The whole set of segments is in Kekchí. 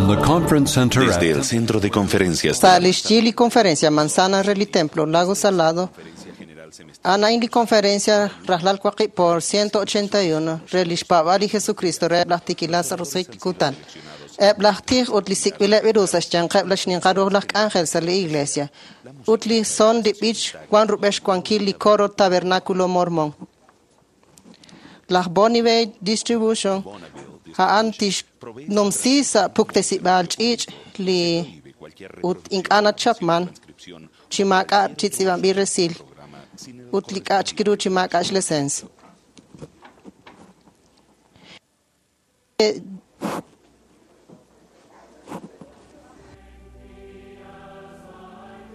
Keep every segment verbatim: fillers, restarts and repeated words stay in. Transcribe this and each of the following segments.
From the conference center Desde at el Centro de Conferencias Sa lixyi li conferencia Manzana re li Templo Lago Salado Anain li conferencia rajlal waqib por ciento ochenta y uno re lixpaab'al li Jesucristo re laj tikilal sa' roso'jik kutan. Eb' laj tij ut li sik'b'ileb' ru sa' xyanqeb' laj xninqal ruuj laj k'anjel sa' li iglesia. Ut li son li b'ich wan rub'el xwankil li coro Tabernáculo Mormón. Laj Bonneville Distribution a'an tixnumsi sa' puktesib'aal ch'iich' li ut ink'a' nachapman chi maak'a' chi tz'iib'anb'il resil ut li k'a' chik ru chi maak'a' xlesens.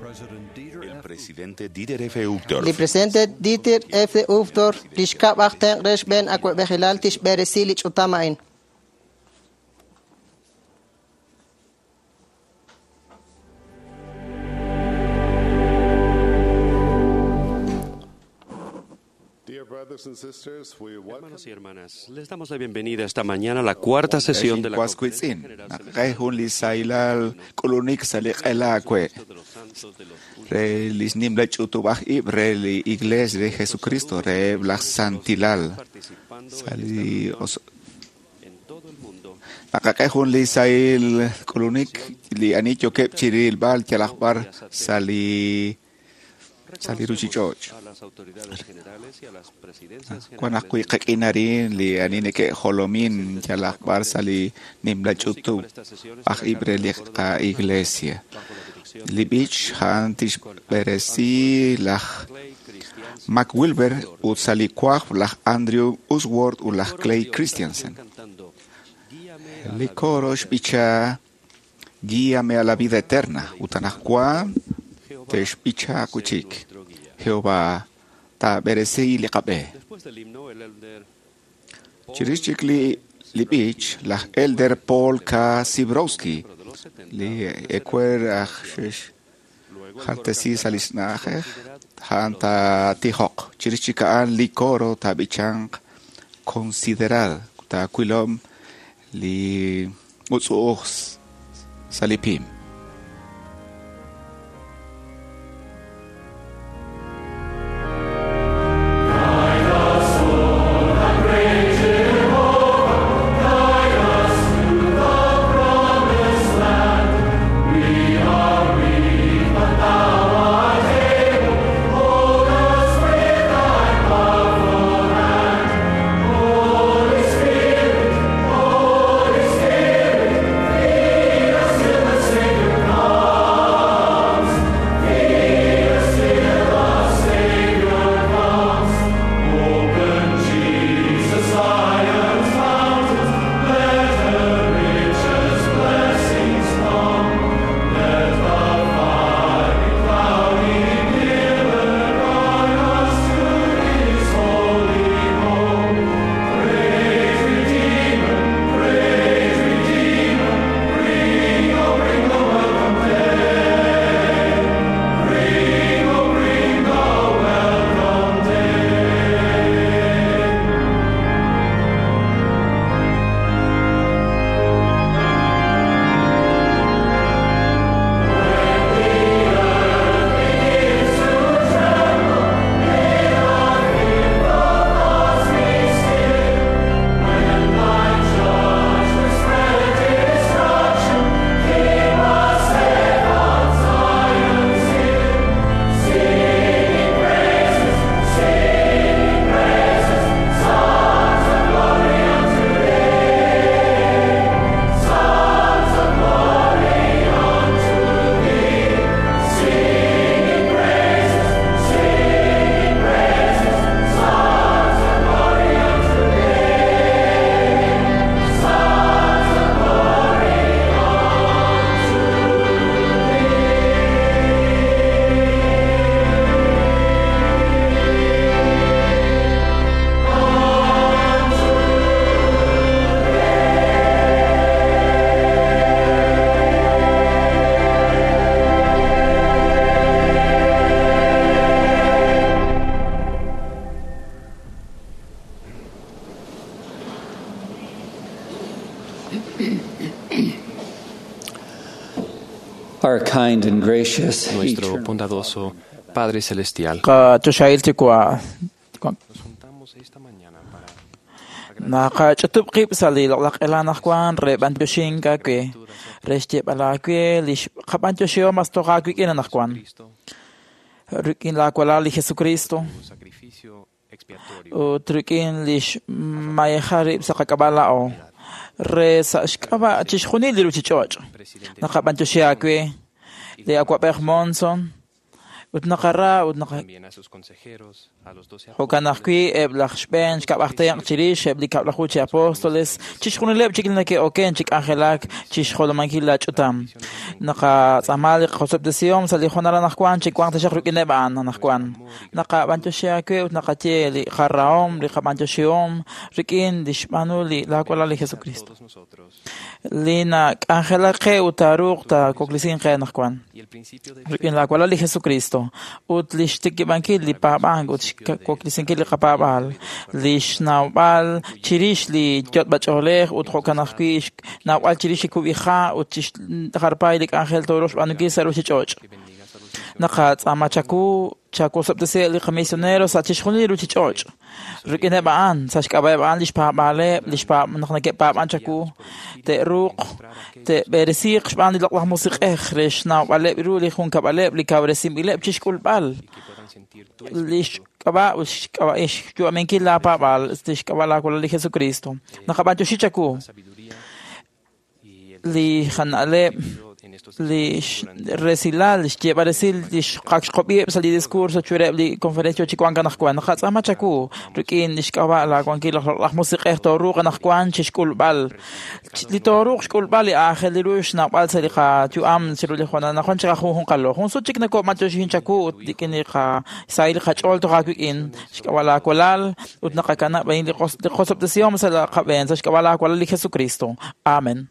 President Dieter El F. presidente Dieter F. Uchtdorf Li presidente Dieter F. Uchtdorf lixkab' aj tenq' re xb'een awa'b'ejilal tixb'eresi li ch'utam a'in. Dear brothers and sisters, we welcome Hermanos y hermanas, les damos la bienvenida esta mañana a la cuarta sesión de la Cuascuitzin, Conferencia General naqej li sailal k'ulunik sa li q'elakwe. Celeste de los Santos de los Últimos Re lisnim la ch'utub'aj ib' re li Iglesia de Jesucristo, re laj Santilal. participando en Sa li esta reunión os- en todo el mundo. naqaqej jun li sail k'ulunik li ani yokeb' chirilb'al yalaj b'ar sa li sa li ruchich'och'. A las autoridades generales y a las presidencias Wan generales ajwi' qak'inarin li ani neke'jolomin yalaj b'ar sa li nimla ch'utub' aj ib' re li qa'iglesia. bajo la dirección Li b'ich ja'an tixb'eresi laj Clay Christiansen. Mac Wilber ut sa li kwaj laj Andrew Usworth ut laj Coro Clay dio esta Christiansen. canción cantando, "Guíame a Li la coro vida xb'icha Guíame a la vida eterna ut anaqwan Jehová, texb'icha sé kuchik. nuestro guía". Jehová taab'eresi li qab'e. Después del himno, el elder Paul Chirix chik li li b'ich laj Elder Paul K. Sibrowski de los setenta, li ekwer aj xex luego el coro jaltesi sa cantará, li xna'ajej "Considerad ja'an los ta tijoq. Chirix chik a'an li coro taab'ichanq Considerad taawilom li utz'u'uj sa li pim. Holy Spirit, Our kind and gracious Nuestro eternal bondadoso Padre Celestial. Qachoxahil Yuwa', Nos juntamos esta mañana para naqach'utub' qib' sa' li loq'laj q'ela anaqwan re b'antioxink aawe, re xyeeb'al aawe li qab'antioxihom mas toj aawik'in anaqwan. Cristo, Rik'in laawalal li Jesucristo su sacrificio expiatorio ut rik'in li xmayeja rib' sa' qak'ab'a' laa'o re sa' xk'ab'a' chixjunil li ruchich'och'. presidente Naqab'antioxi aawe li awab'ej Monson ut naqara ut naqa también a sus consejeros, a los doce Jo'kan ajwi' eb' laj xb'een xkab'aj tenq' chirix eb' li kab'laju chi apóstoles chixjunileb' chik li neke'oken chi k'anjelak chixjolomankil la ch'utam. Naqatz'aama li qosob'tesihom sa' li hoonal anaqwan chi wanq taxaq rik'ineb' a'an anaqwan. Naqab'antioxi aawe ut naqaye li qarahom, li qab'antioxihom rik'in li xb'aanu li laawalal li Jesucristo. todos nosotros Li nak'anjelak qe ut taaruuq taakoklisinq qe anaqwan. y el principio de Rik'in laawalal li Jesucristo ut li xtikib'ankil li paab'ank ut xwaklisinkil li qapaab'aal, li xnawb'al chirix li yot'b'ach'oolej ut jo'kan ajwi' xnawb'al chirix li kub'iha' ut chixjarpay li k'anjel tooruuq xb'aanunkil sa' ruchich'och'. que bendigas a los Naqatz'aama chaku chakusob'tesi li qamisionero sa' chixjunil li ruchich'och'. Rik'ineb' a'an, sa' xk'ab'a'eb' a'an li xpaab'aaleb', li xpaab' naq neke'paab'an chaku, te'ruuq te'b'eresiiq xb'aan li loq'laj musiq'ej re xnawb'aleb' ru li junkab'aleb' li kawresinb'ileb' chixk'ulb'al que puedan sentir tu li xk'ab'a' ut xk'ab'a' xyu'aminkil laapaab'aal li xk'ab'a' laawalal li Jesucristo. Naqab'antioxi chaku sabiduría y el li jana'leb' en estos li resilal xyeeb'al resil li xqakxqob'iheb' sa' li discurso chureb' li conferencia chi wank anaqwan. Naqatz'aama chaku rik'in li xk'ab'a' laawankil laj loq'laj musiq'ej tooruuq anaqwan chixk'ulb'al. Li tooruuq xk'ulb'al li aajel ru xnawb'al sa' li qayu'am chiru li hoonal anaqwan chi qajunjunqalo. Jun sut chik nako'matioxin chaku ut rik'in li qasahil li qach'ool toj aawik'in xk'ab'a' laawalal ut naqakanab' a'in li qos- li qosob'tesihom sa' la qab'een sa' xk'ab'a' laawalal li Jesucristo. Amen.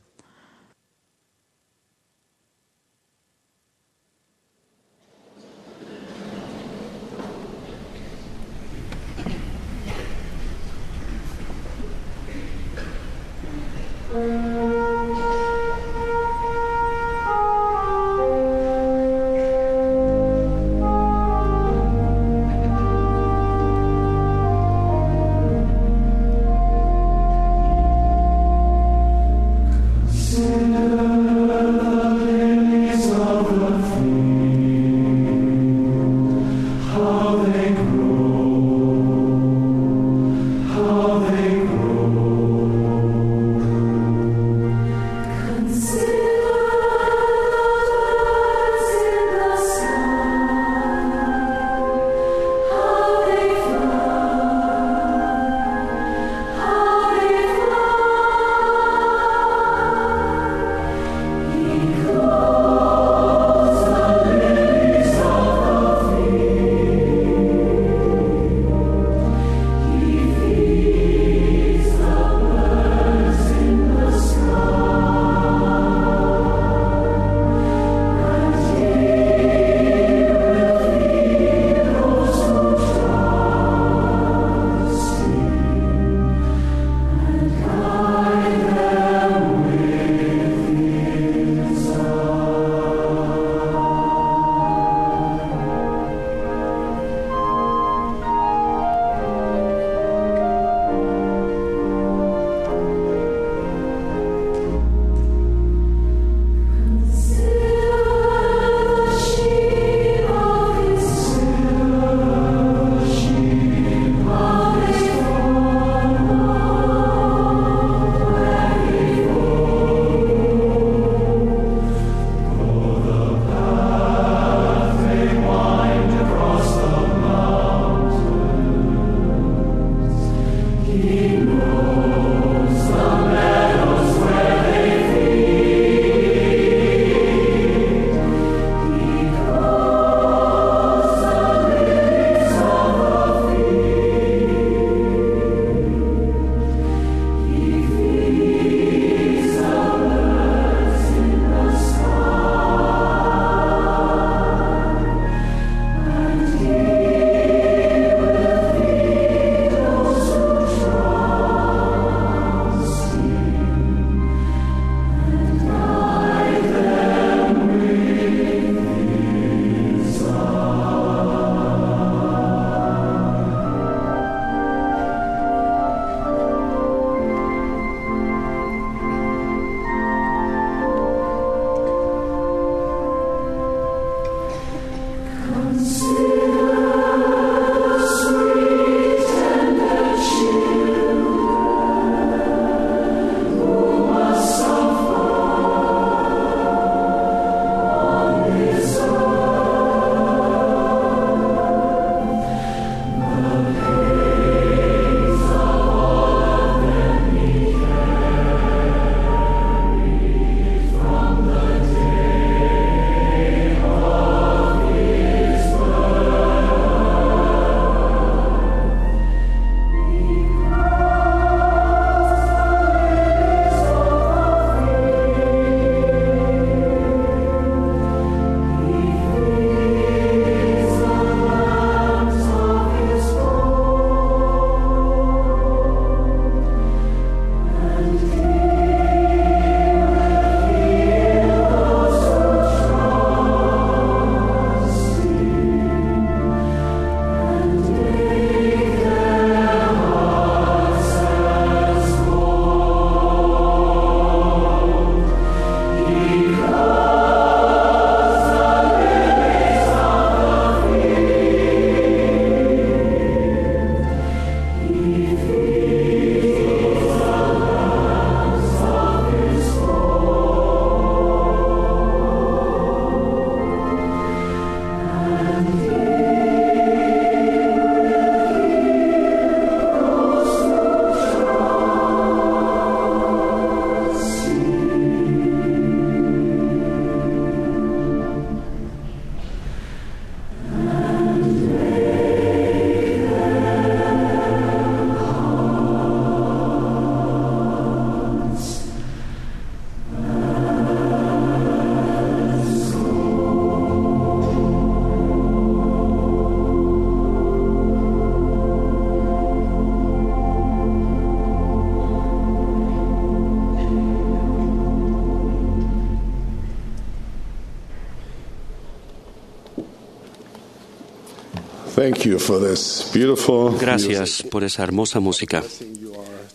Thank you for this beautiful Gracias por esa hermosa música.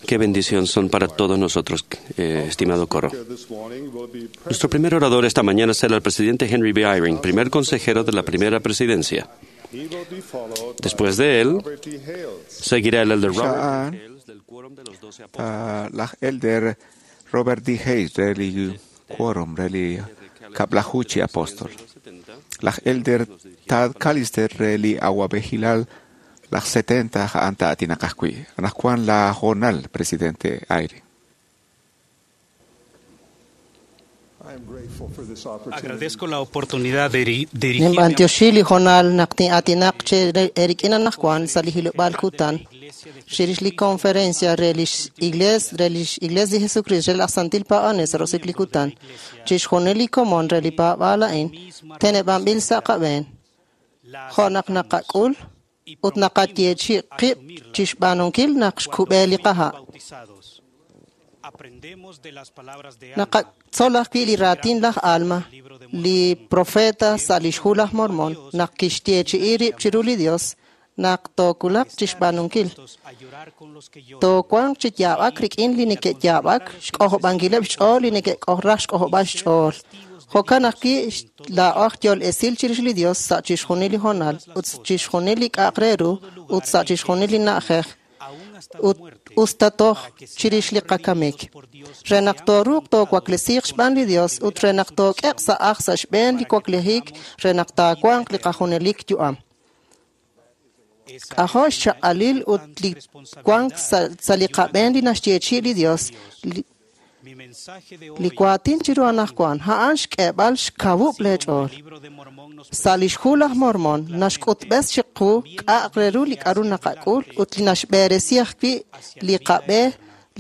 Qué bendición son para todos nosotros, eh, estimado coro. This morning will be Nuestro primer orador esta mañana será el presidente Henry B. Eyring, primer consejero de la primera presidencia. He will be followed by Después de él, Robert D. Hales. seguirá el elder Robert Xa'an Hales del Quórum de los Doce Apóstoles. ah, laj elder Robert D. Hayes re li quórum re li kab'laju chi apóstol. Laj elder Tad Callister re li awab'ejilal laj setenta a'an ta'atinaq ajwi'. Anaqwan la jonal presidente Eyring. I am grateful for this opportunity. Agradezco la oportunidad de diri- dirigirme a Ninb'antioxi li jonal naq tin'aatinaq che erik'in anaqwan sa' li hilob'aal kutan chirix li conferencia re lix iglees re lix iglees li Jesucristo re laj Santil Paab'anel sa' roso'jik li kutan chixjunil li komon re li paab'aal a'in teneb'anb'il sa' qab'een jo' naq naqak'ul ut naqayeechi' qib' chixb'aanunkil naq xkub'e li qaha' bautizados. Aprendemos de las palabras de Alma, Naqatzol ajwi' li raatin laj Alma, li profeta sa' lix hu laj Mormon, naq kixyeechi'i rib' chiru li Dios, naq tookulaq chixb'aanunkil. a llorar con los que lloran, Toowanq chi yaab'ak rik'in li neke'yaab'ak, xk'ojob'ankileb' xch'ool li neke'k'ojraj xk'ojob'al xch'ool. Jo'kan ajwi' laa'o aj yool esil chirix li Dios sa' chixjunil li hoonal, ut chixjunil li k'a'aq re ru, ut sa' chixjunil li na'ajej, aún hasta la ut muerte, usta toj chirix li qakamik. Re naq tooruuq toowaklesiiq xb'aan li Dios ut re naq took'eq sa' aj sa' xb'een li waklejik re naq taawanq li qajunelik yu'am. esa K'ajo' xchaq'alil ut li wank sa' sa' li qab'een li naxyeechi' li Dios li, mi mensaje de li hoy, waatin chiru anaqwan a'an xk'eeb'al xkawub' leech'ool. el libro de Mormón nos Sa' lix hu laj Mormon naxk'utb'es chiqu k'a'aq re ru li k'aru naqak'ul ut li naxb'eresi ajwi' li qab'e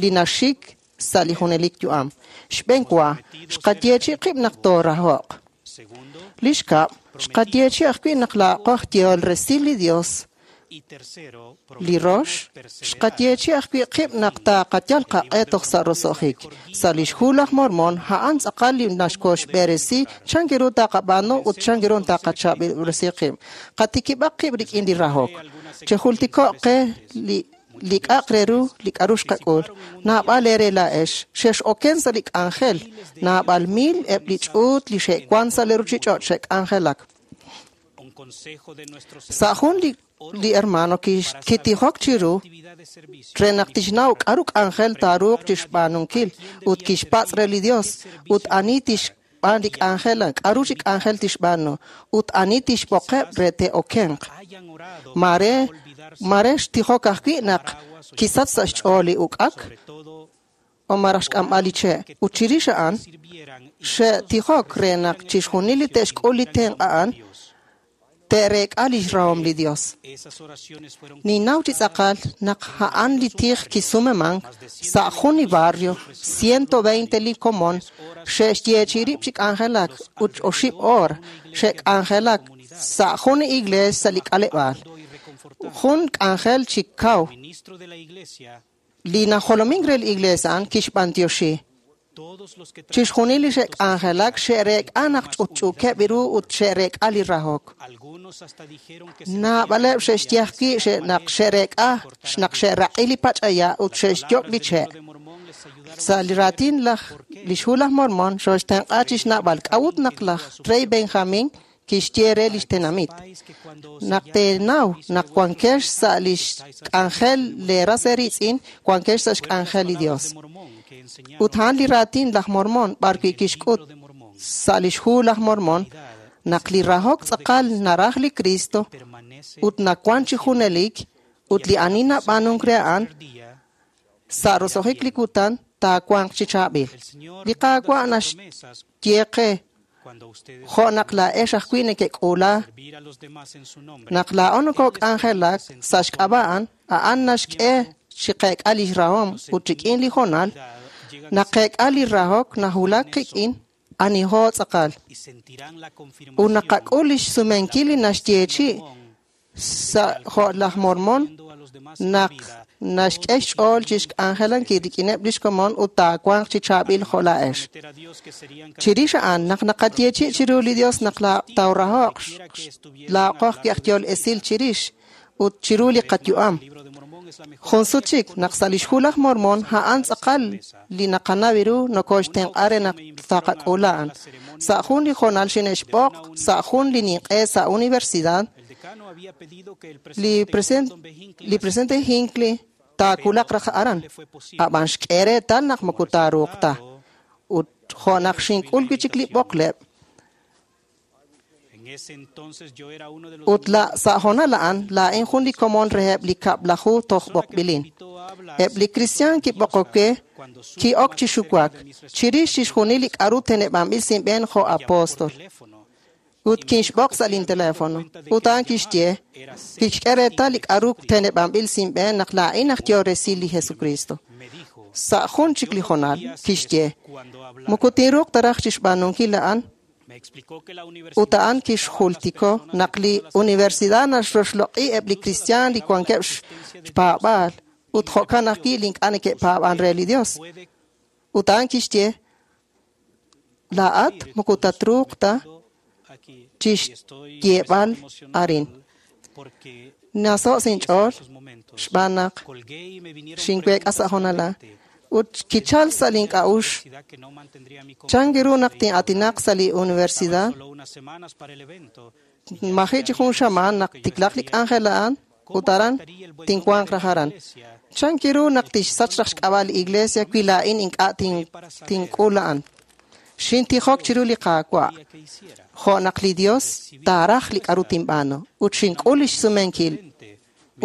li naxik sa' li junelik yu'am. Xb'een wa, xqayeechi' qib' naq tooraho'q. segundo Li xkab', xqayeechi' ajwi' naq laa'qo aj yehol resil li Dios. y tercero, Li rox, xqayeechi' ajwi' qib' naq taaqayal qaq'e toj sa' roso'jik. Sa' lix hu laj Mormon, a'an tz'aqal li naxkoxb'eresi chan ru taqab'aanu ut chan ru taqachab'ilresi qib'. Qatikib'aq qib' rik'in li rahok. Chejultiko'q qe li li k'a'aq re ru li k'aru xqak'ul. Naab'al eere laa'ex, xex'oken sa' li k'anjel. Naab'al mil eb' li ch'uut li xe'wan sa' li ruchich'och' xe'k'anjelak. un consejo de nuestros Sa' jun li, li hermano kix- kitijok chiru actividad de servicio re naq tixnaw k'aru k'anjel taaruuq chixb'aanunkil ut kixpatz' re li Dios ut ani tixb'aan li k'anjel k'aru chi k'anjel tixb'aanu ut ani tixb'oqeb' re te'okenq. hayan orado Mare mare xtijok ajwi' naq kisach sa' xch'ool li uk'ak sobre todo o maraj xk'amb'al li che' ut chirix a'an sirvieran y xe'tijok re naq chixjunil li te'xk'ul li tenq' a'an te'reek'a lix rahom li Dios. esas oraciones fueron Ninnaw chi tz'aqal naq a'an li tij kisumemank sa' jun li barrio ciento veinte li komon xe'xyeechi rib' chi k'anjelak ut oxib' oor xe'k'anjelak sa' jun li iglees sa' li k'aleb'aal. y reconfortado. Jun k'anjel chi kaw Ministro de la iglesia, li najolomink re li iglees a'an kixb'antioxi. todos los que Chixjunil li xe'k'anjelak xe'reek'a naq ch'utch'uukeb' ru ut xe'reek'a li rahok. algunos hasta dijeron que Naab'aleb' xe'xye ajwi' xe- naq xe'reek'a naq xe'raq'i li pach'aya ut xe'xyok' li che'. de Mormón les ayudaron Sa' li raatin laj lix hu laj Mormon xooxtenq'a chixnab'al k'a'ut naq laj rey Benjamin kixye re lix tenamit. que cuando Naq teenaw naq wankex sa' lix k'anjel leeras eeritz'in, wankex sa' xk'anjel li Dios. Mormón que enseñaba Ut a'an li raatin laj Mormon b'arwi' kixk'ut sa' lix hu laj Mormon naq li rahok tz'aqal naraj li Cristo permanece ut nawan chi junelik ut li ani nab'aanunk re a'an día sa' roso'jik li kutan taawanq chi chaab'il. el Señor Li Qaawa' promesas naxye qe cuando ustedes jo' naq laa'ex ajwi' neke'k'uula servir a los demás en su nombre naq laa'o nokok'anjelak sa' xk'ab'a' a'an, a'an naxk'e chi qeek'a lix rahom ut rik'in li hoonal llega naq qeek'a li rahok nahulak qik'in aniho tz'aqal y sentirán la ut confirmación naqak'ul lix sumenkil li naxyeechi' sa' jo' laj Mormon a los demás en la naq vida Naxk'e xch'ool chi xk'anjelankil rik'ineb' lix komon ut taawanq chi chaab'il jo' laa'ex. Chirix a'an naq naqayeechi' chiru li Dios naq tawraho'q laa'qo ajwi' aj yool esil chirix ut chiru li qayu'am. Jun sut chik naq sa' lix Hu laj Mormon a'an tz'aqal li naqanaw ru nokoxtenq'a re naq taqak'ula a'an. Sa' jun li hoonal xine'xb'oq sa' jun li ninq'e sa' universidad, li president li presidente Hinckley taakulaq raj aran, ab'an xk'e reetal naq moko taaruuq ta. Ut jo' naq xink'ul wi' chik li b'oqleb', ut la sa' hoonal a'an laa'in jun li komon reheb' li kab'laju toj b'oqb'ilin. Eb' li kristiaan kib'oqok we ki'ok chi xuwak chirix chixjunil li k'a'ru teneb'anb'il sinb'een jo' apóstol. Ut kinxb'oq sa' lin teléfono. Ut a'an kixye, kixk'e reetal li k'a'ru teneb'anb'il sinb'een naq laa'in aj yool resil li Jesucristo. Sa' jun chik li hoonal, kixye, moko tinruuq ta raj chixb'aanunkil a'an. Ut a'an kixjultiko naq li universidad naxroxloq'i eb' li kristiaan li wankeb' xpaab'aal ut jo'kan ajwi' li ink'a' neke'paab'an re li Dios. Ut a'an kixye, laa'at moko tatruuq ta chixyeeb'al arin. Naso' sinch'ool xb'aan naq xinweek'a sa' hoonal ut kichal sa' link'a'uxl chan ru naq tin'aatinaq sa' li universidad. Maji' chi jun xamaan naq tiklaq li k'anjel a'an ut aran tinwanq raj aran. Chan ru naq tixsach raj xk'ab'a' li iglesia wi laa'in ink'a' tink'ul a'an. Xintijok chiru li Qaawa' jo' naq li Dios taaraj li k'a'ru tinb'aanu ut xink'ul lix sumenkil.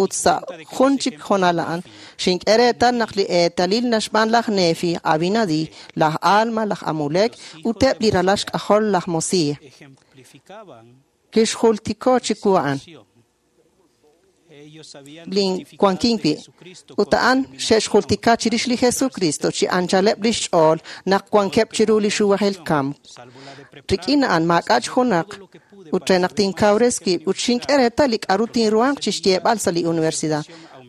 Ut sa' jun chik hoonal a'an xink'e reetal naq li eetalil naxb'aan laj Nefi, Abinadi, laj Alma, laj Amulek ut eb' li ralal xk'ajol laj Mosiah. Kixjultiko chiwu a'an lin wankin wi' ut a'an xe'xjultika chirix li Jesucristo chi anchaleb' lix ch'ool naq wankeb' chiru li xuwajel kamk. Rik'in a'an maak'a' junaq ut re naq tinkawres wib' ut xink'e reetal li k'a'ru tinruhanq chixyeeb'al sa' li universidad.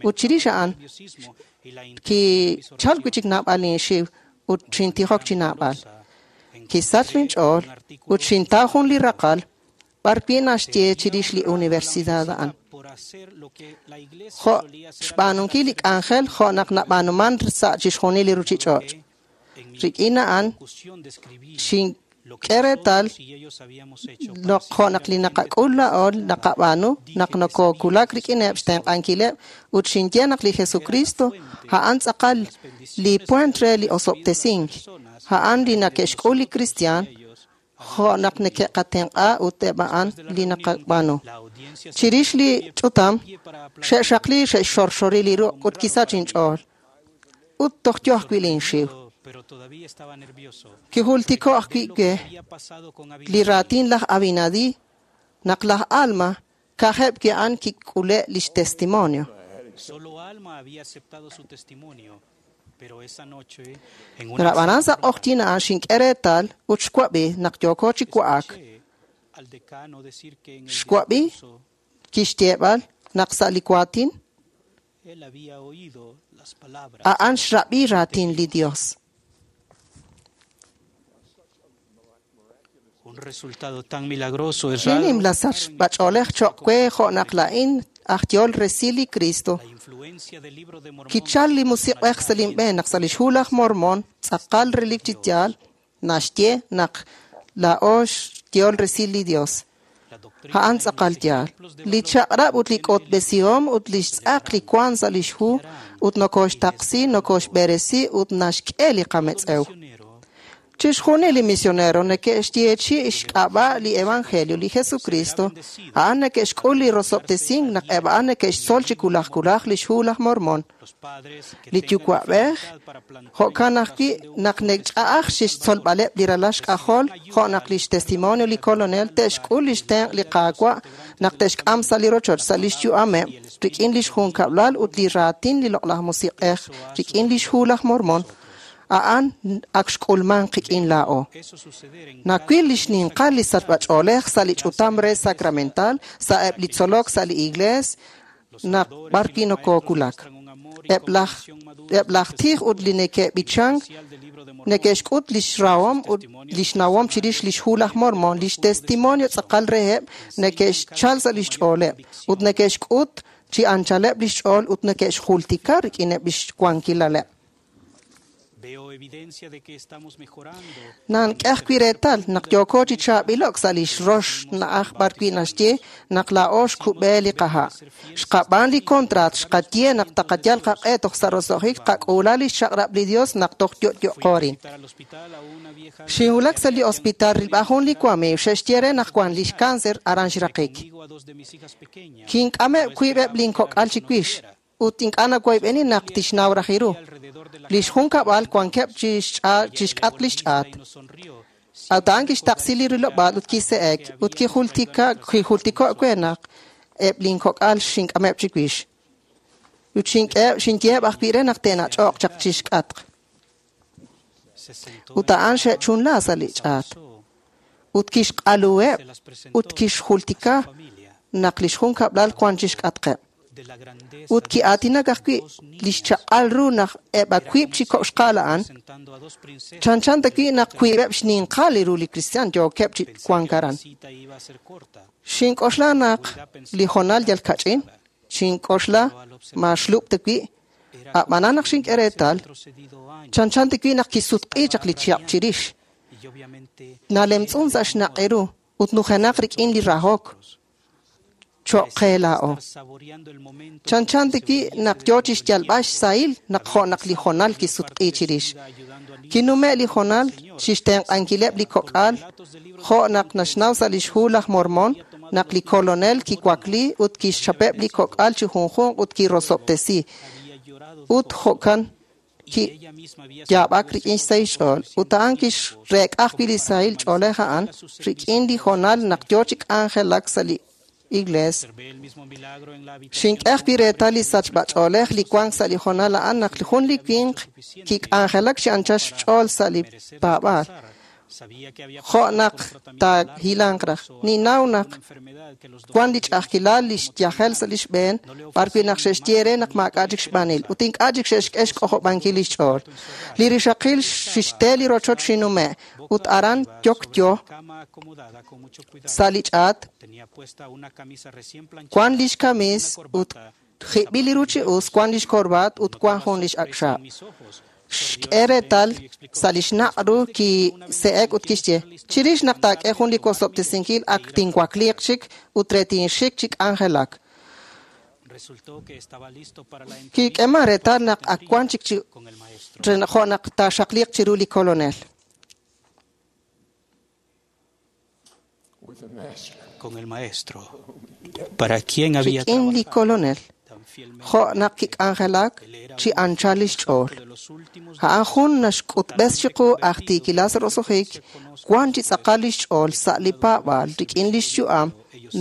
Ut chirix a'an kichal wi' chik naab'al inxiw ut xintijok chi naab'al. Kisach linch'ool ut xintaw jun li raqal b'ar wi' naxye chirix li universidad a'an. Jo' xb'aanunkil li k'anjel jo' naq nab'aanuman sa' chixjunil li ruchich'och'. Rik'in a'an xink'e reetal naq jo' naq li naqak'ul laa'o naqab'aanu naq nokokulak rik'ineb' xtenq'ankileb' ut xinye naq li Jesucristo a'an tz'aqal li puent re li osob'tesink, a'an li nake'xk'ul li kristiaan jo' naq neke'qatenq'a ut eb' a'an li naqab'aanu. Chirix li ch'utam, xe'xaqli xe'xxorxori li ruq' ut kisach inch'ool. Ut toj yo ajwi' linxiw. Kijultiko ajwi' we li raatin laj Abinadi naq laj Alma ka'ajeb' wi' a'an kik'ule' lix testimonio. Pero sa' q'oqyin a'an xink'e reetal ut xwab'i naq yooko chi wa'ak. Xwab'i kixyeeb'al naq sa' li waatin a'an xrab'i raatin li Dios. Li nimla sachb'ach'oolej cho'q we jo' naq laa'in aj yool resil li Cristo. Kichal li musiq'ej sa' linb'een naq sa' lix Hu laj Mormon tz'aqal relik chi yaal naxye naq laa'o xyool resil li Dios. A'an tz'aqal yaal. Li chaq'rab' ut li k'otb'esihom ut lix tz'aq li wank sa' lix hu ut nokoxtaqsi, nokoxb'eresi ut naxk'e li qametz'ew. Chixjunil li misionero neke'xyeechi' xk'ab'a' li Evangelio li Jesucristo, a'an neke'xk'ul li rosob'tesink naq eb' a'an neke'xtzol chi kulaj kulaj lix Hu laj Mormon. Li yuwa'b'ej jo'kan ajwi' naq nekch'a'aj xixtzolb'aleb' li ralal xk'ajol jo' naq lix testimonio li Kolonel te'xk'ul lix tenq' li Qaawa' naq te'xk'am sa' li rochoch sa' lix yu'ameb' rik'in lix junkab'lal ut li raatin li Loq'laj Musiq'ej rik'in lix Hu laj Mormon. A'an ak xk'ulman qik'in laa'o. Nawil li xninqal li sachb'ach'oolej sa' li ch'utam re sacramental, sa' eb' li tzolok sa' li iglees, naq b'ar wi' nokokulak. Eb' laj eb' laj tij ut li neke'b'ichank neke'xk'ut lix rahom ut lix nawom chirix lix hu laj Mormon, lix testimonio tz'aqal reheb' neke'xchal sa' lix ch'ooleb' ut neke'xk'ut chi anchaleb' lix ch'ool ut neke'xjultika rik'ineb' lix wankilaleb'. Veo evidencia de que estamos mejorando. Nank'e ajwi' reetal naq yooko chi chaab'ilok sa' lix rox na'aj b'arwi' naxye naq laa'o xkub'e li qaha'. Xqab'aan li kontraat, xqaye naq taqayal qaq'e toj sa' roso'jik qak'uula lix chaq'rab' li Dios naq toj yo'yo'qo rin. Visitar al hospital a una vieja Xinwulak sa' li hospital rilb'a jun li wamiiw xe'xye re naq wan lix cáncer aran xraqik. conmigo a dos de mis hijas pequeñas. Kink'ameb' wiib'eb' linkok'al chiwix ut ink'a' nawoyb'eni naq tixnaw raj ru. Lix junkab'al wankeb' chi xch'a- chi xk'atq lix ch'aat. Y nos sonrió. Ut a'an kixtaqsi li rilob'aal ut kise'ek ut kijultika kijultiko' we naq eb' linkok'al xink'ameb' chiwix. Ut xink'eheb' xinyeheb' ajwi' re naq te'nach'oq chaq chi xk'atq. Se sentó Ut a'an xe'chunla sa' li ch'aat. Ut kixq'aluheb' se las presentó ut kixjultika a su familia naq lix junkab'lal wan chi xk'atqeb'. de la grandeza Ut ki'aatinak ajwi' lix chaq'al ru naq eb' wiib' chi kok' xqa'al a'an presentando a dos princesas. chanchan ta wi' naq wiib'eb' xninqal li ru li kristiaan yookeb' chi Pensé wank que la aran. cita iba a ser corta. Xink'oxla naq li jonal yal kach'in, xink'oxla ma xlub' ta wi', Era a'b'anan naq xink'e reetal, retrocedido años chanchan ta wi' naq kisutq'i chaq li chihab' chirix, y obviamente nalemtz'un sa' xnaq' ru ut nujenaq rik'in li rahok cho'q qe laa'o. estar saboreando el momento Chanchan ta wi' naq yoo chi xyalb'al xsahil naq jo' naq li jonal kisutq'i chirix. Kinume' li jonal chixtenq'ankileb' li kok'al jo' naq naxnaw sa' lix hu laj Mormon naq li kolonel kiwakli ut kixchapeb' li kok'al chi junjunq ut kirosob'tesi. había llorado Ut jo'kan y ella misma había kiyaab'ak rik'in xsahil xch'ool. Ut a'an kixreek'a ajwi' li sahil ch'oolej a'an rik'in li jonal naq yoo chi k'anjelak sa' li iglees. Observé el mismo milagro en la habitación Xink'e ajwi' reetal li sachb'ach'oolej li wank sa' li jonal a'an naq jun li winq kik'anjelak chi anchal xch'ool sa' li merecer paab'aal. descansar. Sabía que había Jo' pasado naq por un tratamiento largo taahilanq raj. incluso Ninnaw naq una enfermedad que los wan li doctores ch'a'ajkilal li xyajel sa' lix b'een b'arwi' naq xe'xye re naq maak'a' chik xb'aanil ut ink'a' chik xe'xk'e xk'ojob'ankil lix ch'ool. Li rixaqil xixte li rochoch xinume' ut aran yokyo cama acomodada con mucho cuidado. sa' li ch'aat Tenía puesta una camisa recién planchada, wan lix kamis una ut corbata, jib'il li ru chi us, wan lix korbaat ut wan jun lix ak' xaab'. en mis ojos. Xk'e reetal sa' lix naq' ru kise'ek ut kixye chirix naq taak'e jun li wosob'tesinkil ak tinwakliiq chik ut re tinxik chi k'anjelak. Resultó que estaba listo para la entrevista Kik'eman reetal naq ak wan chik chi con el maestro. re jo' naq taaxaqliiq chiru li kolonel. With the Master. Con el maestro. Para quien había Rik'in li trabajado kolonel tan fielmente jo' naq kik'anjelak chi anchal lix ch'ool. de los últimos A'an jun naxk'utb'es chiqu aj tiikilal sa' roso'jik wan chi tz'aqal lix ch'ool sa' li paab'aal rik'in lix yu'am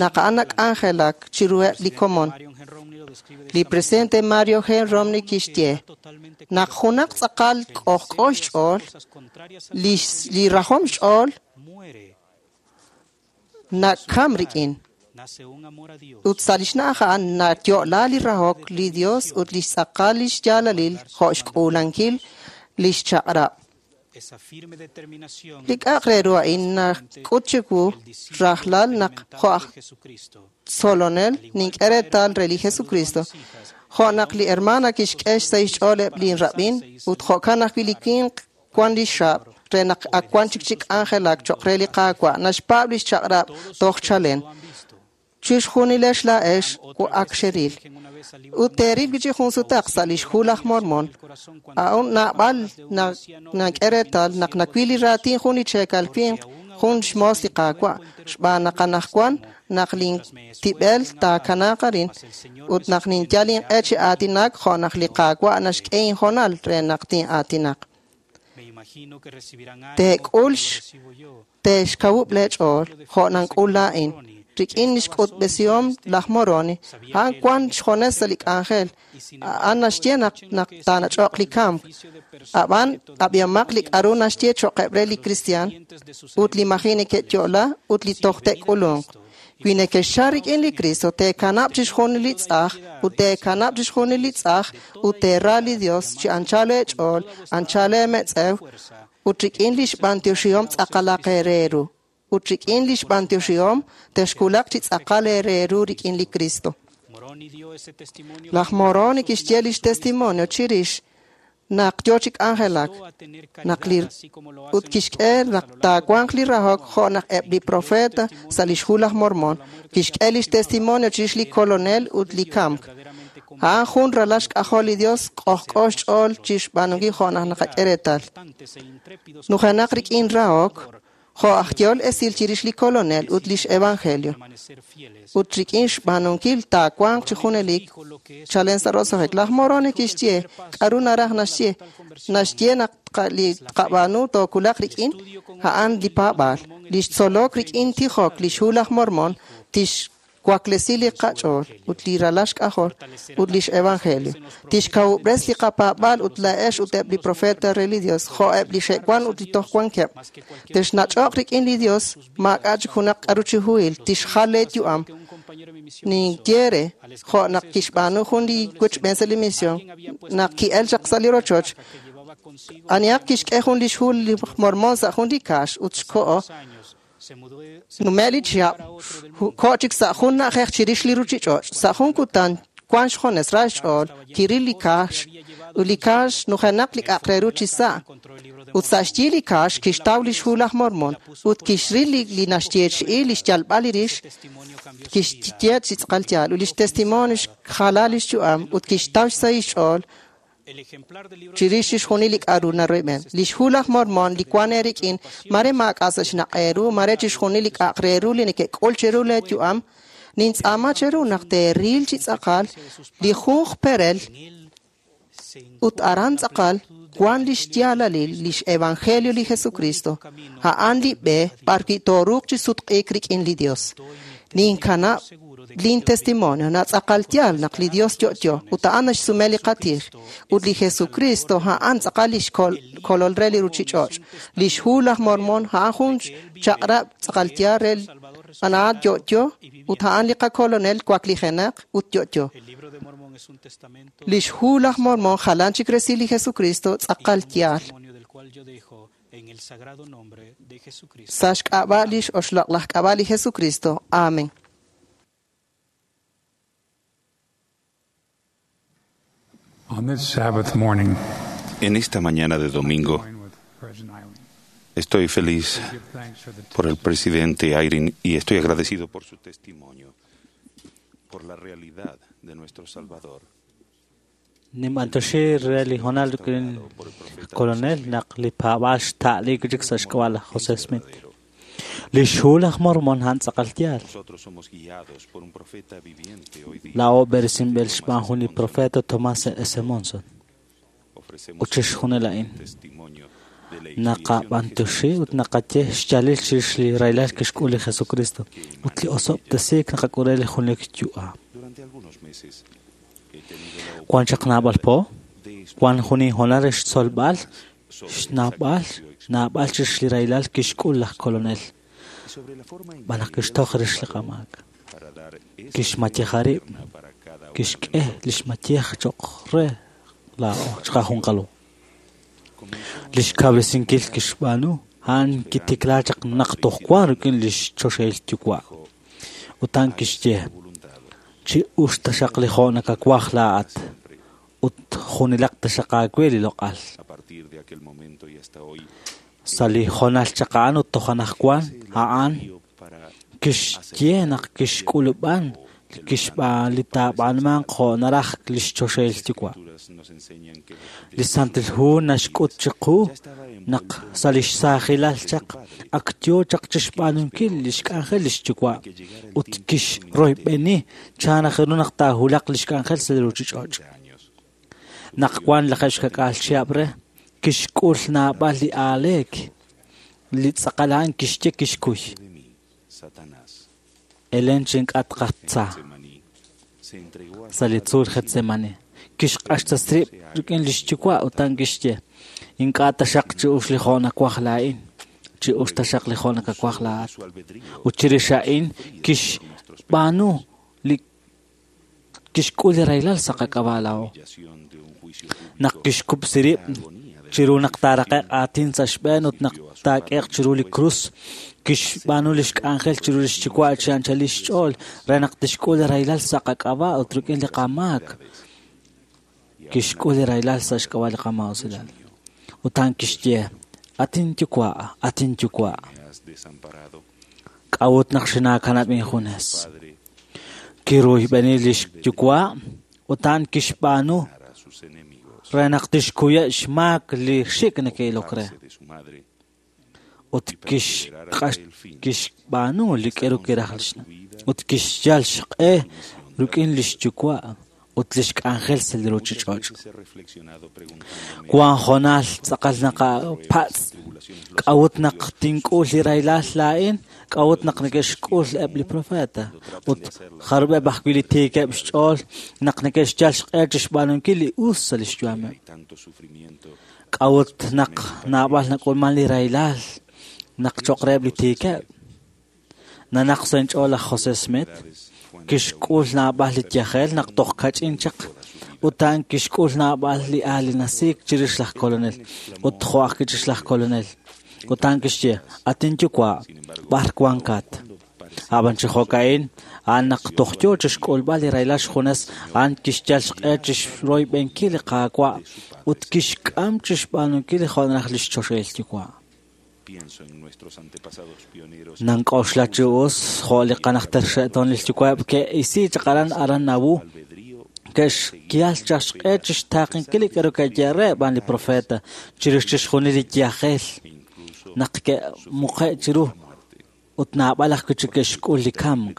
naq a'an nak'anjelak chiruheb' li komon. Marion G. Romney lo describe de Li esta presidente Mario G. Romney kixye manera totalmente naq junaq tz'aqal k'ojk'o xch'ool cosas contrarias a lix li rajom xch'ool muere, nakam rik'in nace un amor a Dios ut sa' lix na'aj a'an nayo'la li rahok li Dios ut lix tz'aqal lix yaalalil jo' xk'uulankil lix chaq'rab'. esa firme determinación Li k'a'aq re ru a'in nak'ut chiwu rajlal naq jo' aj de Jesucristo. tzolonel nink'e reetal re li Jesucristo jo' naq li hermana kixk'e xsahil xch'ool eb' linrab'in ut jo'kan ajwi' li winq wan lix xaab' re naq ak wan chik chi k'anjelak cho'q re li Qaawa' naxpaab' lix chaq'rab' toj chalen. Lo han visto. Chixjunilex laa'ex ak xeril. Ut teeril wi' chi jun sutaq sa' lix hu laj Mormon. A'un naab'al na- nak'e reetal naq nawil li raatin jun li cheekal winq jun xmoos li Qaawa' xb'aan naq anaqwan naq lintib'el taakanaaq arin ut naq ninyal inq'e chi aatinak jo' naq li Qaawa' naxk'e injonal re naq tin'aatinaq. Me imagino que recibirán ánimo Teek'ul como lo x- recibo yo. te'xkawub' leech'ool jo' nank'ul laa'in rik'in lix k'utb'esihom laj Moroni a'an wan xjones sa' li k'anjel a'an naxye naq naq taanach'oq li kamk ab'an ab'ihomaq li k'a'ru naxye cho'qeb' re li kristiaan ut li maji neke'yo'la ut li toj te'k'ulunq. Wi nekexchal rik'in li Kristo, teekanab' chixjunil li tz'aj ut teekanab' chixjunil li tz'aj ut teera li Dios chi anchal eech'ool, anchal eemetz'ew ut rik'in lix b'antioxihom tz'aqalaq eere ru. Ut rik'in lix b'antioxihom texkulaq chi tz'aqal eere ru rik'in li Kristo. Laj Moroni kixye lix testimonio chirix naq yo chi k'anjelak, naq li ut kixk'e naq taawanq li rahok jo' naq eb' li profeta sa' lix hu laj Mormon, kixk'e lix testimonio chirix li Kolonel ut li kamk. A'an jun ralal xk'ajol li Dios k'ojk'o xch'ool chixb'aanunkil jo' naq naqak'e reetal. Nujenaq rik'in rahok, jo' aj yehol esil chirix li Kolonel ut lix Evangelio. Ut rik'in xb'aanunkil taawanq chi junelik chalen sa' roso'jik. Laj Moroni kixye k'aru naraj naxye. Naxye naq li tqab'aanu tookulaq rik'in a'an li paab'aal. Lix tzolok rik'in tijok lix hu laj Mormon tixwaklesi li qach'ool ut li ralal xk'ajol ut lix Evangelio. Tixkawub'res li qapaab'aal ut laa'ex ut eb' li profeta re li Dios, jo' eb' li xe'wan ut li toj wankeb'. Texnach'oq rik'in li Dios, maak'a' chik junaq k'aru chi huhil, tixjal leeyu'am. Ninye re, jo' naq kixb'aanu jun li wochb'een sa' li misión, naq ki'el chaq sa' li rochoch, anihaq kixk'e jun lix hu li Mormon sa' jun li kaax ut xko'o nume' li chihab' ko' chik sa' jun na'ajej chirix li ruchich'och'. Sa' jun kutan wan xjones ra xch'ool kiril li kaax ut li kaax nujenaq li k'a'aq re ru chi sa'. Ut sa' xyi li kaax kixtaw lix hu laj Mormon ut kixril li naxyeechi'i li xyalb'al li rix, kixye chi tz'aqal yaal ut lix testimonio xjala lix yu'am ut kixtaw xsahil xch'ool chirix chixjunil li k'aru naroyb'en. Lix hu laj Mormon li wan eerik'in mare maak'a' sa' xnaq' eeru, mare chixjunil li k'a'aq re ru li neke'k'ul cheru leeyu'am, nintz'aama cheru naq teeril chi tz'aqal li junq perel ut aran tz'aqal wan lix yaalalil lix Evangelio li Jesucristo. A'an li b'e b'arwi' tooruuq chi sutq'iik rik'in li Dios. Ninkanab' lin testimonio natz'aqal yaal naq li Dios yo'yo ut a'an naxsume li qatij ut li Jesucristo a'an tz'aqal lix kolol re li ruchich'och'. Lix hu laj Mormon a'an jun chaq'rab' tz'aqal yaal re a'an yo'yo ut a'an li qakolonel waklijenaq ut yo'yo. Lix hu laj Mormon jalan chik resil li Jesucristo tz'aqal yaal. Sa' xk'ab'a' lix oxloq' laj k'ab'a' li Jesucristo. Amen. On this Sabbath morning, En esta mañana de domingo, estoy feliz por el presidente Eyring y estoy agradecido por su testimonio, por la realidad de nuestro Salvador. Nim'antoxi re li honal rik'in kolonel naq li paab'aal xta'liik chik sa' xk'ab'a' laj José Smith. Lix hu laj Mormon a'an tz'aqal yaal. Nosotros somos guiados por un profeta viviente hoy día. Laa'o b'eresinb'il xb'aan jun li profeta Tomás S. Monson. Ofrecemos Ut chixjunil a'in. testimonio de la expiación de Naqab'antoxi ut naqaye xyaalil chirix li rahilal kixk'ul li Jesucristo ut li osob'tesiik naqak'ul re li junelik yu'am. Durante algunos meses he tenido la Wan chaq naab'al po, de wan jun inhonal re xtzolb'al, xnaab'al, naab'al chirix li rahilal kixk'ul laj kolonel y sobre la forma en b'an naq kixtoj rix li qamaak. para dar esa Kixmayeja rib', eterna para cada uno de kixk'e lix mayej cho'q re laa'o chiqajunqalu. Lix kawresinkil kixb'aanu a'an kitiklaa chaq naq toj wan rik'in lix choxahil yuwa'. Ut a'an kixye, voluntad. chi ux taxaq li jo' nakawaj laa'at ut junilaq taxaq aawe li loq'al. A partir de aquel momento y hasta hoy, Sa' li jonal chaq a'an ut toj anaqwan a'an para kixye naq kixk'ulub'an kixb'aan li taab'aanmanq jo' naraj lix choxahil yuwa'. Escrituras nos enseñan que Li Santil Hu naxk'ut chiqu naq sa' lix saajilal chaq ak yoo chaq chixb'aanunkil lix k'anjel lix yuwa' ut kixroyb'eni chan raj ru naq taahulaq lix k'anjel sa' li ruchich'och'. años Naq wan lajeeb' xka'k'aal chihab' re, kixk'ul naab'al li aaleek. Li tz'aqal a'an kixye kixkuy. de mí, Satanás, Elen chink'atqatza Getsemaní, se entregó a su sa' li padre tzuul Getsemani. Kixq'axtas rib' rik'in lix yuwa' ut a'an kixye, ink'a' taxaq chi ux li jo' nawaj laa'in, Chi us taxaq li jo' nakawaj laa'at. Ut chirix a'in kixb'aanu li kixk'ul li rahilal sa' qak'ab'a' laa'o. Naq kixkub'si rib' chiru naq taaraqe'q aatin sa' xb'een ut naq taak'eeq chiru li krus, kixb'aanu lix k'anjel chiru lix yuwa' chi anchal lix ch'ool re naq tixk'ul li rahilal sa' qak'ab'a' ut rik'in li qamaak. Kixk'ul li rahilal sa' xk'ab'a' li qamausilal. Ut a'an kixye, atin yuwa', atin yuwa'. K'a'ut naq xinaakanab' injunes? Kiruyb'eni lix yuwa' ut a'an kixb'aanu re naq tixkuye' xmaak li xik' neke'ilok re. Ut kixb'aanu li k'eru kiraj lix na'. Ut kixyal xq'e rik'in lix yuwa' ut lix k'anjel sa' li ruchich'och'. Wan hoonal tz'aqal naqapatz' k'a'ut naq tink'ul li rahilal laa'in, k'a'ut naq neke'xk'ul eb' li profeta. Ut jarub'eb' ajwi' li tiikeb' xch'ool naq neke'xyal xq'e chixb'aanunkil li us sa' lix yu'ameb'. K'a'ut naq naab'al nak'ulman li rahilal naq choq' reheb' li tiikeb'. Nanaq sa' inch'ool laj José Smith kixk'ul naab'al li yajel naq toj kach'in chaq ut a'an kixk'ul naab'al li aalinasiik chirix laj kolonel ut jo' ajwi' chirix laj kolonel. Ut a'an kixye, atin yuwa', b'ar wankat. Ab'an chi jo'ka'in, a'an naq toj yoo chixk'ulb'al li rahilal xjunes, a'an kixyal xq'e chixroyb'enkil li Qaawa' ut kixk'am chixb'aanunkil li jo' naraj lix choxahil yuwa'. Nank'oxla chi us jo' li qanajter xe'toon lix yuwa'eb' ke'isi chaq aran aran Nauvoo ke'xyal chaq xq'e chixtaaqenkil li k'aru ke'ye re b'an li profeta chirix chixjunil li yajel naq ke'muqe' chiru ut naab'al ajwi' chik ke'xk'ul li kamk.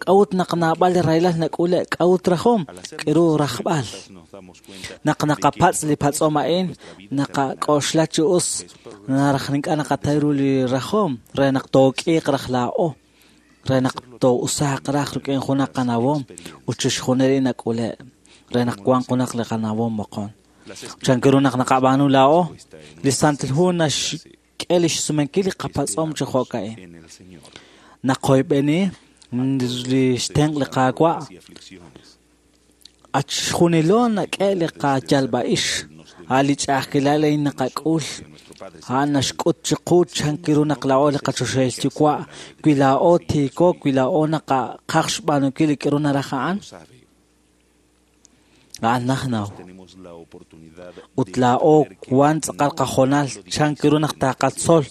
K'a'ut naq naab'al li rahilal nak'ule' k'a'ut rajom k'eru rajb'al. Naq naqapatz' li patz'om a'in naqak'oxla chi us naraj ink'a' naqatay ru li rajom re naq took'iiq raj laa'o re naq too'usaaq raj rik'in junaq qanawom ut chixjunil li nak'ule' re naq wanq junaq li qanawom moqon. Chan ru naq naqab'aanu laa'o li Santil Hu naxk'e lix sumenkil li qapatz'om chi jo'ka'in. Naqoyb'eni li xtenq' li Qaawa' achxjunilo nak'e li qayalb'a'ix a' li ch'a'ajkilal a'in naqak'ul a'an naxk'ut chiqu chan ru naq laa'o li qachoxahil yuwa' wi laa'o tiiko wi laa'o naqaqaj xb'aanunkil li k'aru naraj a'an a'an najnaw. Ut laa'o wan tz'aqal qajoonal chan ru naq taqatzol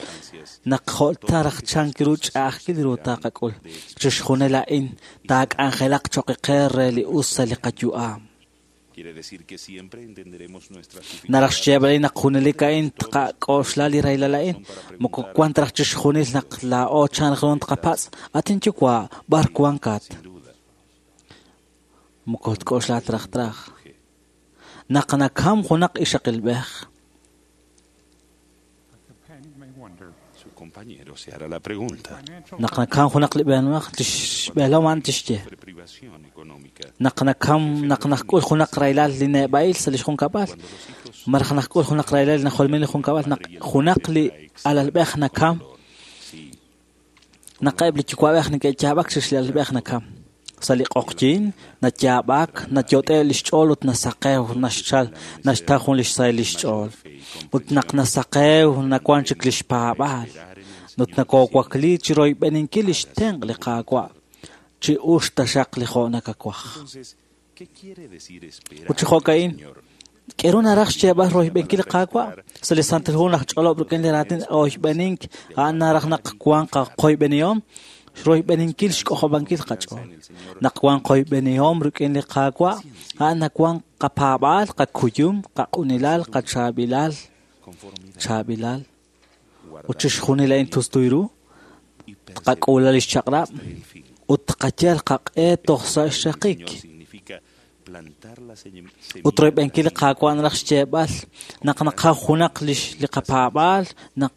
naq jo'ta raj chan ru ch'a'ajkil ru taqak'ul. Chixjunil a'in taak'anjelaq choq' qe re li us sa' li qayu'am. Naraj xyeeb'al naq junelik a'in tqak'oxla li rahilal a'in moko wan ta raj chixjunil naq laa'o chan ru tqapatz' atin yuwa' b'ar wankat. Moko tk'oxla traj traj. Naq nakam junaq ixaqilb'ej. Naq nakam junaq li b'eenmaq tixb'eelom a'an tixye. Naq nakam naq nak'ul junaq rahilal li neb'a'il sa' lix junkab'al maraj nak'ul junaq rahilal najolmin li junkab'al naq junaq li alalb'ej nakam naq eb' li yuwa'b'ej neke'yaab'ak chirix li alalb'ej nakam. Sa' li q'oqyin nayaab'ak nayot'e lix ch'ool ut nasaqew naxchal naxtaw jun lix sahil lix ch'ool. Ut naq nasaqew nawan chik lix paab'aal. Ut nakowakli chi royb'eninkil lix tenq' li Qaawa' chi us taxaq li jo' nakawaj. Ut chi jo'ka'in k'eru naraj xyeeb'al royb'enkil li Qaawa' sa' li Santil Hu naq ch'olob' rik'in li raatin oyb'enink a'an naraj naq wan qaqoyb'enihom royb'eninkil xk'ojob'ankil qach'ool. Naq wan qoyb'enihom rik'in li Qaawa' a'an nawan qapaab'aal, qakuyum, qaq'unilal, qachaab'ilal, chaab'ilal. Ut chixjunil a'in tustuy ru, tqak'uula lix chaq'rab' ut tqayal qaq'e toj sa' xraqik. Ut royb'enkil li Qaawa' naraj xyeeb'al naq naqaw junaq lix li qapaab'aal, naq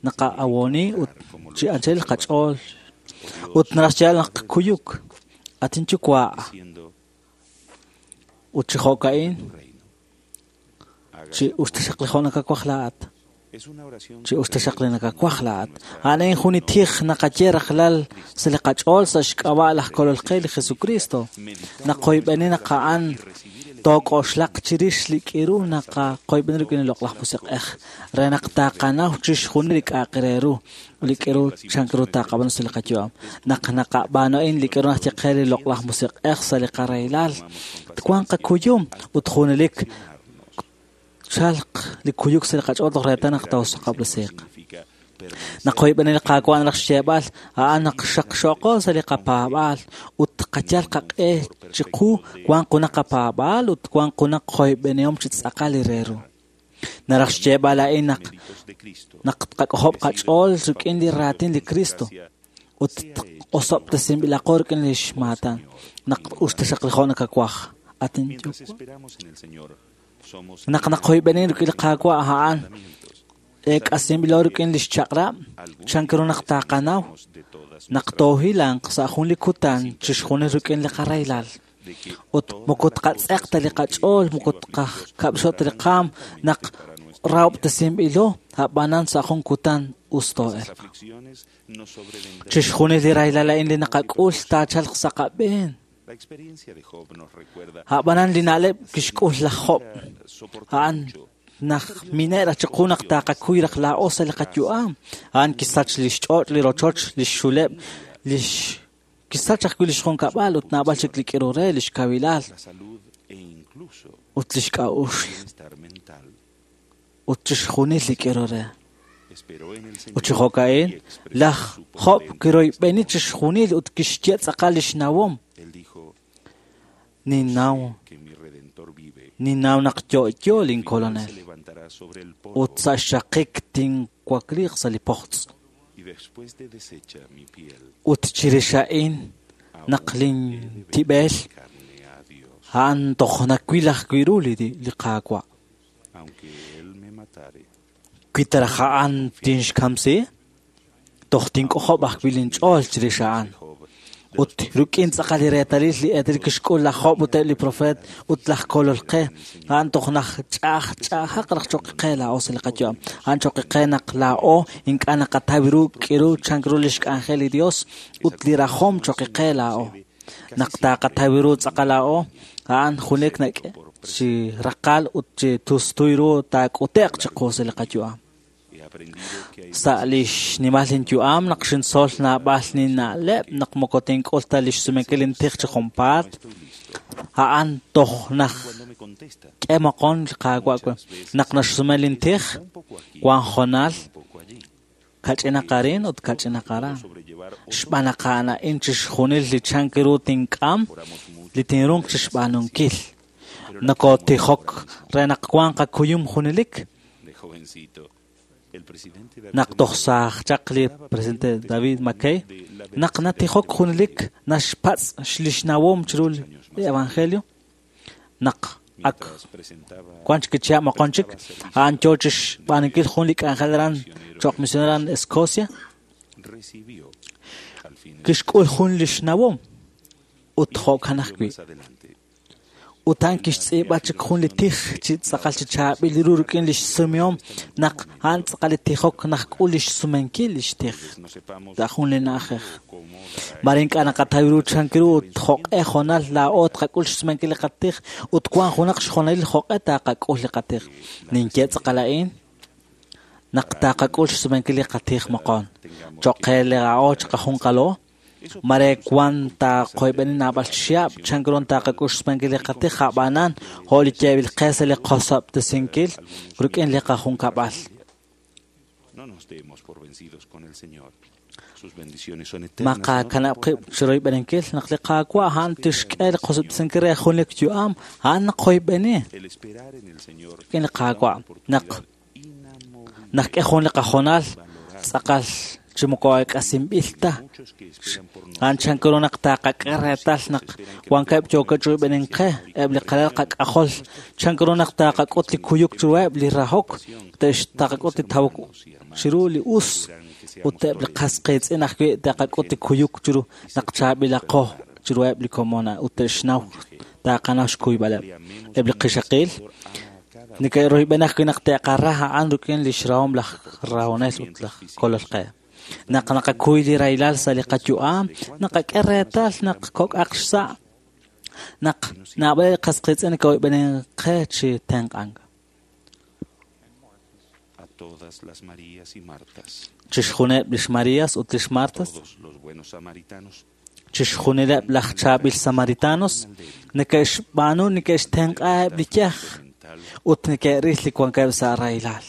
naqa'awoni ut chi anchal qach'ool ut naraj xyeeb'al naq kuyuk atin yuwa' ut chi jo'ka'in chi us taxaq li jo' nakawaj laa'at. Chi us taxaq li nakawaj laa'at. A'an a'in jun li tij naqaye rajlal sa' li qach'ool sa' xk'ab'a' laj Kolol qe li Jesucristo. Naqoyb'eni naq a'an took'oxlaq chirix li k'iru naqaqoyb'eni rik'in li loq'laj musiq'ej re naq taqanaw chixjunil li k'a'aq re ru li k'iru chan ru taqab'aanu sa' li qayu'am. Naq naqab'aanu a'in li k'iru naxye qe li loq'laj musiq'ej sa' li qarahilal, twanq qakuyum ut junelik chalq li kuyuk sa' li qach'ool toj reetal naq taawsaqab'lasiiq. Naqoyb'eni li Qaawa' naq xyeeb'al a'an naq xaqxoqo sa' li qapaab'aal ut qayal qaq'e chiqu wanq junaq qapaab'aal ut wanq junaq qoyb'enihom chi tz'aqal li re ru. Naraj xyeeb'al a'in naq naq tqak'ojob' qach'ool rik'in li raatin li Cristo ut osob'tesinb'ilaqo rik'in li xmaatan naq us taxaq li jo' nakawaj. At inyuwa'. Naq naqoyb'eni rik'in li Qaawa' a'an ek'asinb'ilo rik'in li xchaq'rab' chan ru naq taqanaw naq toohilanq sa' jun li kutan chixjunil rik'in li qarahilal ut moko tqatz'eq ta li qach'ool moko tqakab'xo ta li qaam naq rahob'tesinb'ilo a'b'anan sa' jun kutan us too'elq. Chixjunil li rahilal a'in li naqak'ul taachalq sa' qab'een. A'b'anan li na'leb' kixk'ul laj Job a'an naq mine'raj chiqu naq taqakuy raj laa'o sa' li qayu'am. A'an kisach li xch'och', li rochoch, li xxuleb', li kisach ajwi' li xjunkab'al ut naab'al chik li k'iru re, li xkawilal ut li xk'a'uxl ut chixjunil li k'iru re. Ut chi jo'ka'in, laj Job kiroyb'eni chixjunil ut kixye tz'aqal li xnawom. Ninnaw ninnaw naq yo'yo linkolonel ut sa' xxaqik tinwakliiq sa' li pojtz'. Ut chirix a'in naq lintib'el a'an toj nawil ajwi' ru li li Qaawa'. Wi ta raj a'an tinxkamsi, toj tink'ojob' ajwi' linch'ool chirix a'an. Ut rik'in tz'aqal li reetalil li eetalil kixk'ul laj Job ut eb' li profeet ut laj Kolol qe, a'an toj naj ch'a'aj ch'a'ajaq raj choq' qe laa'o sa' li qayu'am. A'an choq' qe naq laa'o ink'a' naqataw ru k'iru chan ru li xk'anjel li Dios ut li rajom choq' qe laa'o. Naq taqataw ru tz'aqal laa'o, a'an junelik nak'e chi raqal ut chi tustuy ru taak'ute'q chiqu sa' li qayu'am. Sa' li xnimal linyu'am naq xintzol naab'al ninna'leb' naq moko tink'ul ta li xsumenkil intij chi junpaat, a'an toj naj k'e moqon li Qaawa' we. Naq naxsume lintij, wan jonal kach'inaq arin ut kach'inaq aran. Xb'aan naq a'an a'in chixjunil li chan ru tink'am li tinrunq chixb'aanunkil. Nokotijok re naq wanq qakuyum junelik. Naq toj saaj chaq li presidente David McKay, naq natijok junelik naxpatz' li xnawom chiru li evangelio, naq ak wan chik chihab' moqon chik, a'an yoo chixb'aanunkil jun li k'anjel aran cho'q misionero aran Escocia, kixk'ul jun li xnawom ut jo'kan ajwi'. Ut a'an kixtz'iib'a chik jun li tij chi tz'aqal chi chaab'il ru rik'in li xsumihom naq a'an tz'aqal li tijok naq k'ul li xsumenkil li xtij sa' jun li na'ajej. Mare ink'a' naqataw ru chan ru ut jo'q'e jonal laa'o tqak'ul xsumenkil li qatij ut wan junaq xjonalil jo'q'e taqak'ul li qatij. Ninye tz'aqal a'in naq taqak'ul xsumenkil li qatij moqon. Cho'q qe laa'o chiqajunqalo, mare wan taqoyb'eni naab'al chihab' chan ru taqak'ul xsumenkil li qatij a'b'anan jo' li yeeb'il qe sa' li qosob'tesinkil rik'in li qajunkab'al. Maqakanab' qib' chiroyb'eninkil naq li Qaawa' a'an tixk'e li qosob'tesinkil re jun li yu'am a'an naqoyb'eni rik'in li Qaawa' naq naq k'e jun li qajonal tz'aqal chi moko ek'asinb'il ta. A'an chan ru naq taqak'e reetal naq wankeb' yookeb' chiroyb'enin qe eb' li qalal qak'ajol chan ru naq taqak'ut li kuyuk chiruheb' li rahok taqak'ut li tawok chiru li us ut eb' li qas qiitz'in ajwi' taqak'ut li kuyuk chiru naq chaab'ilaqo chiruheb' li komon ut te'xnaw taqanaw xkuyb'aleb'. Eb' li qixaqil Neke'royb'eni ajwi' naq te'qara a'an rik'in lix rahom laj rahonel ut laj kolol qe. Naq naqakuy li rahilal sa' li qayu'am, naqak'e reetal naq kok'aq xsa', naq naab'al li qas qiitz'in neke'oyb'enin qe chi tenq'ank. A todas las Marías y Martas, Chixjunileb' lix Marías ut lix Martas, todos los buenos samaritanos, chixjunileb' laj chaab'il samaritanos neke'xb'aanu neke'xtenq'aheb' li yaj ut neke'ril li wankeb' sa' rahilal.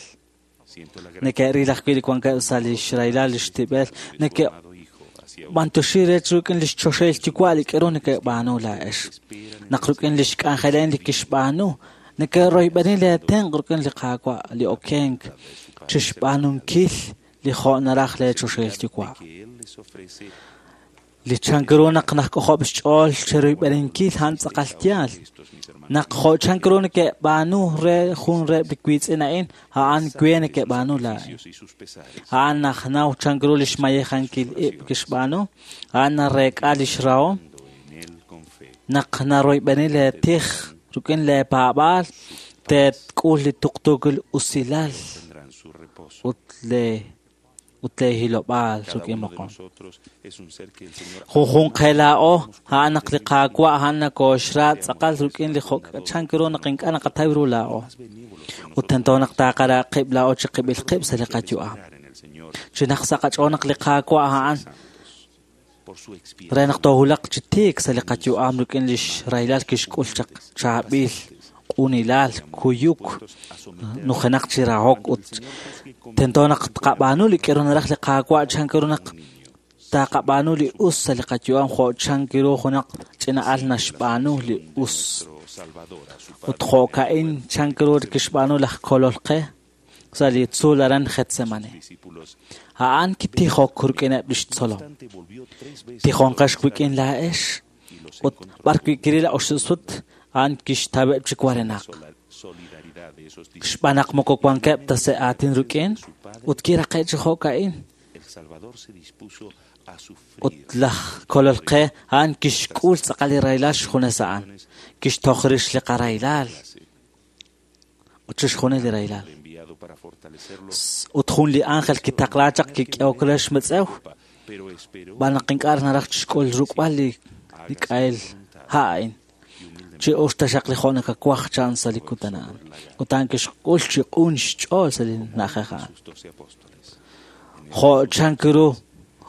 siento la Neke'ril ajwi' li wankeb' sa' lix rahilal lix tib'el, neke' b'antoxi re rik'in lix choxahil yuwa' li k'aru neke'b'aanu laa'ex. Naq rik'in lix k'anjelen li kixb'aanu, neke'royb'eni leetenq' rik'in li Qaawa' li okenk chixb'aanunkil li jo' naraj leechoxahil yuwa'. que Él les ofrece Li chank ru naq najk'ojob' xch'ool cheroyb'eninkil a'an tz'aqal yaal. Naq jo' chank ru neke'b'aanu re jun reheb' li wiitz'in a'in, a'an we neke'b'aanu laa'in. y sus pesares. A'an najnaw chank ru lix mayejankil ib' kixb'aanu, a'an nareek'a lix rahom, En Él con fe. naq naroyb'eni leetij rik'in leepaab'aal, teetk'ul li tuqtuukil usilal Tendrán su reposo. ut le ut leehilob'aal Cada rik'in uno de moqon. nosotros es un ser que el Señor Junjunq qe laa'o a'an naq li Qaawa' a'an nakooxra tz'aqal rik'in li jo' chank ru naq ink'a' naqataw ru laa'o. Ut tento naq taaqara qib' laa'o chi qib'il qib' sa' li qayu'am. en el Señor Chi naq sa' qach'ool naq li Qaawa' a'an por su expiación. re naq toohulaq chi tiik sa' li qayu'am rik'in lix rahilal kixk'ul chaq chaab'il, q'unilal, kuyuk, nujenaq chi rahok ut tento naq tqab'aanu li k'aru naraj li Qaawa' chank ru naq taqab'aanu li us sa' li qayu'am jo' chank ru junaq ch'ina'al naxb'aanu li us. Salvador a su Ut jo'ka'in chank ru kixb'aanu laj kolol qe sa' li tzuul aran Getsemani. discípulos. A'an kitijok rik'ineb' lix tzolom. Instante volvió tres veces Tijonqex wik'in laa'ex ut b'ar wi' kiril oxib' sut a'an kixtaweb' chi warenaq. la solidaridad de esos discípulos. Xb'aan naq moko wankeb' ta sa' aatin rik'in ut kiraqe' chi jo'ka'in. El Salvador se dispuso a sufrir Ut laj kolol qe a'an kixk'ul tz'aqal li rahilal xjunes a'an. Kixtoj rix li qarahilal ut chixjunil li rahilal. enviado para fortalecerlo, Ut jun li ángel kitaqla chaq kik'ehok re xmetz'ew pero esperó b'an naq ink'a' naraj chixk'ul ruk'b'al li li k'ahel ha' a'in. Chi us taxaq li jo' nakawaj chan sa' li kutan a'an. Ut a'an kixk'ul chi q'un xch'ool sa' li na'ajej a'an. sus doce apóstoles. Jo' chank ru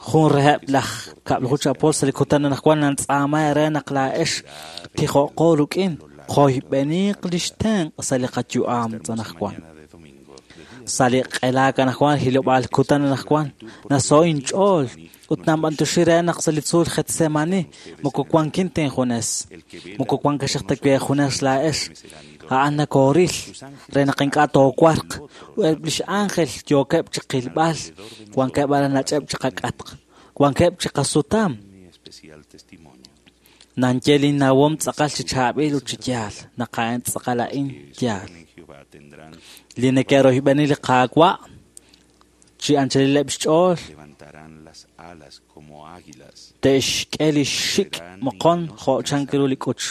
jun reheb' laj kab'laju chi apóstol sa' li kutan anaqwan nantz'aama re naq laa'ex tijo'qo rik'in qoyb'eniq lix tenq' sa' li qayu'am tz'anaqwan. Mañana de domingo, de día Sa' li q'elaak anaqwan hilob'aal kutan anaqwan naso inch'ool ut nanb'antuxi re naq sa' li tzuul Getsemani moko wankin tinjunes moko wankaxaq ta we junes laa'ex a'an nakooril re naq ink'a' toowarq eb' lix ángel yookeb' chi qilb'al wankeb' aran nach'eb' chi qak'atq wankeb' chi qasutam mi especial testimonio. nanye linnawom tz'aqal chi chaab'il ut chi yaal naq a'an tz'aqal a'in yaal En Jehová tendrán, li neke'royb'eni li Qaawa' chi anchalileb' xch'ool levantarán las alas como águilas, te'xk'e li xik' moqon jo' chank ru li k'uch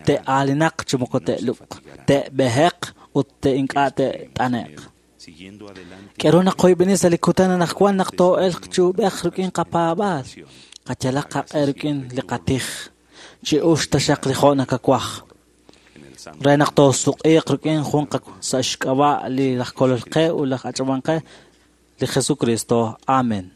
te'aalinaq chi moko te'lub'q te'b'eheq ut te'ink'a' te't'ane'q siguiendo adelante k'aru naqoyb'eni sa' li kutan anaqwan naq too'elq chi ub'ej rik'in qapaab'aal qayalaq qaq'e rik'in li qatij chi ux taxaq li jo' nakawaj en el santo re naq toosuq'iiq rik'in jun qa sa' xk'ab'a' li laj kolol qe ut laj ach'ab'an qe li Jesucristo. Amen.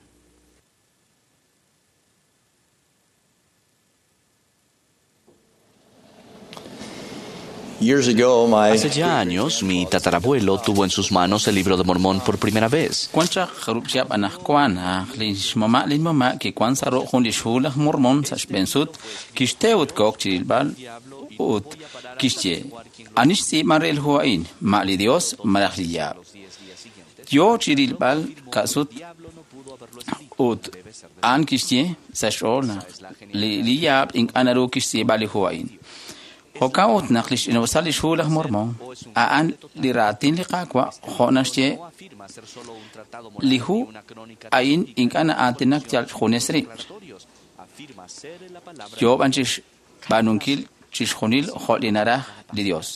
Years ago, my Hace ya años, mi tatarabuelo tuvo en sus manos el libro de Mormón por primera vez. Wan chaq jarub' chihab' anaqwan aj lix mama' lin mama' kiwan sa' ru' jun lix hu laj Mormón sa' xb'een sut kixte ut kook chi rilb'al ut kixye ani xtz'iib'an re el hu a'in ma' li Dios malaj li yaab' yo chi rilb'al ka'sut ut a'an kixye sa' xch'ool naq li li yaab' ink'a' naru kixtz'iib'a li hu a'in Jo'kan ut naq lix ch'ina'usal lix hu laj Mormón a'an li raatin li Qaawa' jo' naxye li hu a'in ink'a' na'aatinak yal junes rib' yoob'an chixb'aanunkil chixjunil jo' li naraj li Dios.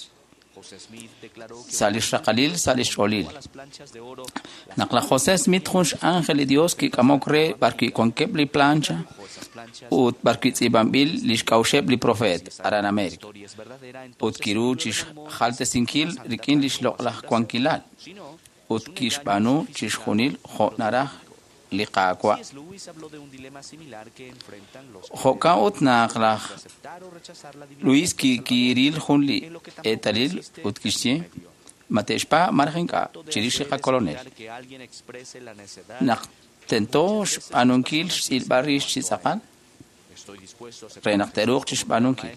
Sa' lix raqalil, sa' lix ch'oolil. Naq laj José Smith jun x'ángel li Dios kik'amok re b'arwi' wankeb' li plancha ut b'arwi' tz'iib'anb'il lix k'a'uxeb' li profeet aran América ut kiru chixjaltesinkil rik'in lix loq'laj wankilal ut kixb'aanu chixjunil jo' naraj li Qaawa'. Jo'kan ut naq laj Luis kiril jun li eetalil ut kixye ma te'xpa' malaj ink'a' chirix li qakolonel. Naq tento xb'aanunkil xtz'ilb'al rix chi tz'aqal re naq te'ruuq chixb'aanunkil.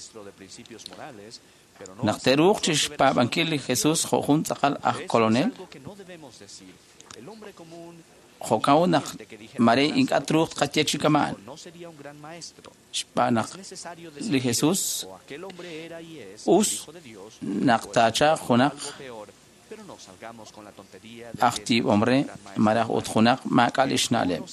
Naq te'ruuq chixpaab'ankil li Jesús jo' jun tz'aqal aj kolonel, jo'kan ut naq mare ink'a' truuq tqaye chi kama'an. Xb'aan naq li Jesús us naq taachalq junaq aj yiib'om re malaj ut junaq maak'a' lix na'leb'.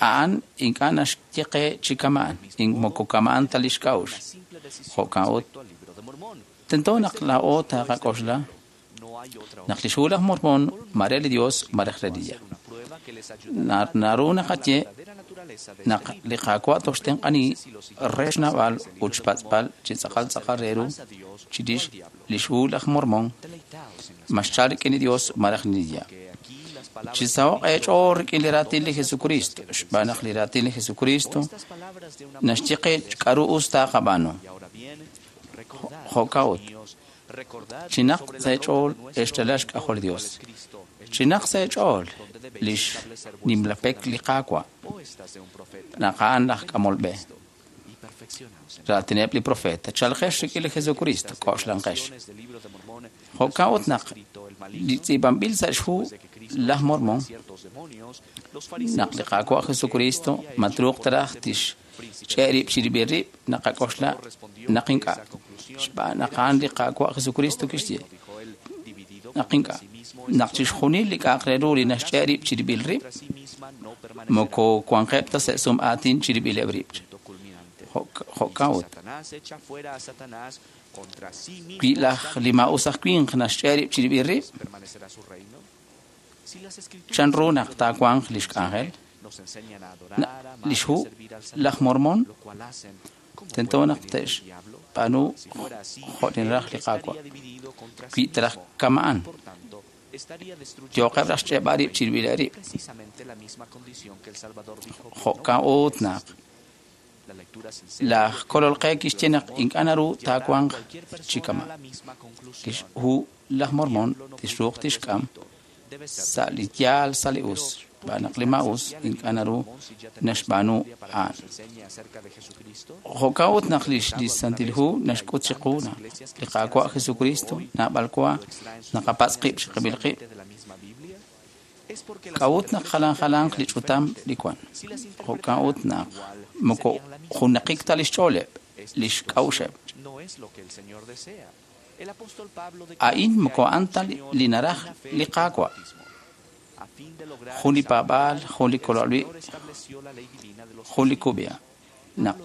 A'an ink'a' naxye qe chi kama'an, moko kama'an ta lix k'a'uxl. Jo'kan ut tento naq laa'o taqak'oxla naq lix hu laj Mormón mare li Dios malaj re li Diablo. Naru naqaye naq li Qaawa' toxtenq'ani re xnawb'al ut xpatz'b'al chi tz'aqal tz'aqal re ru chirix lix hu laj Mormón ma xchal rik'in li Dios malaj li Diablo. Chi saho'q eech'ool rik'in li raatin li Jesucristo, xb'aan naq li raatin li Jesucristo naxye qe k'aru us taqab'aanu. Jo'kan ut chinaq sa' eech'ool exchalal xk'ajol li Dios. Chinaq sa' eech'ool lix nimlapek li Qaawa' naq a'an laj k'amol b'e. Raatineb' li profeta, chalqex rik'in li Jesucristo, k'oxlanqex. Jo'kan ut naq li tz'iib'anb'il sa' xhu laj Mormón naq li Qaawa' Jesucristo ma truuq taraj tixch'e' rib' chirib'il rib' naqak'oxla naq ink'a'. Xb'aan naq a'an li Qaawa' Jesucristo kixye naq ink'a'. Naq chixjunil li k'a'aq re ru li naxch'e' rib' chirib'il rib' moko wanqeb' ta sa' sum aatin chirib'ileb' rib'. Jo'kan ut wi laj li maa'us aj winq naxch'e' rib' chirib'il rib', chan ru naq taawanq lix k'anjel? Lix hu laj Mormón tento naq te'xb'aanu jo' li naraj li Qaawa'. Wi taraj kama'an, yooqeb' raj xch'e'b'al rib' chirib'ileb' rib'. Jo'kan ut naq laj kolol qe kixye naq ink'a' naru taawanq chi kama'. Lix hu laj Mormón tixruuq tixk'am sa' li yaal sa' li us, xb'aan naq li maa'us ink'a' naru naxb'aanu a'an. Jo'kan ut naq lix li Santil Hu naxk'ut chiqu naq li Qaawa' Jesucristo naab'al wa naqapatz' qib' chiqib'il qib'. K'a'ut naq jalan jalanq li ch'utam li wan. Jo'kan ut naq moko junaqik ta lix ch'ooleb', lix k'a'uxeb'. A'in moko a'an ta li naraj li Qaawa'. Jun li paab'aal, jun li kololwi', jun li kub'ya. Naq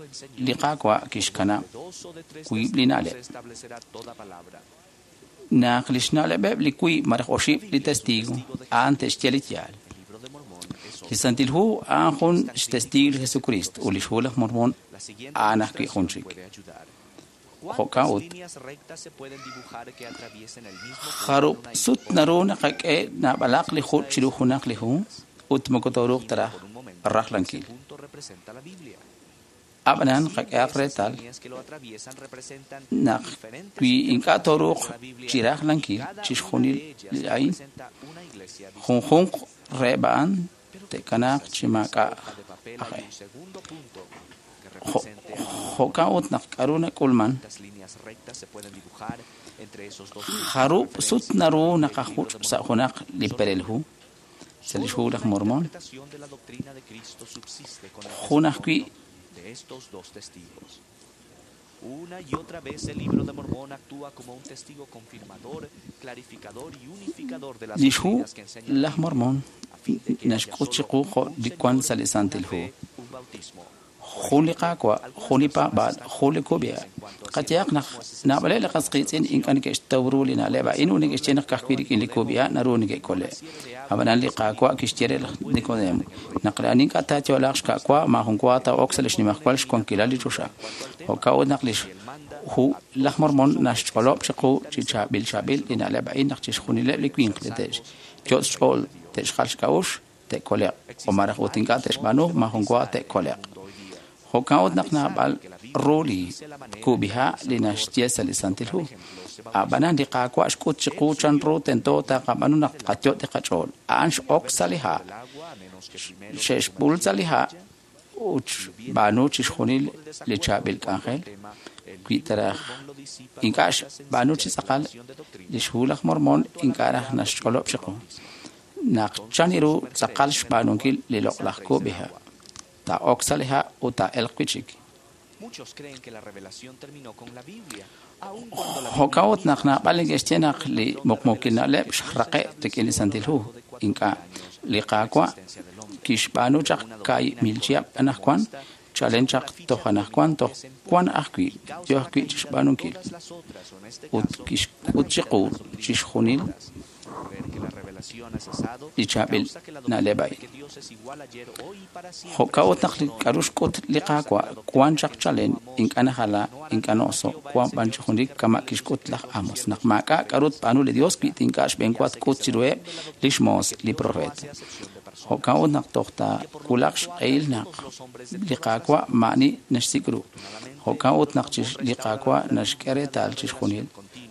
li Qaawa' kixkanab' wiib' li na'leb'. Naq lix na'leb'eb' li wiib' malaj oxib' li testigo a'an te'xye li yaal. Li Santil Hu a'an jun xtestigo li Jesucristo ut lix hu laj Mormón a'an ajwi' jun chik. Jo'kan ut jarub' sut naru naqak'e naab'alaq li juch' chiru junaq li hu ut moko tooruuq taraj rajlankil. Ab'anan qak'ehaq reetal naq wi ink'a' tooruuq chi rajlankil chixjunil li a'in, junjunq reheb' a'an te'kanaaq chi maak'a' aj e. Jo'kan ut naq k'aru nak'ulman, jarub' sut naru naqajuch' sa' junaq li perel hu sa' lix hu laj Mormón, jun ajwi' Una y otra vez el libro de Mormón actúa como un testigo confirmador, clarificador y unificador de las lix hu doctrinas que enseña la laj Mormón Biblia, a fin de que haya naxk'ut solo chiqu jo' un li Señor, wan sa' li una Santil Hu. fe, un bautismo. Jun li Qaawa', jun li paab'aal, jun li kub'iha'. Qayehaq naq naab'aleb' li qas qiitz'in ink'a' neke'xtaw ru li na'leb' a'in ut neke'xye naq ka'ajwi' rik'in li kub'iha' naru neke'kole'. Ab'anan li Qaawa' kixye re laj Nicodemo naq li ani ink'a' taayo'laaq xka'wa maajun wa taa'ok sa' li xnimajwal xwankilal li choxa. Jo'kan ut naq li hu laj Mormon naxch'olob' chiqu chi chaab'il chaab'il li na'leb' a'in naq chixjunileb' li winq li te'xyot' xch'ool te'xjal xk'a'uxl te'kole'q o malaj ut ink'a' te'xb'aanu maajun wa te'kole'q. Jo'kan ut naq naab'al ru li kub'iha' li naxye sa' li Santil Hu. Ab'anan li Qaawa' xk'ut chiqu chan ru tento taqab'aanu naq tqayot' li qach'ool. A'an x'ok sa' li ha', xe'xb'ul sa' li ha' ut xb'aanu chixjunil li chaab'il k'anjel. Wi taraj ink'a' xb'aanu chi tz'aqal li xhu laj Mormon ink'a' raj naxch'olob' chiqu naq chan ru tz'aqal xb'aanunkil li loq'laj kub'iha'. Taa'ok sa' li ha' ut taa'elq wi' chik. Jo'kan ut naq naab'al neke'xye naq li muqmuukil na'leb' xraqe' rik'in li Santil Hu. Ink'a' li Qaawa' kixb'aanu chaq kaahib' mil chihab' anaqwan, chalen chaq toj anaqwan toj wan ajwi' yo ajwi' chixb'aanunkil. Ut kixk'ut chiqu chixjunil li chaab'il na'leb' a'in. Jo'kan ut naq li k'a'ru xk'ut li Qaawa' wan chaq chalen ink'a' najala ink'a' na'oso' wan b'an chi junelik kama' kixk'ut laj Amos naq maak'a' k'a'ru tb'aanu li Dios wi ink'a' xb'eenwa tk'ut chiruheb' li xmoos li profeet. Jo'kan ut naq toj taawulaq xq'ehil naq li Qaawa' maa'ani naxsik' ru. Jo'kan ut naq li Qaawa' naxk'e reetal chixjunil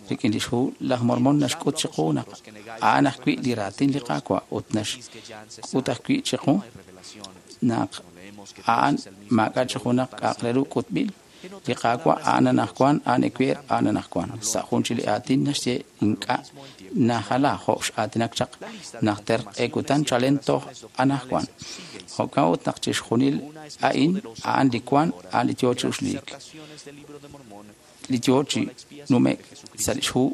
rik'in li xhu laj Mormon naxk'ut chiqu naq a'an ajwi' li raatin li Qaawa' ut naxk'ut ajwi' chiqu naq a'an maak'a' chi junaq k'a'aq re ru k'utb'il. Li Qaawa' a'an anaqwan, a'an ewer, a'an anaqwan. Sa' jun chi li aatin naxye ink'a' najala jo' x'aatinak chaq najter q'e kutan chalen toj anaqwan. Jo'kan ut naq chixjunil a'in a'an li wan, a'an li yoo chi uxliik. Li yoo chi nume'k sa' li xhu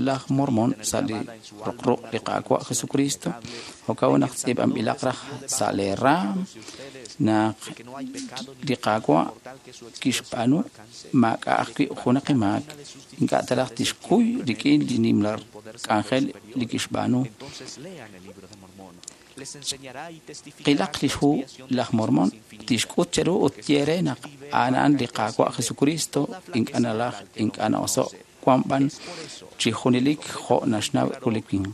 laj Mormon sa' li roqruq' li Qaawa' Jesucristo. Jo'kan ut naq tz'iib'anb'ilaq raj sa' lee raam naq li Qaawa' kixb'aanu maak'a' ajwi' junaq maak ink'a' ta raj tixkuy rik'in li nimla k'anjel li kixb'aanu. Qilaq li xhu laj Mormon tixk'ut cheru ut ye re naq a'an a'an li Qaawa' Jesucristo ink'a' nalaj ink'a' na'oso' wan b'an chi junelik jo' naxnaw ru li winq.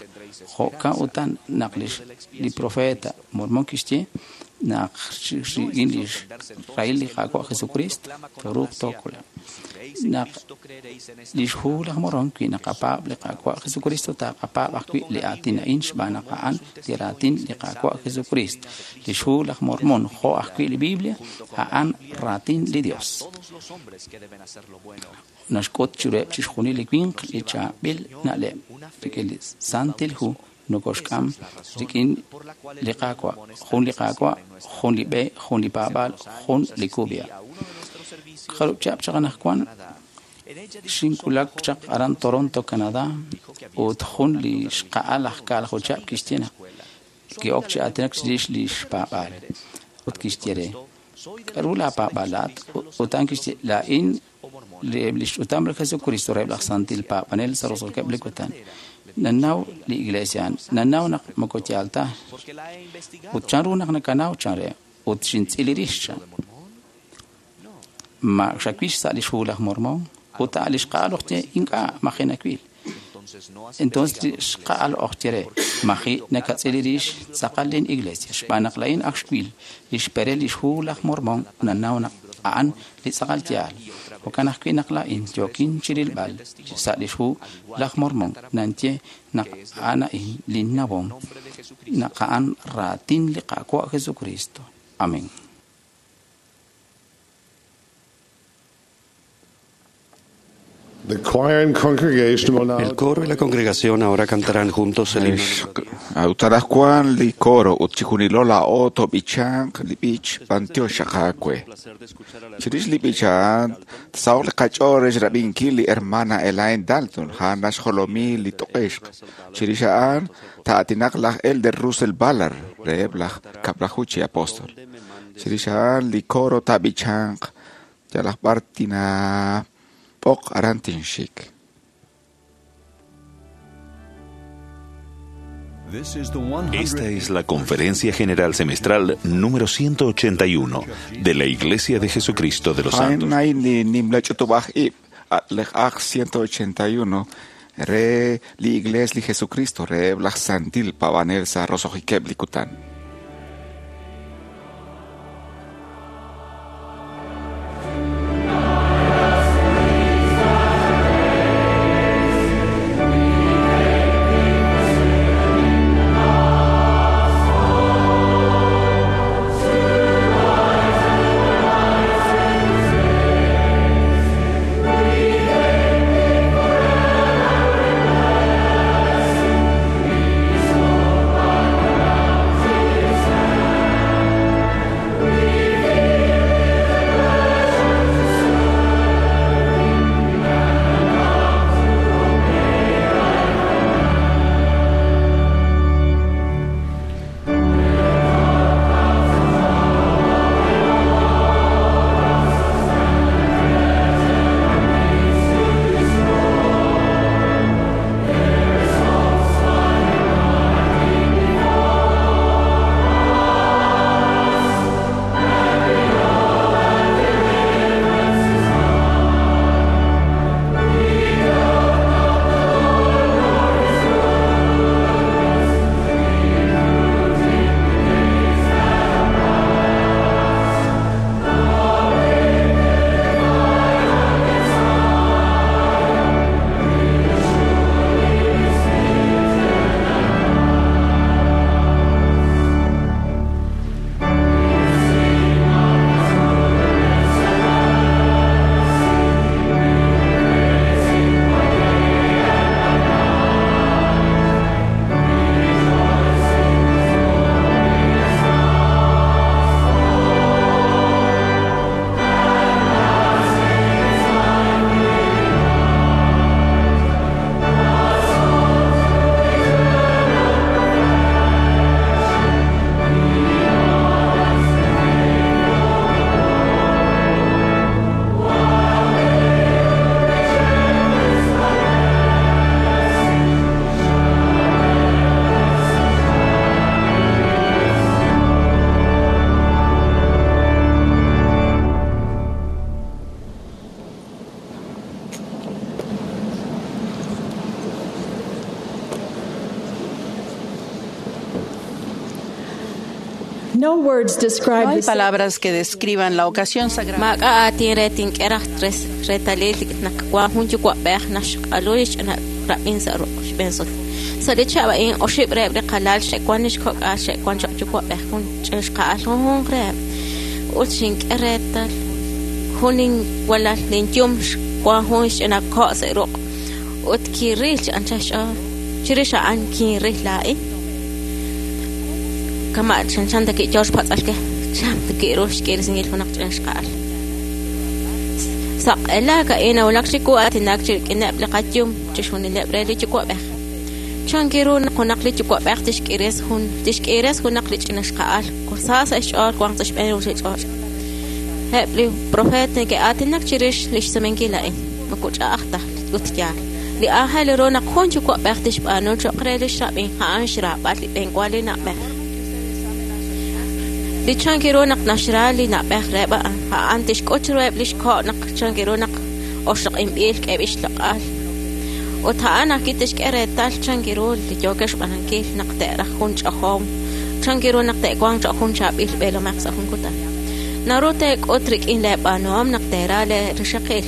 Jo'kan utan naq li profeta Mormon kixye naq rik'in li xrahil li Qaawa' Jesucristo tooruuq tookole'q. Naq li xhu laj Mormon wi naqapaab' li Qaawa' Jesucristo taqapaab' ajwi' li aatin a'in xb'aan naq a'an li raatin li Qaawa' Jesucristo. Li xhu laj Mormon jo' ajwi' li Biblia a'an raatin li Dios. Naxk'ut chiruheb' chixjunil li winq li chaab'il na'leb' rik'in li Santil Hu nokoxk'am rik'in li Qaawa', jun li Qaawa', jun li b'e, jun li paab'aal, jun li kub'iha'. Jarub' chihab' chaq anaqwan xinwulak chaq aran Toronto, Canadá, ut jun li xqa'al aj kaalaju chihab' kixye naq ki'ok chi aatinak chirix li xpaab'aal. Ut kixye re, k'a'ru laapaab'aal ut a'an kixye, laa'in li xch'utam li Jesucristo reheb' laj Santil Paab'anel sa' roso'jikeb' li kutan. Nanaw li iglesia, nanaw naq moko yaal ta. Ut chan ru naq nakanaw chan re, ut xintz'il li rix chan. Ma xawix sa' li xhu laj Mormon, ut a' li xqa'al ojye ink'a' maji nawil. Entonces li xqa'al ojye re, maji nakatz'il li rix tz'aqal lin iglesia, xb'aan naq laa'in ak xwil li xperel li xhu laj Mormon nanaw naq a'an li tz'aqal yaal. Jo'kan ajwi' naq laa'in yookin chirilb'al sa' li xhu laj Mormon nanye naq a'an a'in linnawom naq a'an raatin li Qaawa' Jesucristo. Amén. The choir and congregation will now El coro y la congregación ahora cantarán juntos el himno. Utarascuan li coro ut chijunilo la oto bichank li bich pantio shakakwe. Chirix li bichan tsaok li kachores rabinki li hermana Elaine Dalton hanash jolomi li toqeshk. Chirix aan taatinak laj elder Russell Ballard reheb laj kaplajuchi apóstol. Chirix a'an li coro taab'ichanq yalaq b'ar tinaab'oq aran tinxik. Esta es la Conferencia General Semestral número ciento ochenta y uno de la Iglesia de Jesucristo de los Santos. A'an li nimla ch'utub'aj ib' laj ciento ochenta y uno re li Iglesia li Jesucristo re laj Santil Pavanel sa roso'jikeb' li kutan. No hay palabras que describan la ocasión sagrada. Kama chan ta ki George patzalke cham ta ki rush ki singil hunak chan saq ela ka ina ulak chiku atinak chik inab laqatyum chishunileb re li chikwabej chan kiru hunak li chikwabej tishkires hun tishkires hunak li chinashqaal kursasa ish'or kwang tishb'en uchich'or heb li profet ke atinak chirish lishsamenkila in makuch'a'ajtaj utyal li ángel ru naq jun chikwabej tishb'anu choqre li xrab'in ja'an xrab'al li b'enkwal li nab'ej li chankiru naq naxra li nab'ej reba a'an tixk'uch ruheb' li xko' naq chankiru naq oxloq'inb'il k'eb' ixloq'al ut a'an ajwi' tixk'e reetal chankiru li yookex xb'anankil naq te'raj jun ch'ojom chankiru naq te'wanq cho'q jun chaab'il b'eelomej sa' jun kutan naru teek'ut rik'in leeb'aanuhom naq teera leerixaqil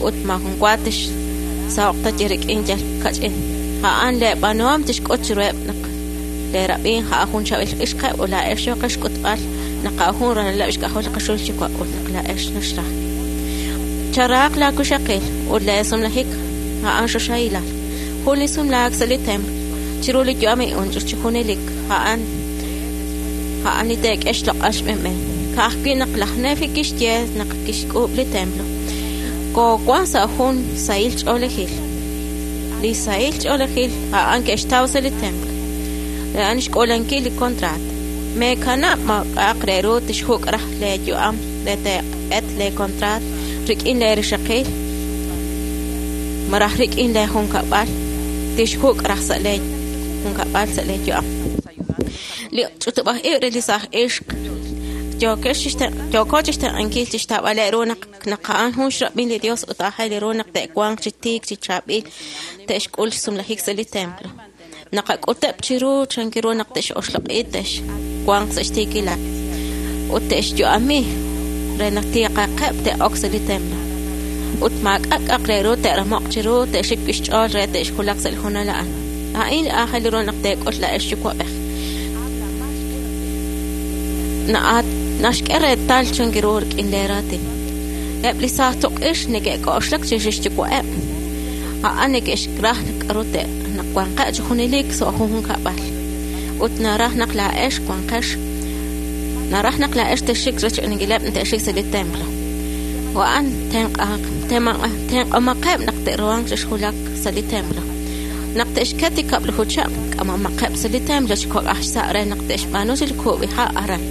ut maajun wa tixsaho'q ta rik'in yal kach'in a'an leeb'aanuhom tixk'ut chiruheb' naq leerab'in ja'a jun chaab'il ixqeb' ut laa'ex yooqex xk'utb'al naq a' jun ralaleb' xk'ajol qaxul chiwa' ut naq laa'ex naxraj charaaq laakuxaqil ut leesumlajik a'an xoxahilal jun li sumlaak sa' li templo chiru li yu'am unch'ux chi junelik a'an a'an li teek'e xloq'al xb'enb'en ka'ajwi' naq laj Nefi kixye naq kixk'uub' li templo koowan sa' jun sahil ch'oolejil li sahil ch'oolejil a'an ke'xtaw sa' li templo a'an xk'uulankil li contrato Meekanab' maak'a'aq re ru tixjuk' raj leeyu'am re teeq'et leekontraat rik'in leerixaqil malaj rik'in leejunkab'al tixjuk' raj sa' leejunkab'al sa' leeyu'am. Li ch'utub'aj ib' re li saaj ixq yooko chixtenq'ankil chixtaab'aleb' ru naq naq a'an jun xrab'in li Dios ut aajel ru naq te'wanq chi tiik chi chaab'il te'xk'ul xsumlajik sa' li templo. Naqak'uteb' chiru chankiru naq te'xoxloq'i te'xwanq sa' xtiikilal ut te'xyu'ami re naq tiiqaqeb' te'ok sa' li templo. Ut maak'a' k'a'aq re ru te'ramoq chiru te'xik xch'ool re te'xjulaq sa' li hoonal a'an. A'in li aajel ru naq teek'ul laa'ex yuwa'b'ej. Na'at naxk'e reetal chankiru rik'in leeraatin. Eb' li saaj tuq'ix neke'k'oxlak chirix xyuwa'eb'. A'an neke'xraj k'aru te' naq wanqeb' chi junelik sa' jun junkab'al. Ut naraj naq laa'ex wanqex naraj naq laa'ex texxik rech'inileb' te'xik sa' li templo. A'an tenq'omaqeb' naq te'ruhanq chixjulak sa' li templo. Naq te'xket li kab'laju chab' k'amomaqeb' sa' li templo chi kok'aj xsa' re naq te'xb'aanu chi kub'iha' aran.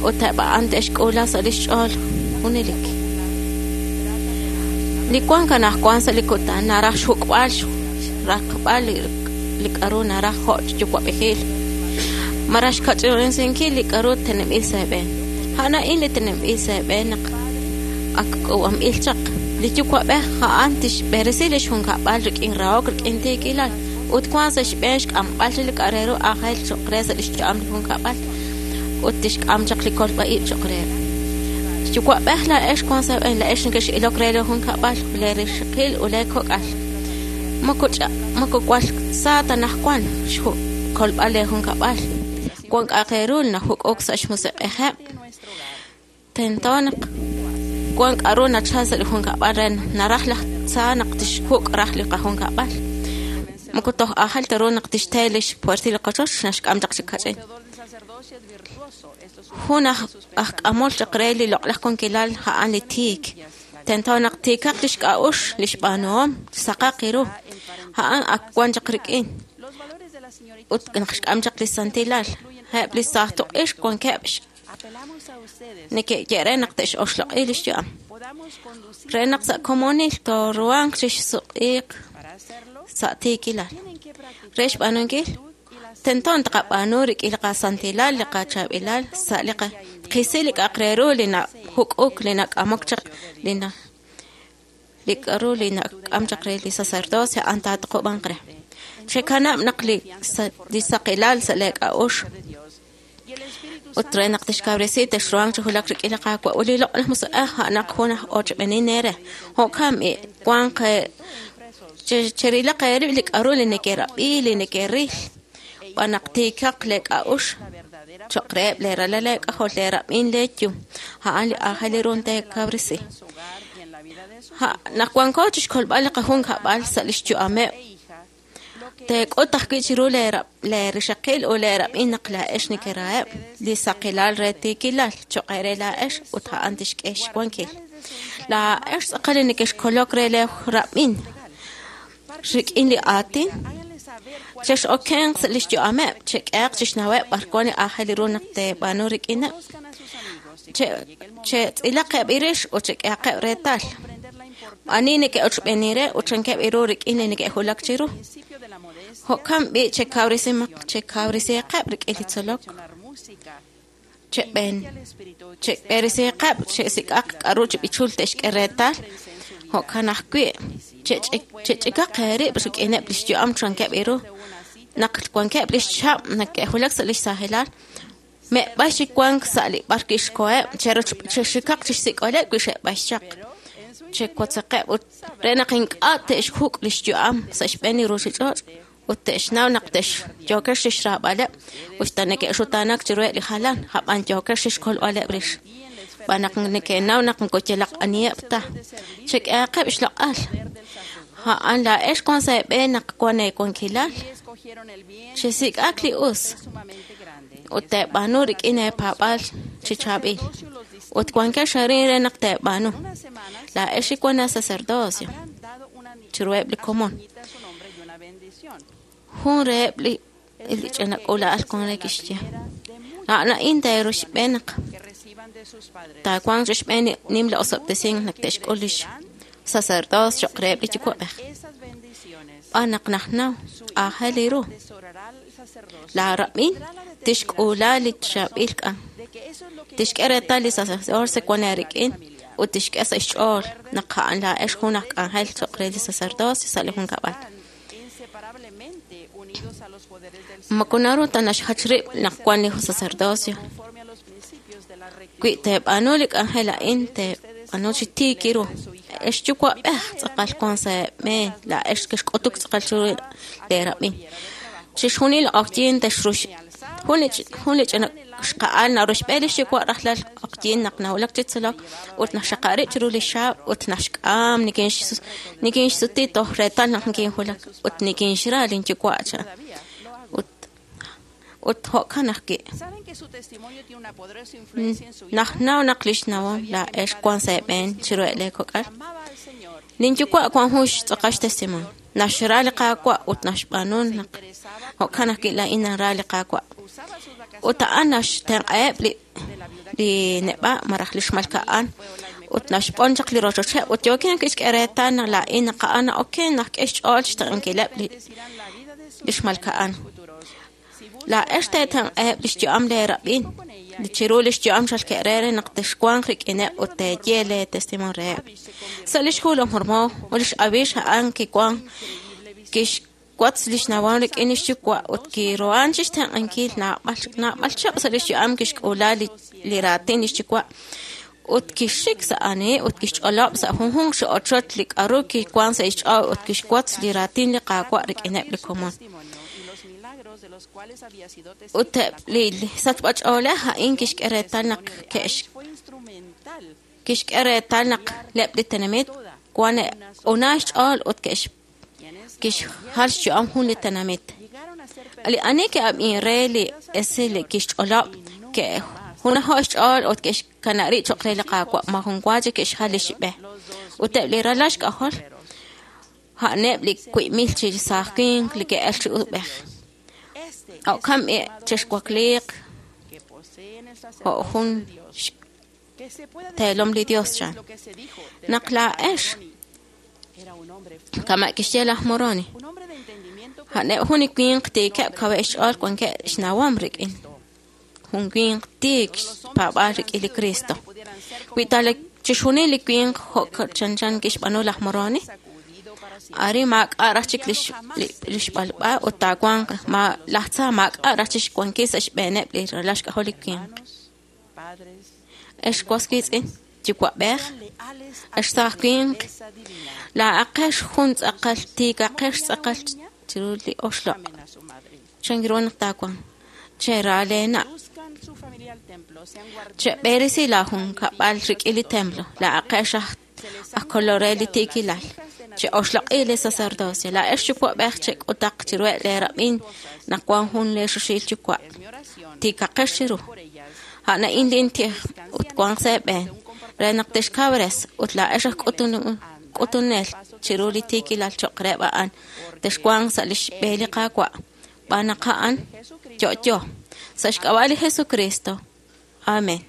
Ut eb' a'an te'xk'uula sa' li xch'ool junelik. Li wank anaqwan sa' li kutan naraj xjuk'b'al xraqb'al li k'aru naraj jo' yuwa'b'ejil. Malaj xkach'inrisinkil li k'aru teneb'il sa' eeb'een. A'an a'in li teneb'il sa' eeb'een naq ak k'uub'anb'il chaq. Li yuwa'b'ej a'an tixb'eresi li xjunkab'al rik'in rahok rik'in tiikilal ut wank sa' xb'een xk'amb'al li k'a' re ru aajel cho'q re sa' li xyu'am li junkab'al ut tixk'am chaq li kolb'a ib' cho'q reheb'. Yuwa'b'ej laa'ex wank sa' eeb'een laa'ex nekex'ilok re li junkab'al leerixaqil ut leekok'al. Moko moko wal sa ta anaqwan xkolb'al leejunkab'al. Wank k'a'aq re ru najuk'uk sa' xmusiq'ejeb'. Tento naq wank k'aru nachal sa' li junkab'al re naraj laj tza naq tixjuk' raj li qajunkab'al. Moko toj aajel ta ru naq tixte li xpuertil li qochoch naxk'am chaq chi kach'in. Jun aj aj k'amol chaq re li loq'laj wankilal a'an li tiik. Tento naq tiikaq li xk'a'ux li xb'aanuhom saqaq ru. A'an ak wan chaq rik'in. Ut naq xk'am chaq li santilal. Eb' li saaj tuq'ix wankeb' neke'ye're naq te'xoxloq'i li xyu'am. Re naq sa' komonil tooruhanq chixsuq'iiq sa' tiikilal. Re xb'aanunkil tento taqab'aanu rik'in li qasantilal li qachaab'ilal sa' li qisi li k'a'aq re ru li najuk'uk li nak'amok chaq li na li k'aru li nak'am chaq re li sacerdocio a'an taatuqub'anq re. Chekanab' naq li li saqilal sa' leek'a'ux ut re naq tixkawresi texruhanq chi julak rik'in li Qaawa' ut li loq'laj musiq'ej a'anaq jun aj ochb'enin eere. Jo'kan b'i wanq cherilaq eerib' li k'aru li neke'rab'i li neke'ril b'an naq tiikaq leek'a'ux cho'q reheb' leeralal leek'ajol leerab'in leeyum. A'an li aajel ru teekawresi. Naq wanko chixkolb'al li qajunkab'al sa' li xyu'ameb' teek'ut ajwi' chiru leerixaqil ut leerab'in naq laa'ex nekeraheb' li saqilal re tiikilal cho'q eere laa'ex ut a'an tixk'e xwankil. Laa'ex tz'aqal li nekexkolok re leerab'in rik'in li aatin chex'okenq sa' li xyu'ameb' chek'ehaq chixnaweb' b'ar wan li aajel ru naq teeb'aanu rik'ineb'. Chetz'ilaqeb' irix ut chek'ehaqeb' reetal. Ani neke'ochb'eeni re ut chankeb' iru rik'in li neke'julak chiru. Jo'kan b'i' chekawresimaq chekawresiqeb' rik'in li tzolok. Cheb'en cheb'eresiqeb' chesik'aq k'aru chi b'ichul te'xk'e reetal. Jo'kan ajwi' chech'ikaq eerib' rik'ineb' li xyu'am chankeb' iru. Naq wankeb' li xchab' neke'julak sa' li xsaajilal me'b'ay chi wank sa' li b'ar kixkoheb' chexikaq chixsik'oleb' wi xe'b'ay chaq. Chewotzaqeb' ut re naq ink'a' te'xjuk' li xyu'am sa' xb'een li ruuchich'och' ut te'xnaw naq te'xyookex chixraab'aleb' ut ta neke'xutaanak chiruheb' li jalan ab'an yookex chixkolb'aleb' rix. B'an naq neke'naw naq moko yalaq aniheb' ta. Chek'ehaqeb' xloq'al. A'an laa'ex wank sa' eeb'een naq wan eewankilal. Chesik'aq li us ut teeb'aanu rik'in eepaab'aal chi chaab'il. Ut wankex arin re naq teeb'aanu. Laa'ex li wan sacerdocio chiruheb' li komon. Jun reheb' li Li ch'ina k'uula'al wan re kixye. A'an a'in teeruxb'een naq taawanq xb'een nimla osob'tesink naq te'xk'ul lix sacerdocio cho'q reheb' li yuwa'b'ej. B'an naq najnaw aajel ru. Laa rab'in tixk'uula li chaab'il k'an. Tixk'e reetal li sacerdocio wan eerik'in ut tixk'e sa' xch'ool naq a'an laa'ex jun aj k'anjel cho'q re li sacerdocio sa' li junkab'al. Moko naru ta naxjach rib' naq wan li sacerdocio. Wi teeb'aanu li k'anjel a'in teeb'aanu chi tiik ru. Ex yuwa'b'ej tz'aqal wan sa' eeb'een laa'ex kexk'utuk tz'aqal chiru leerab'in. Chixjunil q'oqyink texrux jun li jun li ch'ina xqa'al naruxb'e li xyuwa' rajlal q'oqyink naq nawulak chi tzolok ut naxxaqab' rib' chiru li xaab' ut naxk'am nikinxsuti toj reetal naq nikinwulak ut nikinxra linyuwa' chan. Ut ut jo'kan ajwi'. Najnaw naq li xnawom laa'ex wan sa' eeb'een chiru lee kok'al. Linyuwa' wan jun xtz'aqal xtestimonio. Naxra li Qaawa' ut naxb'aanu naq jo'kan ajwi' laa'in nanra li Qaawa'. Ut a'an naxtenq'aheb' li li neb'a' malaj li xmalka'an ut naxb'on chaq li rochocheb' ut yookin kixk'e reetal naq laa'in naq a'an na'oken naq k'e xch'ool xtenq'ankileb' li li xmalka'an. Laa'ex teetenq'aheb' li xyu'am leerab'in li chiru li xyu'am xalke're re naq texwanq rik'ineb' ut teeye lee testimonio reheb'. Sa' lix hu laj Mormón ut lix Abix a'an kiwan kixwatz lix nawom rik'in lix yuwa' ut kiruhan chixtenq'ankil naab'al naab'al chihab' sa' lix yu'am kixk'uula li li raatin lix yuwa' ut kixxik sa' ani ut kixch'olob' sa' junjunq chi ochoch li k'aru kiwan sa' xch'ool ut kixwatz li raatin li Qaawa' rik'ineb' li komon. Ut eb' li sachb'ach'oolej a'in kixk'e reetal naq ke'x kixk'e reetal naq leb' li tenamit wan una xch'ool ut ke'x kixjal xyu'am jun li tenamit. Li ani ke'ab'in re li esil li kixch'olob' ke'junajo' xch'ool ut ke'xkanab' rib' cho'q re li Qaawa' majun wa chik ke'xjal li xb'e. Ut eb' li ralal xk'ajol a'aneb' li wiib' mil chi saaj winq li ke'el chi ub'ej. Jo'kan b'i chexwakliiq jo' jun xteelom li Dios chan. Naq laa'ex kama' kixye laj Moroni a'aneb' jun li winq tiikeb' kaweb' xch'ool wankeb' xnawom rik'in jun winq tiik xpaab'aal rik'in li Cristo. Wi ta chixjunil li winq jo' chanchan kixb'aanu laj Moroni ari maak'a' raj chik lix lix b'alb'a ut taawanq ma laj tza maak'a' raj chik xwankil sa' xb'eeneb' li ralal xk'ajol li winq. Ex was wiitz'in yuwa'b'ej ex saaj winq laa'aqex jun tz'aqal tiikaqex tz'aqal chiru li oxloq'. Chan ru naq taawanq chera leena' cheb'erisi laajunkab'al rik'in li templo laa'aqex aj aj kolor re li tiikilal. Che'oxloq'i li sacerdocio laa'ex yuwa'b'ej chek'utaq chiruheb' leerab'in naq wan jun leexuxil yuwa' tiikaqex chiru. A'an a'in lintij ut wanq sa' eeb'een re naq texkawres ut laa'ex aj k'utunel chiru li tiikilal cho'q reheb' a'an texwanq sa' lix b'e li Qaawa' b'an naq a'an yo'yo sa' xk'ab'a' li Jesucristo. Amén.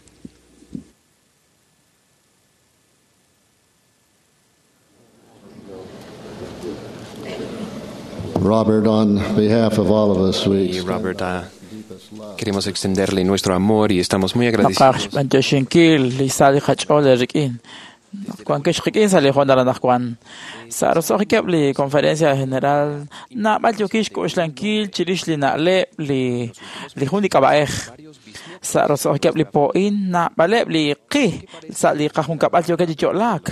Robert, on behalf of all of us, we Y Robert, ah, queremos extenderle nuestro amor y estamos muy agradecidos. Naqaj xb'antioxinkil li sa' li qach'ool rik'in. Wankex qik'in sa' li hoonal anaqwan. Sa' roso'jikeb' li conferencia general naab'al yookin xk'oxlankil chirix li na'leb' li li jun li k'ab'a'ej. Sa' roso'jikeb' li po'in naab'aleb' li qi sa' li qajunkab'al yookeb' chi yo'laak.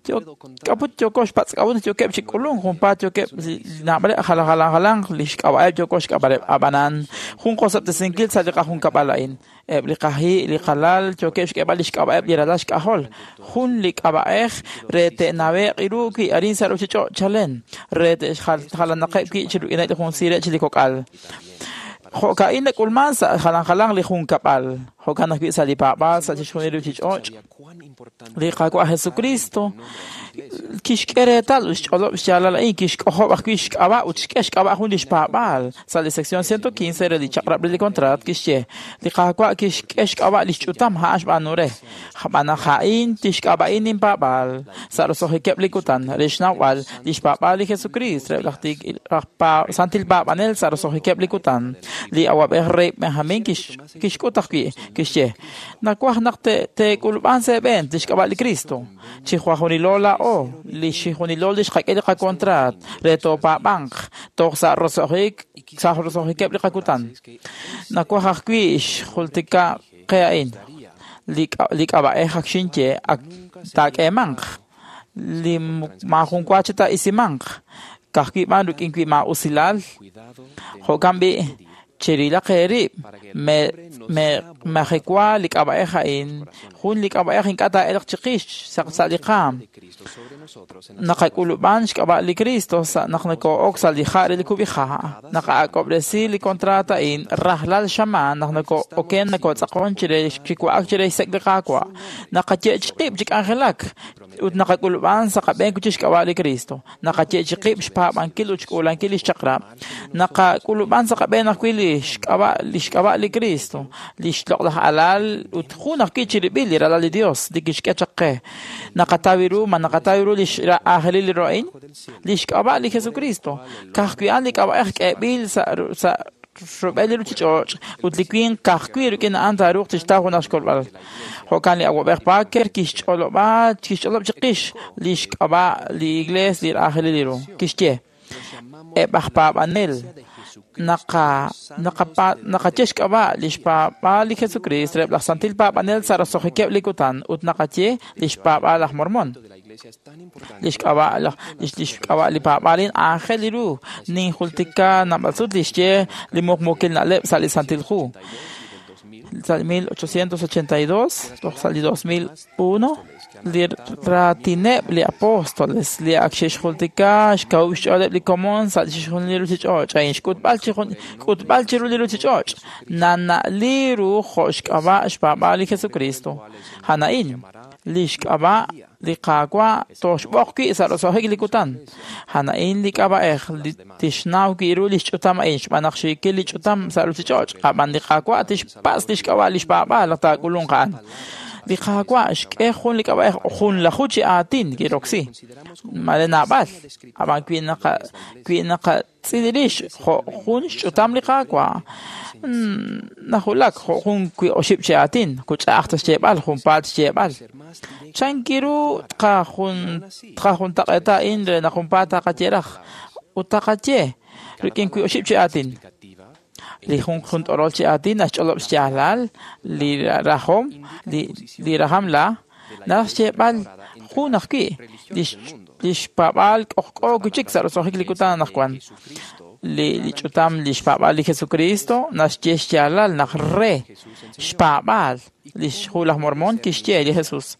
K'aput yooko xpatz'k'ab'un yookeb' chi k'ulunk junpaat yookeb' naab'aleb' jalan jalan jalan li xk'ab'a'eb' yooko xk'ab'aleb' ab'anan jun qosob'tesinkil sa' li qajunkab'al a'in. Eb' li qaji' li qalal yookeb' xk'eeb'al li xk'ab'a'eb' li ralal xk'ajol. Jun li k'ab'a'ej re te'nawe'q ru wi' arin sa' ruuchich'och' chalen re te'xjalanaqeb' wi' chi rik'ineb' li jun siireb' chi li kok'al. Jo'ka'in nak'ulman sa' jalan jalan li junkab'al, jo'kan ajwi' sa' li paab'aal sa' chixjunil ruuchich'och'. Li Qaawa' Jesucristo kixk'e reetal ut xch'olob' xyaalal a'in, kixk'ojob' ajwi' xk'ab'a' ut xk'e xk'ab'a' jun li xpaab'aal. Sa' li sección ciento quince re li chaq'rab' re li contrat kixye, li Qaawa' kixk'e xk'ab'a' li xch'utam a'an xb'aanu re. Xb'aan naq a'in tixk'ab'a'in ninpaab'aal sa' roso'jikeb' li kutan re xnawb'al li xpaab'aal li Jesucristo re laj santil paab'anel sa' roso'jikeb' li kutan. Li awab'ej rey Benjamín kixk'ut ajwi' kixye, nawaj naq teek'ulub'an sa' eeb'en li xk'ab'a' li Cristo. Chi jwajunilo laa'o, li xijunilo li xqak'e li qakontraat re toopaab'anq toj sa' roso'jik sa' roso'jikeb' li qakutan. Nawaj ajwi' xjultika qe a'in li k'ab'a'ej ak xinye ak taak'eemanq li maajun wa chi taa'isimanq ka'ajwi' b'an rik'in wi' maa'usilal. Jo'kan b'i' cherilaq eerib' majewa li k'ab'a'ej a'in, jun li k'ab'a'ej ink'a' taa'elq chiqix sa' li qaam. Naqak'ulub'an xk'ab'a' li Cristo naq nokoo'ok sa' li ja' re li kub'iha', naqak'ob'resi li contrato a'in rajlal xamaan naq nokoo'oken nokootz'aqon chire chiwa'ak chire xsek' li Qaawa'. Naqaye'chi qib' chi k'anjelak ut naqak'ulub'an sa' qab'een chi xk'ab'a' li Cristo. Naqaye'chi qib' xpaab'ankil ut xk'uulankil li xchaq'rab'. Naqak'ulub'an sa' qab'een ajwi' li xk'ab'a' li xk'ab'a' li Cristo, li xloq'laj alal ut jun ajwi' chirib'il li ralal li Dios li kixk'e chaq qe. Naqataw ru ma naqataw ru li xaajelil li ro'in, li xk'ab'a' li Jesucristo. Ka'ajwi' a'an li k'ab'a'ej k'eeb'il sa' sa' rub'el li ruuchich'och' ut li winq ka'ajwi' rik'in a'an taaruuq tixtaw junaq xkolb'al. Jo'kan li awab'ej Parker kixch'olob'a kixch'olob' chiqix li xk'ab'a' li iglees li aajelil li ru. Kixye, eb' aj paab'anel naqa naqaye xk'ab'a' li xpaab'aal li Jesucristo reb' laj santil paab'anel sa' roso'jikeb' li kutan ut naqaye li xpaab'aal laj Mormon. Li xk'ab'a' li xk'ab'a' li paab'aal a'in aajel li ru ninjultika naab'al sut li xye li muqmuukil na'leb' sa' li Santil Hu. Sa' mil ochocientos ochenta y dos toj sa' li dos mil uno li raatineb' li apóstoles li ak xe'xjultika xkawub' xch'ooleb' li komon sa' chixjunil li ruuchich'och' a'in xk'utb'al chi k'utb'al chiru li ruuchich'och' nana'li ru jo' xk'ab'a' xpaab'aal li Jesucristo. A'an a'in li xk'ab'a' li Qaawa' toxb'oq wi' sa' roso'jik li kutan. A'an a'in li k'ab'a'ej li tixnaw wi' ru li xch'utam a'in xb'aan naq xiikil li ch'utam sa' ruuchich'och' ab'an li Qaawa' tixpatz' li xk'ab'a' li xpaab'aal naq taak'ulunq a'an. Li Qaawa' xk'e jun li k'ab'a'ej junlaju chi aatin kiroksi. Mare naab'al ab'an wi' naqa wi' naqatz'il rix jo' jun xch'utam li Qaawa' najulak jo' jun wi' oxib' chi aatin kuch'a'aj ta xyeeb'al junpaat xyeeb'al. Chankiru tqajun tqajuntaq'eeta a'in re naq junpaat taqaye raj ut taqaye rik'in wi' oxib' chi aatin. Li jun jun t'orol chi aatin naxch'olob' xyaalal li rajom li li rajam la naraj xyeeb'al jun ajwi' li li xpaab'aal k'ojk'o wi' chik sa' roso'jik li kutan anaqwan. Li li ch'utam li xpaab'aal li Jesucristo naxye xyaalal naq re xpaab'aal li xhu laj Mormon kixye li Jesus.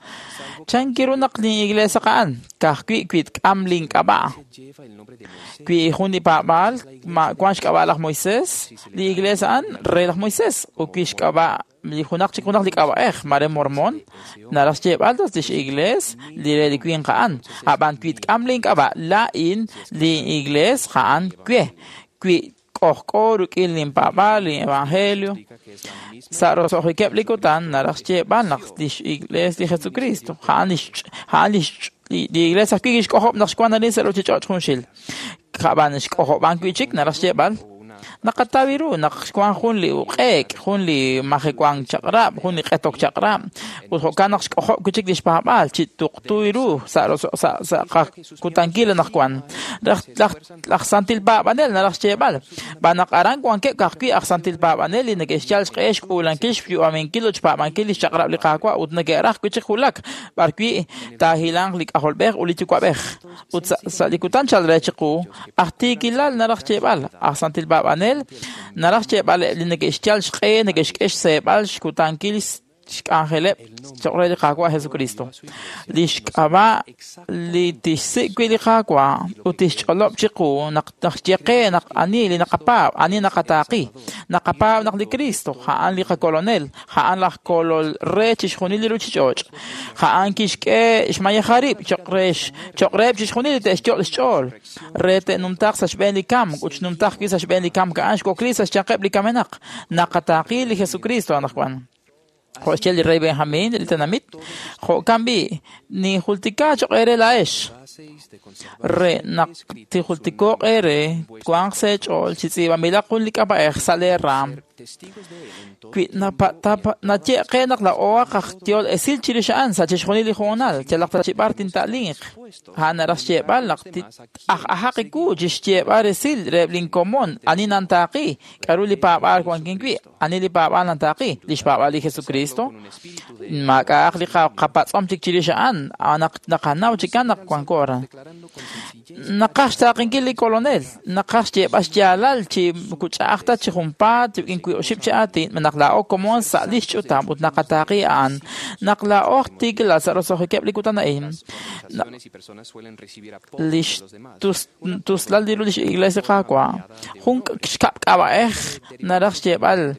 Chankiru naq li iglesia a'an ka'ajwi' wi tk'am link'ab'a'. Wi jun li paab'aal ma wan xk'ab'a' laj Moisés, li iglesia a'an re laj Moisés ut wi xk'ab'a' li junaq chik junaq li k'ab'a'ej mare Mormon naraj xyeeb'al tas lix iglees li re li winq a'an. Ab'an wi tk'am link'ab'a' laa'in li iglees a'an we wi k'ojk'o rik'in linpaab'aal li evangelio. Sa' roso'jikeb' li kutan naraj xyeeb'al naq lix iglees li Jesucristo a'an lix a'an lix li iglees ajwi' kixk'ojob' naq xwan arin sa' ruuchich'och' junxil. Ab'an xk'ojob'an wi' chik naraj xyeeb'al naqataw ru naq xwan jun li uq'eek, jun li majewank chaq'rab', jun li q'etok chaq'rab' ut jo'kan naq xk'ojob' wi' chik li xpaab'aal chi tuqtu ru sa' sa' sa' qakutankil anaqwan. Laj laj santil paab'anel naraj xyeeb'al b'an naq aran wankeb' ka'ajwi' aj santil paab'anel li neke'xyal xq'e xk'uulankil xyu'aminkil ut xpaab'ankil li xchaq'rab' li Qaawa' ut neke'raj wi' chik wulak b'arwi' taahilanq li k'ajolb'ej ut li yuwa'b'ej. Ut sa' li kutan chal re chiqu aj tiikilal naraj xyeeb'al aj santil paab'anel naraj xyeeb'al li neke'xyal xq'e neke'xk'e xseeb'al xkutankil xk'anjeleb' cho'q re li Qaawa' Jesucristo. Li xk'ab'a' li tixsik' wi' li Qaawa' ut tixch'olob' chiqu naq naxye qe naq ani li naqapaab', ani naqataaqi. Naqapaab' naq li Cristo, a'an li qakolonel, a'an laj kolol re chixjunil li ruchich'och'. A'an kixk'e xmayeja rib' cho'q re cho'q reheb' chixjunil li te'xyok' xch'ool, re te'numtaq sa' xb'een li kamk ut xnumtaq wi' sa' xb'een li kamk a'an xwakli sa' xyanqeb' li kamenaq. Naqataaqi li Jesucristo anaqwan. Jo' xye li rey Benjamín li tenamit, jo'kan b'i' ninjultika cho'q eere laa'ex. Re naq tijultiko'q eere twanq sa' eech'ool chi tz'iib'anb'ilaq jun li k'ab'a'ej sa' lee raam. Wi naye qe naq laa'o aj yehol esil chirix a'an sa' chixjunil li hoonal, yalaq ta chi b'ar tinta'linq. A'an naraj xyeeb'al naq aj-ajaq iwu chi xyeeb'al resil reheb' linkomon ani nantaaqi, k'aru li paab'aal wankin wi', ani li paab'aal nantaaqi, li xpaab'aal li Jesucristo. Maak'a'aq li qapatz'om chik chirix a'an, naq naqanaw chikan naq wanko aran. Naqaj xtaaqinkil li kolonel, naqaj xyeeb'al xyaalal chi moko ch'a'aj ta chi junpaat rik'in wi' oxib' chi aatin, naq laa'o komon sa' li xch'utam ut naqataaqi a'an, naq laa'o tiikilal sa' roso'jikeb' li kutan a'in. Li xtuslal li ru lix iglesia Qaawa', jun xkab' k'ab'a'ej naraj xyeeb'al,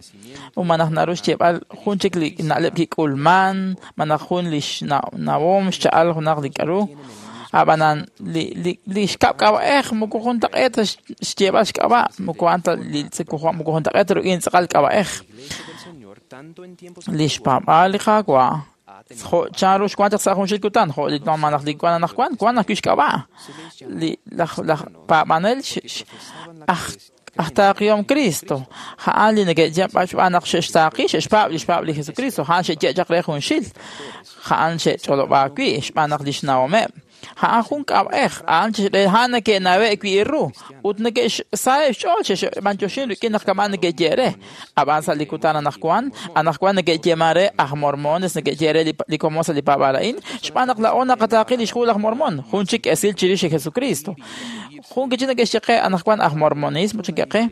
umanaj naru xyeeb'al jun chik li na'leb' kik'ulman, manaj jun li xnawom xcha'al junaq li k'aru. Ab'anan li li li xkab' k'ab'a'ej moko juntaq'eet ta xyeeb'al xk'ab'a', moko a'an ta li moko juntaq'eet ta rik'in tz'aqal k'ab'a'ej. Li xpaab'aal li Qaawa' jo' chanru xwank chaq sa' junxil kutan, jo' li manaj li wan anaqwan, wan ajwi' xk'ab'a'. Li laj laj paab'anel aj aj taaqihom Cristo, a'an li neke'xye xb'aan naq xe'xtaaqi, xe'xpaab' li xpaab' li Jesucristo, a'an xe'ye chaq re junxil, a'an xe'ch'olob'aak wi' xb'aan naq li xnawomeb'. A'an jun k'ab'a'ej, a'an a'an neke'nawe' wi' ru ut neke'xsaheb' xch'ool xe'xb'anyoxin rik'in naq kama'an neke'ye re. Ab'an sa' li kutan anaqwan, anaqwan neke'yeeman re aj mormones, neke'ye re li komon sa' li paab'aal a'in, xb'aan naq laa'o naqataaqi li xhu laj Mormon, jun chik esil chirix li Jesucristo. Jun kichi neke'xye qe anaqwan aj mormonismo chinke'qe,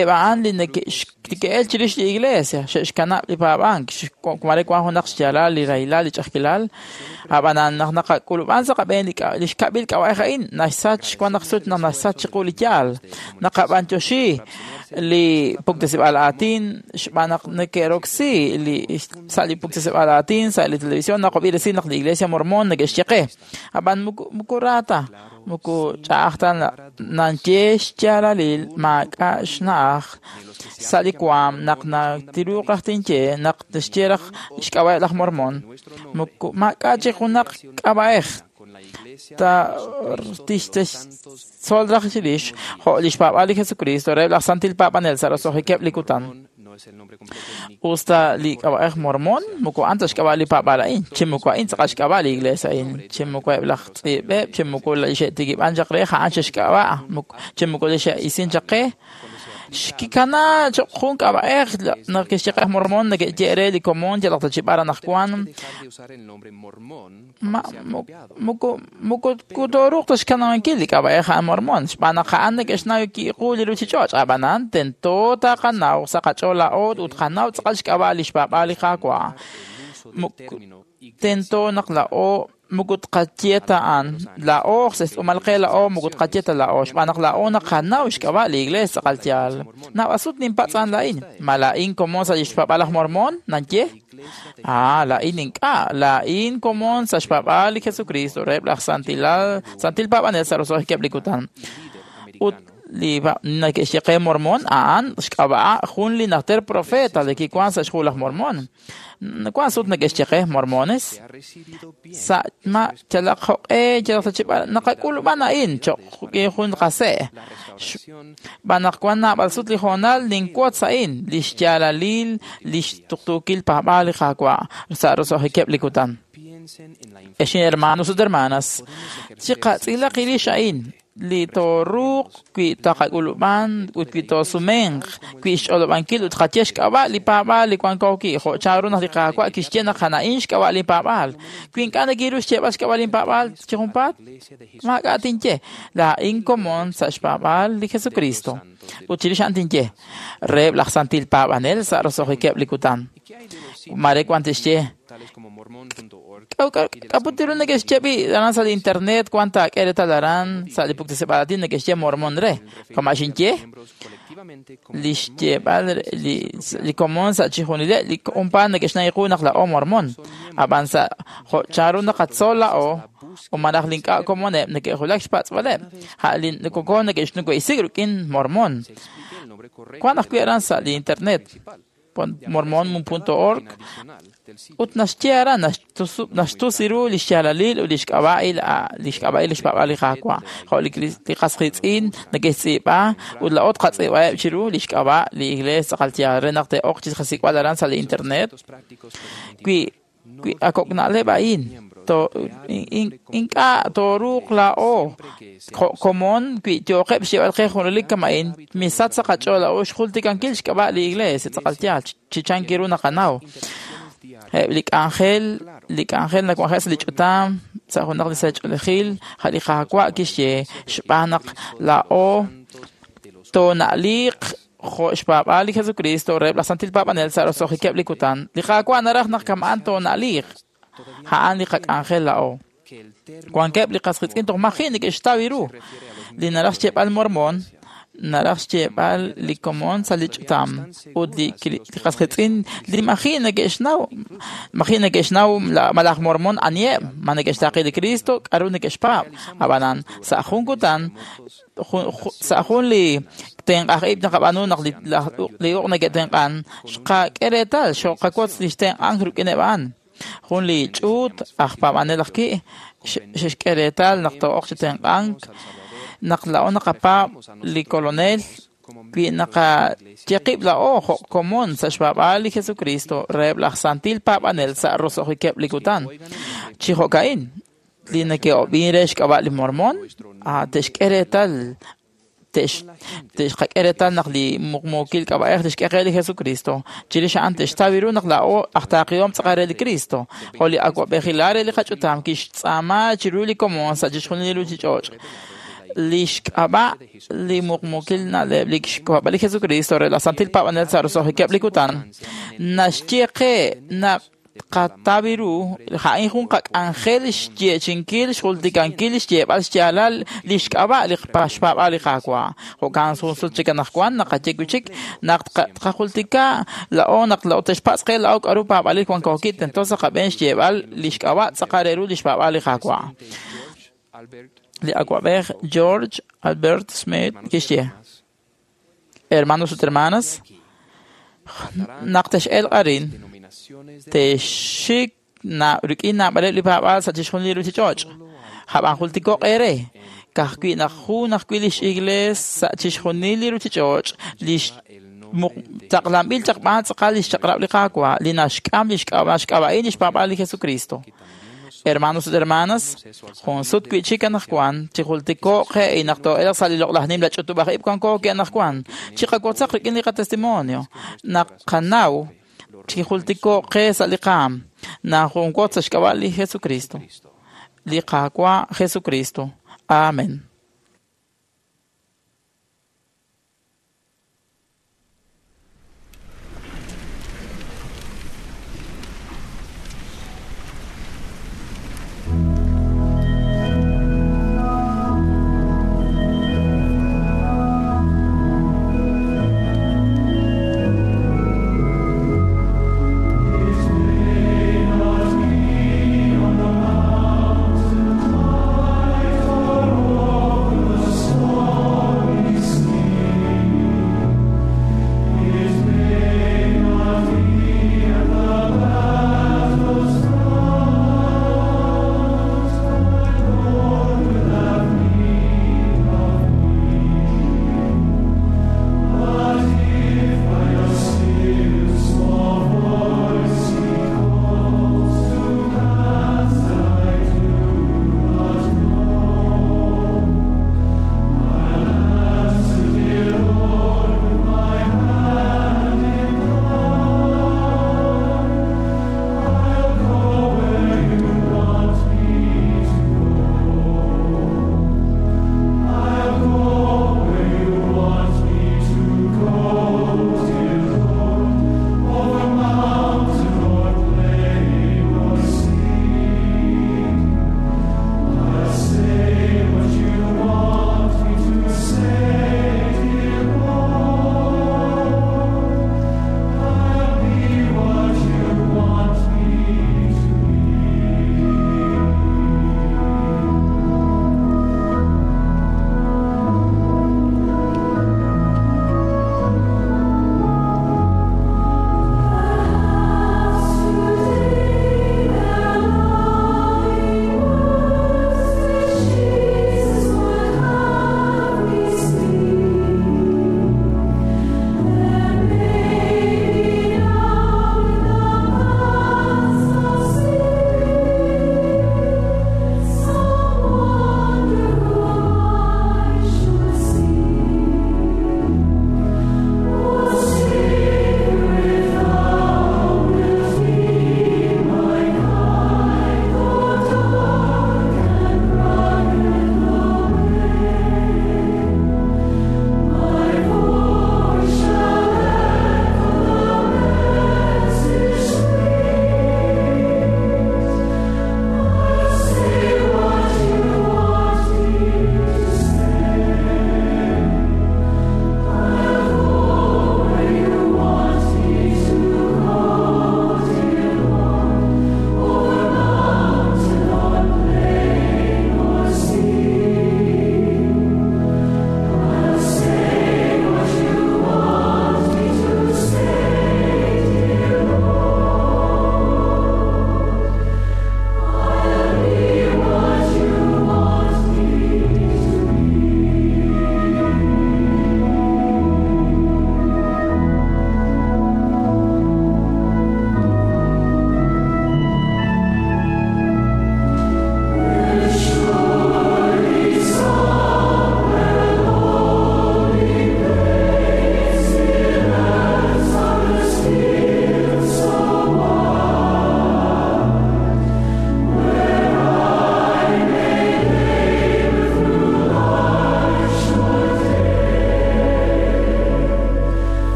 eb' a'an li neke'el chirix li iglesia, xe'xkanab' li paab'ank, mare wan junaq xyaalal li rahilal, li ch'a'ajkilal. Ab'anan naq naqak'ulub'an sa' qab'een li xkab'il k'ab'a'ej a'in, naxsach wan naq sut naq naxsach chiqu li yaal. Naqab'anyoxi li puktesib'aal aatin xb'aan naq neke'roksi li sa' li puktesib'aal aatin sa' li televisión naqob'i resil naq li iglesia mormon neke'xye qe. Ab'an moko ra ta, moko ch'a'aj ta nanye xyaalalil maak'a' xna'aj sa' li waam naq natiruuq raj tinye naq tixye raj xk'ab'a'eb' laj mormon. Moko maak'a' chi junaq k'ab'a'ej ta tixtzol raj chirix jo' li xpaab'aal li Jesucristo reheb' laj santil paab'anel sa' roso'jikeb' li kutan. Usta li k'ab'a'ej mormon moko a'an ta xk'ab'a' li paab'aal a'in, chi moko a'in tz'aqal xk'ab'a' li iglesia a'in, chi moko eb' laj tz'iib'eb', chi moko li xe'tikib'an chaq re a'an xe'xk'ab'a', chi moko li xe'isin chaq qe. Xkikana cho'q jun k'ab'a'ej naq kixye qe aj mormon neke'ye re li komon yalaq ta chi b'ar anaqwan. Ma moko moko tooruuq ta xkanab'ankil li k'ab'a'ej a'an mormon, xb'aan naq a'an neke'xnaw ki'qu li ruchich'och'. Ab'anan tento taqanaw sa' qach'ool laa'o ut qanaw tz'aqal xk'ab'a' li xpaab'aal li Qaawa'. Tento naq laa'o moko tqaye ta a'an, laa'o sa' xtz'uumal qe laa'o moko tqaye ta laa'o, xb'aan naq laa'o naqanaw xk'ab'a' li iglesia tz'aqal yaal. Naab'al sut ninpatz'an laa'in, ma laa'in komon sa' li xpaab'aal laj Mormon? Nanye? Ah, laa'in ink'a', laa'in komon sa' xpaab'aal li Jesucristo reheb' laj santilal santil paab'anel sa' roso'jikeb' li kutan. Ut li neke'xye qe mormon a'an xk'ab'a' jun li najter profeta li kiwan sa' xhu laj Mormon. Wan sut neke'xye qe mormones sa' ma yalaq jo'q'e yalaq ta chi b'ar naqak'ulub'an a'in cho'q jun qase'. Xb'aan naq wan naab'al sut li hoonal ninwotz a'in li xyaalalil li xtuqtuukil paab'aal li Qaawa' sa' roso'jikeb' li kutan. Ex hermanos ut hermanas, chiqatz'ilaq rix a'in li tooruuq wi' taqak'ulub'an ut wi' toosumenq wi' xch'olob'ankil ut qaye xk'ab'a' li paab'aal li wanko wi' jo' chanru naq li Qaawa' kixye naq a'in xk'ab'a' li paab'aal. Wi ink'a' nekiru xyeeb'al xk'ab'a' li paab'aal chi junpaat, maak'a' tinye. Laa'in komon sa' xpaab'aal li Jesucristo. Ut chirix a'an tinye reheb' laj santil paab'anel sa' roso'jikeb' li kutan. Mare wan tixye k'a'ut ru neke'xye b'i aran sa' li internet wan taak'e reetal aran sa' li puktesib'aal aatin neke'xye mormon re kama' xinye li xyeeb'al li li komon sa' chixjunileb' li umpaan neke'xnaw qu naq la'o mormon ab'an sa' jo' chanru naqatzol la'o o malaj li ink'a' komoneb' neke'julak xpatz'b'aleb' a' li koko neke'xnuwe'isik rik'in mormon wan ajwi' aran sa' li internet mormon punto org ut naxye aran naxtus ru li xyaalalil ut li xk'ab'a'il li xk'ab'a'il li xpaab'aal li Qaawa' jo' li qas qiitz'in neke'xtz'iib'a ut la'o tqatz'iib'aheb' chiru li xk'ab'a' li iglees tz'aqal yaal re naq te'oq chi qasik'b'al aran sa' li internet wi wi akok' na'leb' a'in ink'a' tooruuq la'o jo' komon wi yooqeb' xyeeb'al qe junelik kama'in misach sa' qach'ool la'o xjultikankil xk'ab'a' li iglees tz'aqal yaal chi chanki ru naqanaw eb' li k'anjel li k'anjel nawanje' sa' li ch'utam sa' junaq li sach'oolejil ja' li Qaawa' kixye xb'aan naq la'o toona'liiq jo' xpaab'aal li Jesucristo reheb' laj santil paab'anel sa' roso'jikeb' li kutan li Qaawa' naraj naq kama'an toona'liiq a'an li qak'anjel la'o wankeb' li qas qiitz'in toj maji' neke'xtaw ru li naraj xyeeb'al mormon naraj xyeeb'al li komon sa' li ch'utam ut li qas qiitz'in li maji' neke'xnaw maji' neke'xnaw malaj mormon aniheb' ma neke'xtaaqi li Cristo k'aru neke'xpaab' ab'anan sa' jun kutan sa' jun li tenq'aj ib' naqab'aanu naq li uq' neke'tenq'an xqak'e reetal xoqawotz li xtenq'ank rik'ineb' a'an jun li ch'uut aj paab'anel aj ki' xe'xk'e reetal naq too'oq chi tenq'ank naq la'o naqapaab' li kolonel wi naqaye qib' la'o jo' komon sa' xpaab'aal li Jesucristo reheb' laj santil paab'anel sa' roso'jikeb' li kutan chi jo'ka'in li neke'ob'in re xk'ab'a' li mormon te'xk'e reetal te'xqak'e reetal naq li muqmuukil k'ab'a'ej tixk'e qe li Jesucristo chirix a'an te'xtaw ru naq la'o aj taaqihom tz'aqal re li Cristo jo' li awa'b'ejilal re li qach'utam kixtz'aama chiru li komon sa' chixjunil li ruchich'och' li xk'ab'a' li muqmuukil na'leb' li xk'ab'a' li Jesucristo re laj santil paab'anel sa' roso'jikeb' li kutan naxye qe naq qataw ru a'in jun qak'anjel xyeechinkil xjultikankil xyeeb'al xyaalal li xk'ab'a' li xpaab'aal li Qaawa' jo'kan jun sut chik anaqwan naqaye wi' chik naq tqajultika la'o naq la'o te'xpatz' qe la'o k'aru paab'alil wankookil tento sa' qab'een xyeeb'al li xk'ab'a' tz'aqal re ru li xpaab'aal li Qaawa' li awa'b'ej George Albert Smith kixye hermanos ut hermanas naq tex'elq arin texxik rik'in naab'aleb' li paab'aal sa' chixjunil li ruchich'och' ab'an jultiko'q eere ka'ajwi' naq jun ajwi' lix iglees sa' chixjunil li ruchich'och' li taqlanb'il chaq b'aan tz'aqal li xchaq'rab' li Qaawa' li naxk'am li xk'ab'a'in li xpaab'aal li Jesucristo hermanos ut hermanas jun sut wi' chik anaqwan chijultiko'q qe naq too'elaq sa' li loq'laj nimla ch'utub'aj ib' wanko anaqwan chiqawotzaq rik'in li qatestimonio naq qanaw chijultiko'q qe sa' li qaam naq junwotz sa' xk'ab'a' li Jesucristo li Qaawa' Jesucristo amen. Be not me on the mountain high,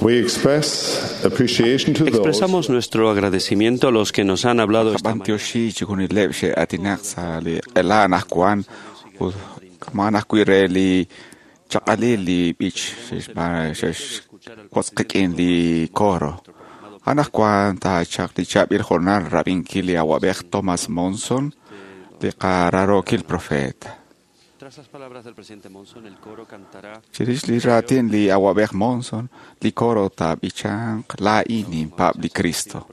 We express appreciation to those Expresamos nuestro agradecimiento a los que nos han hablado esta mañana. Qab'antioxi chijunileb' xe'atinaq sa' li q'ela anaqwan ut k'aman ajwi' re li chaq'alil li b'ich xe'xb'aan xe'xwotz'qik'in li coro. Anaqwan taachaq li chaab'il jornal rab'inkil li awab'ej Thomas Monson li qararokil profeta. Tras las palabras del presidente Monson, el coro cantará Chirix li raatin li awab'ej Monson, li coro taab'ichanq laa'in ninpaab' li Cristo.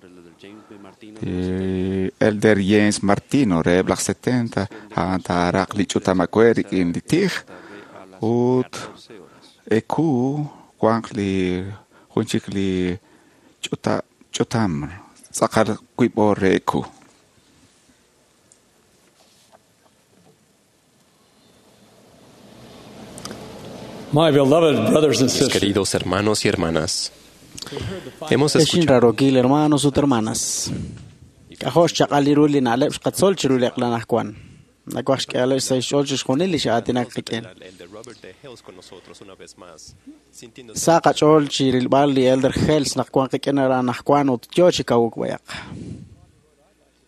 Li Elder James Martino reheb' laj setenta a'an taaraq li ch'utam awe' rik'in li tij ut eku wanq li jun chik li ch'uta ch'utam tz'aqal wiib' oor re eku. My beloved brothers and Mis sisters, queridos hermanos y hermanas, hemos Exin escuchado rarokil hermanos ut hermanas. K'ajo' xchaq'al ru li na'leb' xqatzol chiru li q'lan ajwan. Nakuaj xk'e'aleb' sa' xch'ool chixjunil li xa'aatinak qik'in. Elder Robert D. Hales con nosotros una vez más, sintiéndose Sa' qach'ool chi rilb'al li Elder Hales naq wan qik'in aran ajwan ut yo chi kawuk b'ayaq.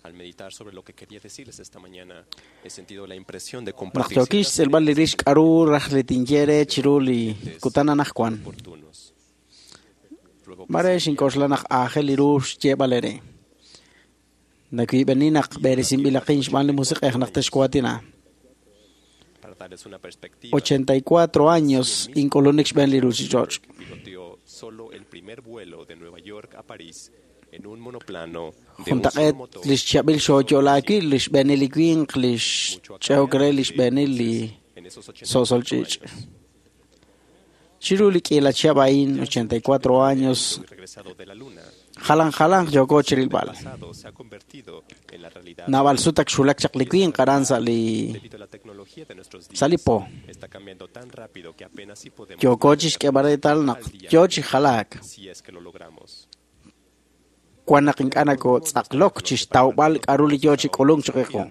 al meditar sobre lo que quería decirles esta mañana, he sentido la impresión de Naq compartir yookix ciertas xtz'ilb'al li rix k'aru raj li tinye re chiru li kutan anajwan. oportunos. Ruego que Mare xink'oxla naq aajel li ru xyeeb'al ere. Nakiib'eni naq b'eresinb'ilaqin xb'aan li musiq'ej naq texkuatina. para darles una perspectiva, ochenta y cuatro años ink'ulunik xb'een li ruchich'och'. piloteó solo el primer vuelo de Nueva York a París en un monoplano de un solo Juntaq'eet motor. li xchab'il xooyo'laakil li xb'eenil li winq li xch'eok re li xb'eenil li so'sol ch'iich'. Chiru li k'iila chihab' a'in ochenta y cuatro años Regresado de la luna, jalan jalan yooko chirilb'al. pasado se ha convertido en la realidad Naab'al sut ak xulak chaq li winq aran sa' li debido a la tecnología de nuestros días. sa' li po. Está cambiando tan rápido que apenas si podemos Yooko chixk'eeb'al reetal naq yo chi jalaak. si es que lo logramos. Wan naq ink'a' nakotz'aqlok chixtawb'al k'aru li yo chi k'ulunk chiqiqu.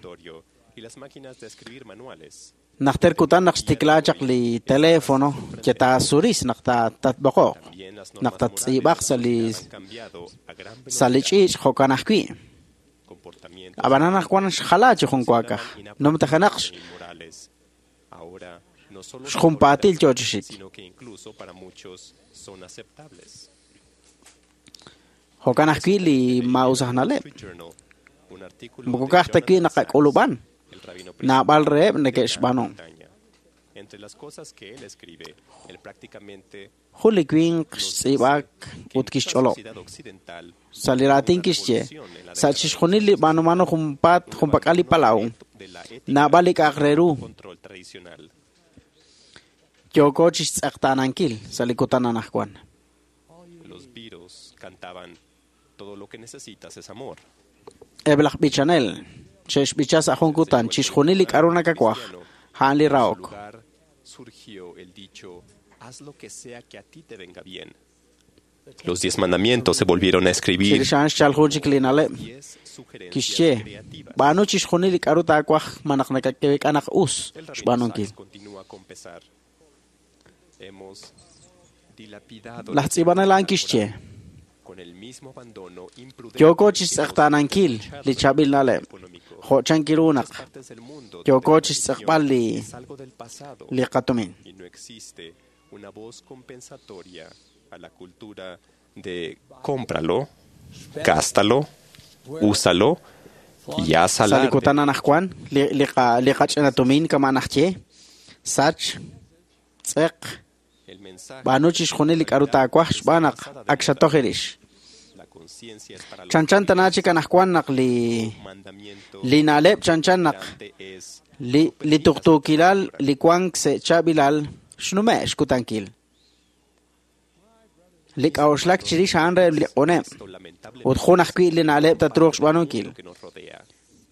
Y las máquinas de escribir manuales Najter kutan naq xtikla chaq li teléfono que taasuris naq ta tatb'oqoq naq tattz'iib'aq sa' li cambiado a gran sa' li ch'iich' jo'kan ajwi'. comportamientos Ab'anan naq wan xjala chi jun waakaj. Numtajenaq inmorales. Ahora no solo se xjunpaatil toleran, yo chi xik. sino que incluso para muchos son aceptables. Jo'kan ajwi' li maa'us aj na'leb'. Street Journal, un artículo Moko de ka'aj ta wi' Jonathan naqak'ulub'an. el rabino Naab'al reheb' de neke'xb'aanu. Gran Bretaña. Entre las cosas que él escribe, él prácticamente Jun li winq xtz'iib'ak ut la kixch'olob'. sociedad occidental Sa' li raatin kixye, sa' chixjunil li b'aanumano junpaat junpak'al li palaw, naab'al li k'a'aq re ru control tradicional. yooko chixtz'eqtaanankil sa' li kutan anajwan. Los Beatles cantaban todo lo que necesitas es amor. Eb' laj b'ichanel xe'xb'icha sa' jun kutan chixjunil li k'aru nakakuaj, a'an li En su rahok. lugar surgió el dicho, haz lo que sea que a ti te venga bien. Los diez mandamientos se volvieron a escribir. Chirix a'an xchal jun chik li na'leb' kixye, b'aanu chixjunil li k'aru taakuaj ma naq nakak'e naq us El rabino xb'aanunkil. Sachs continúa con pesar. Hemos dilapidado Laj tz'iib'anel a'an kixye, con el mismo abandono imprudente yooko chixtz'eqtaanankil li chaab'il na'leb' jo' chankiru naq partes del mundo yooko chixtz'eqb'al li es algo del pasado li qatumin. y no existe una voz compensatoria a la cultura de cómpralo, gástalo, úsalo y haz Sa' li alarde. kutan anajwan li li qa li qach'ina tumin kama' najye sach tz'eq El mensaje b'aanu chixjunil li k'aru taakuaj xb'aan naq ak xatoj irix. la conciencia es para los Chanchan tana chik anajwan naq li mandamiento li na'leb' chanchan naq es li li tuqtuukilal li wank sa' chaab'ilal xnume' xkutankil. Li k'a'uxlak chirix a'an reheb' li q'uneb' ut jun ajwi' li na'leb' tatruuq xb'aanunkil. que nos rodea.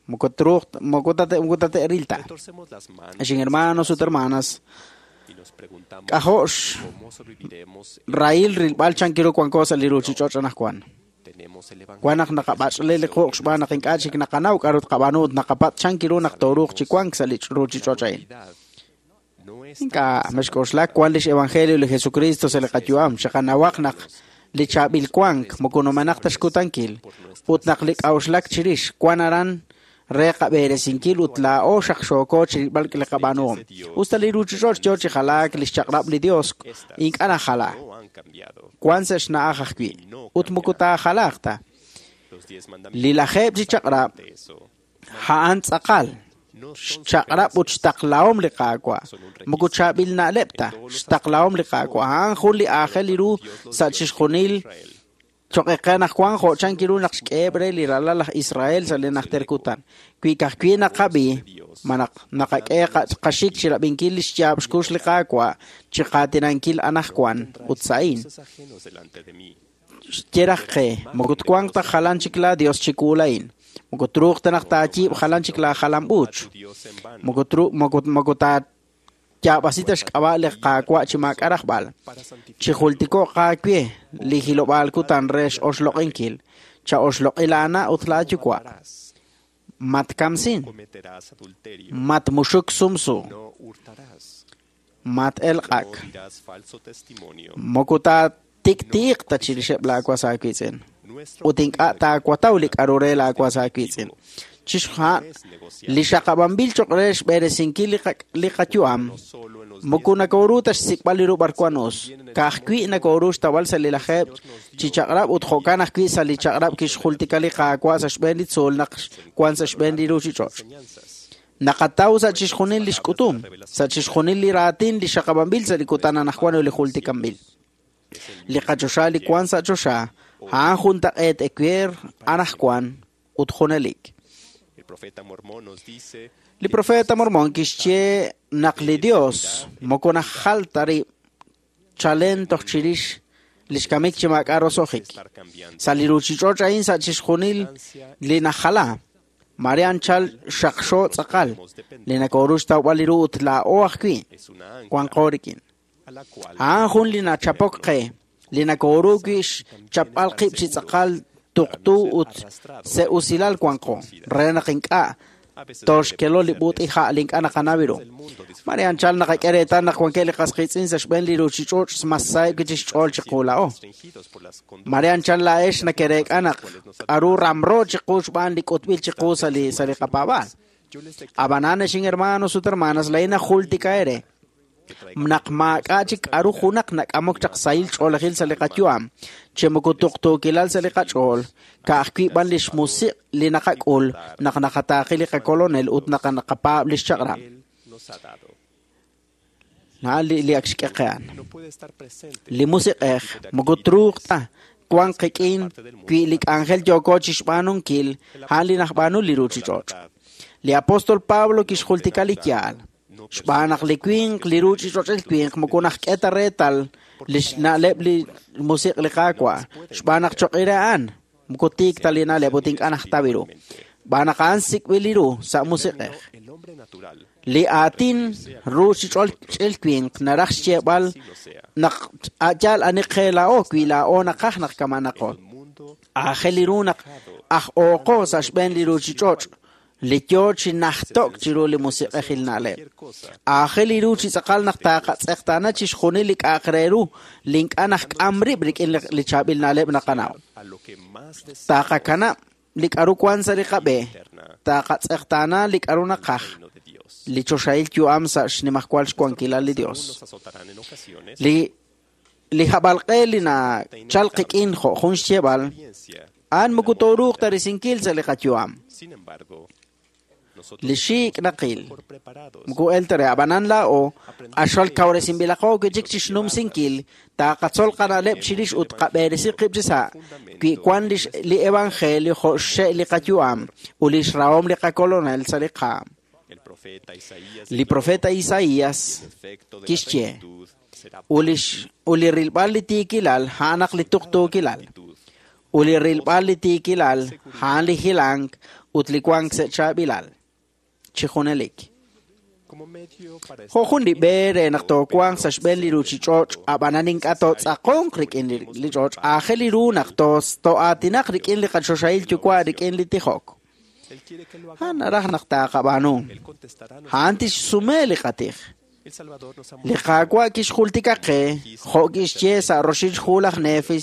Moko truuq moko tate moko tate'ril ta. Torcemos las manos Xin hermanos ut hermanas, y nos preguntamos k'ajo'x cómo sobreviviremos. rahil rilb'al chankiru wanko sa' li ruchich'och' anajwan. Tenemos el evangelio. Wan naq naqab'ach'le li quq' xb'aan naq ink'a' chik naqanaw k'aru tqab'aanu ut naqapatz' chankiru naq tooruuq chi wank sa' li ruchich'och' a'in. No Ink'a' mexk'oxlak wan lix evangelio li Jesucristo sa' li qayu'am, xaqanawaq naq li chaab'il wank moko numenaq ta xkutankil, ut naq li k'a'uxlak chirix wan aran re qab'eresinkil ut laa'o xaqxooko chirilb'al li qab'aanuhom. Usta li ruuchich'och' yoo chi jalaak li xchaq'rab' li Dios ink'a' najala. Wan sa' xna'aj ajwi' ut moko taajalaaq ta. Li lajeeb' chi chaq'rab' a'an tz'aqal xchaq'rab' ut xtaqlahom li Qaawa'. Moko chaab'il na'leb' ta, xtaqlahom li Qaawa'. A'an jun li aajel ru sa' chixjunil choq' eqe naq wan jo' chan kiru naq xk'eheb' re li ralal laj Israel sa' li najter kutan. Wi ka'ajwi' naqab'i, ma naq naqak'e qaxik chirab'inkil li xyaab' xkux li Qaawa' chiqaatinankil anajwan ut sa'in. Xye raj qe, moko twanq ta jalan chik la Dios chiwu lain. Moko truuq ta naq taayiib' jalan chik la jalam-uuch. Moko tru- moko moko taayaab'asi ta xk'ab'a' li Qaawa' chi maak'a' rajb'al. Chijultiko'q aawe li hilob'aal kutan re x'oxloq'inkil. Cha'oxloq'i laana' ut laayuwa'. Matkamsin. Matmuxuk sumsu. Mat-elq'ak. Moko taatiktiiq ta chirixeb' laawas aawiitz'in. Ut ink'a' taawataw li k'a'ru re laawas aawiitz'in. Chixja' li xaqab'anb'il choq' re xb'eresinkil li qa- li qayu'am, moko nakoru ta xsik'b'al li ru b'arwan us. Ka'ajwi' nakoru xtawb'al sa' li lajeeb' chi chaq'rab' ut jo'kan ajwi' sa' li chaq'rab' kixjultika li Qaawa' sa' xb'een li tzuul naq wan sa' xb'een li ruuchich'och'. Naqataw sa' chixjunil li xk'utum, sa' chixjunil li raatin li xaqab'anb'il sa' li kutan anajwan ut li jultikanb'il. Li qachoxa li wan sa' choxa, a'an juntaq'eet ewer anajwan ut junelik. Li profeta Mormon kixye naq li Dios moko najal ta rib' chalen toj chirix li xkamik chi maak'a' roso'jik. Sa' li ruuchich'och' a'in sa' chixjunil li najala, mare anchal xaqxo tz'aqal, li nakoru xtawb'al li ru ut laa'o ajwi' wanqo rik'in. A'an jun li nachapok qe, li nakoru wi' xchapb'al qib' chi tz'aqal tuqtu ut se'usilal wanqo, re naq ink'a' toxkelo li b'ut'iha' li ink'a' naqanaw ru. Mare anchal naqak'e reetal naq wankeb' li qas qiitz'in sa' xb'een li ruuchich'och' mas saheb' wi' chi xch'ool chiqu laa'o. Mare anchal laa'ex nakereek'a naq k'a'ru ramro chiqu xb'aan li k'utb'il chiqu sa' li sa' li qapaab'aal. Ab'anan ex hermanos ut hermanas, laa'in najultika ere naq maak'a' chik k'a'ru junaq nak'amok chaq sahil ch'oolejil sa' li qayu'am, chi moko tuqtuukilal sa' li qach'ool, ka'ajwi' b'an li xmusiq' li naqak'ul naq naqataaqi li qakolonel ut naq naqapaab' li xchaq'rab'. Na li li ak xk'e qe'an. Li musiq'ej moko truuq ta wan qik'in wi' li k'anjel yooko chi xb'aanunkil a'an li najb'aanu li ruuchich'och'. Li apóstol Pablo kixjultika li yaal. Xb'aan naq li winq, li ruuchich'och'il winq, moko najk'e ta reetal li xna'leb' li musiq' li Qaawa'. Xb'aan naq choq'ire a'an, moko tiik ta li na'leb' ut ink'a' najtaw ru. Xb'aan naq a'an sik'b'il li ru sa' musiq'ej. Li aatin ruuchich'och'il winq naraj xyeeb'al naq a'yaal ani qe laa'o wi' laa'o naqaj naq kamanaqo. Aajel li ru naq aj ooqo sa' xb'een li ruuchich'och' li yoo chi najtok chiru li musiq'ejil na'leb'. Aajel li ru chi tz'aqal naq taaqatz'eqtaana chixjunil li k'a'aq re ru li ink'a' najk'am rib' rik'in li chaab'il na'leb' naqanaw. Taaqakanab' li k'a'ru wan sa' li qab'e, taaqatz'eqtaana li k'a'ru naqaj, li choxahil yu'am sa' xnimajwal xwankilal li Dios. Li li hab'alq'e li nachal qik'in jo' jun xyeeb'al, a'an moko tooruuq ta risinkil sa' li qayu'am. Li xiik' naqil moko el ta re ab'anan laa'o q'axal kawresinb'ilaqo wi' chik chi xnumsinkil taaqatzol qana'leb' chirix ut qab'eresi qib' chi sa' wi' wan li li evangelio jo' xxe' li qayu'am ut li xrahom li qakolonel sa' li qaam. Li profeta Isaías kixye ut li ut li rilb'al li tiikilal a'an naq li tuqtuukilal. Ut li rilb'al li tiikilal a'an li hilank ut li wank sa' chaab'ilal. Chi junelik. Jo' jun li b'e re naq toowanq sa' xb'een li ruuchich'och' ab'anan ink'a' tootz'aqonq rik'in li ch'och', aajel li ru naq too'aatinaq rik'in li qachoxahil yuwa' rik'in li tijok. A'an naraj naq taaqab'aanu. A'an tixsume li qatij. Li Qaawa' kixjultika qe jo' kixye sa' roxil xhu laj Nefi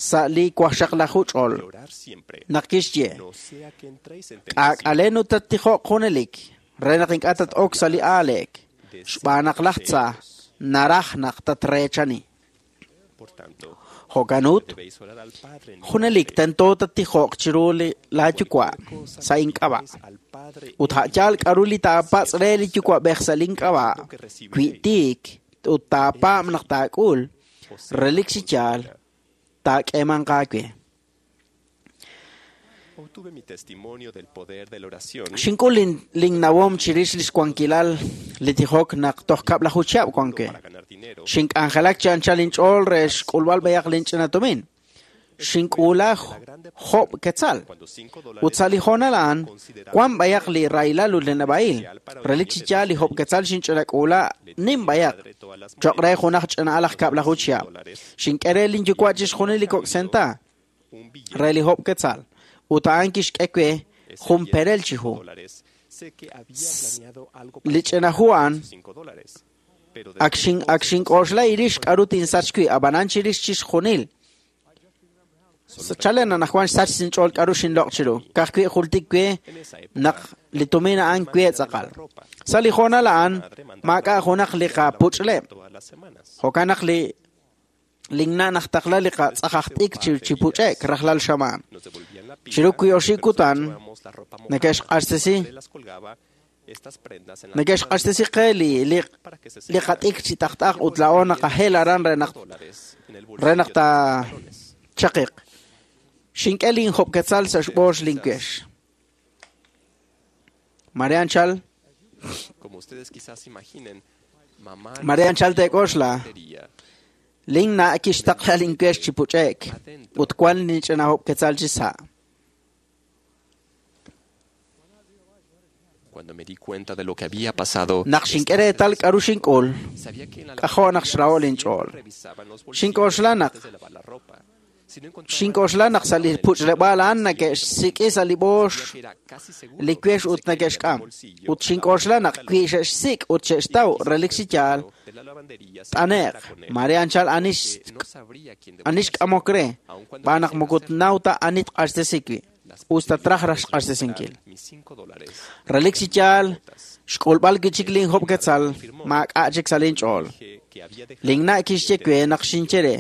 sa' li wajxaqlaju ch'ol. Naq kixye, k'aak'alen ut tattijoq junelik, re naq ink'a' tat-ok sa' li aaleek, xb'aan naq laj tza naraj naq tatreechani. Jo'kan ut, junelik tento tattijoq chiru laa yuwa' sa' ink'ab'a'. Ut a'yaal k'aru li taapatz' re li yuwa'b'ej sa' link'ab'a', wi tiik ut taapaab' naq taak'ul, relik chi yaal taak'eemanq aawe. Xink'ul linnawom chirix li xwankilal li tijok naq toj kab'laju chihab' wan we. Xink'anjelak chi anchal inch'ool re xk'ulb'al b'ayaq linch'ina tumin. Xink'uula job' quetzal. Ut sa' li hoonal a'an, wan b'ayaq li rahilal ut li neb'a'il. Relik chi yaal li job' quetzal xinch'inak'uula nim b'ayaq. Cho'q re junaj ch'ina'al aj kab'laju chihab'. Xink'e re linyuwa' chixjunil li kok' senta re li job' quetzal. Ut a'an kixk'e we jun perel chi hu. Li ch'ina hu a'an ak xin ak xink'oxla irix k'aru tinsach wi' ab'anan chirix chixjunil. Chalen anaqwan xsach sinch'ool k'aru xinloq' chiru. Ka'ajwi' jultik we naq li tumin a'an we tz'aqal. Sa' li hoonal a'an maak'a' junaq li qapuch'leb'. Jo'kan naq li linna' najtaqla li qatz'ajaj t'ik chi puch'ek rajlal xamaan. Chiru wi oxib' kutan neke'xq'axtesi neke'xq'axtesi qe li li li qat'ik chi t'ajt'aj ut laa'o naqajel aran re naq re naq taachaqiq. Xink'e linjob' quetzal sa' xb'oox linkuex. Mare anchal Mare anchal teek'oxla linna' kixtaqla linkuex chi puch'ek ut wan linch'ina job' quetzal chi sa'. Cuando me di cuenta de lo que había pasado, Naq xink'e reetal k'aru xink'ul, k'ajo' naq xraho' linch'ool. Xink'oxla naq xink'oxla naq sa' li puch'leb'aal a'an neke'xsik'i sa' li b'oox li kuex ut neke'xk'am. Ut xink'oxla naq wi xe'xsik' ut xe'xtaw relik chi yaal, t'ane'q. Mare anchal anix anix k'amok re, b'aan naq moko tnaw ta ani tq'axtesi wi'. Usta traj raj xq'axtesinkil. Relik chi yaal, xk'ulb'al kichik linjob' quetzal, maak'a' chik sa' linch'ool. Linna' kixye we naq xinye re,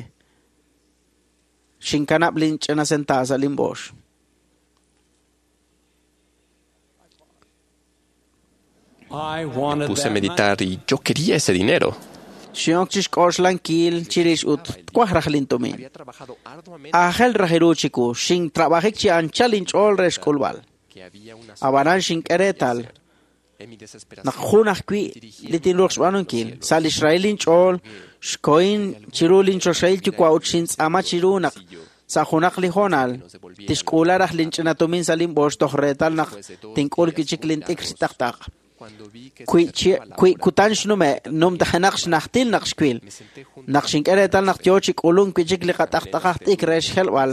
xinkanab' linch'ina senta sa' linb'oox. Me puse a meditar y yo quería ese dinero. Xinok chi xk'oxlankil chirix ut twaj raj lintumin. Aajel raj iru chiku, xintrabajik chi anchal inch'ool re xk'ulb'al. Ab'anan xink'e reetal naq jun ajwi' li tinruuq xb'aanunkil. Sa' li xrahil inch'ool, xkohin chiru linchoxahil yuwa' ut xintz'aama chiru naq sa' junaq li hoonal tixk'uula raj linch'ina tumin sa' linb'oox toj reetal naq tink'ul kichik lint'ikr chi t'ajt'aq. Wi kutan xnume' numtajenaq xnajtil naq xwil. Naq xink'e reetal naq yoo chi k'ulunk wi'chik li qat'ajt'ajaj t'ik re xjelb'al,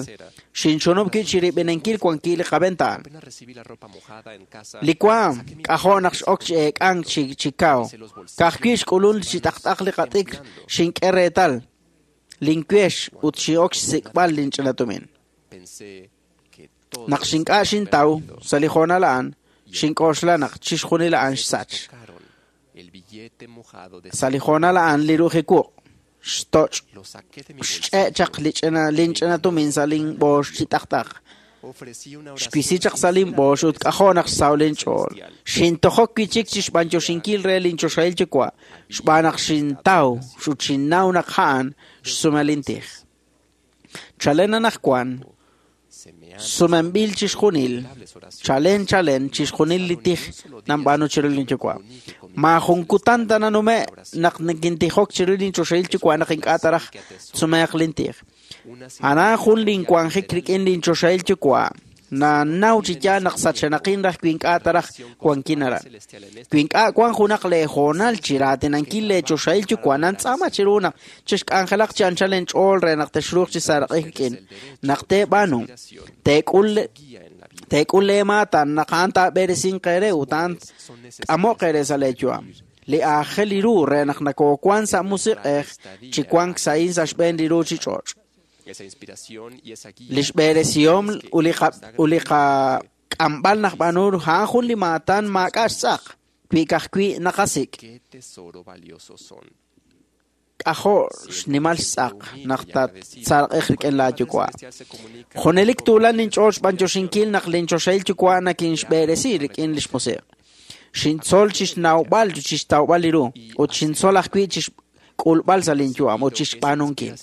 xinchunub' wi' chirib'inankil wankil li qaventaan. Li waam k'ajo' naq x'ok chi eek'ank chi chi kaw. Ka'ajwi' xk'ulun chi t'ajt'aj li qat'ikr xink'e reetal linkuex ut xin'ok xsik'b'al linch'ina tumin. Naq xink'a' xintaw sa' li hoonal a'an, xink'oxla naq chixjunil a'an xsach. Sa' li hoonal a'an li ru'uj xtoch' xch'e' chaq li ch'ina linch'ina tumin sa' linb'oox chi t'ajt'aj. Xwisi chaq sa' linb'oox ut k'ajo' naq xsaw linch'ool. Xintojok wi'chik chi xb'anyoxinkil re linchoxahil yuwa' xb'aan naq xintaw ut xinnaw naq a'an xsume lintij. Chalen anaqwan sumenb'il chixjunil, chalen chalen chixjunil li tij nanb'aanu chiru linyuwa'. Maajun kutan ta nanume' naq nikintijok chiru linchoxahil yuwa' naq ink'a' ta raj tsumeeq lintij. Anan jun linwanjik rik'in linchoxahil yuwa' nanaw chi yaal naq sachenaqin raj wi ink'a' ta raj wankin aran. Wi ink'a' wan junaq leehoonal chi raatinankil leechoxahil yuwa' nantz'aama chiru naq chixk'anjelaq chi anchal inch'ool re naq texruuq chi saaraq'ik rik'in. Naq teeb'aanu, teek'ul teek'ul leemaatan naq a'an taab'eresinq eere ut a'an k'amo'q eere sa' leeyu'am. Li aajel ru re naq nakoowank sa' musiq'ej chi wank sa'in sa' xb'een li ruuchich'och'. Li xb'eresihom ut li qak'amb'al naqb'aanu a'an jun li maatan maak'a' xtz'aq wi ka'ajwi' naqasik'. K'ajo' xnimal xtz'aq naq tattzarq'ej rik'in laayuwa'. Junelik tuulan linch'ool xb'anyoxinkil naq linchoxahil yuwa' nakinxb'eresi rik'in li xmusiq'. Xintzol chixnawb'al chixtawb'al li ru ut xintzol ajwi' chixk'ulb'al sa' linyu'am ut chixb'aanunkil.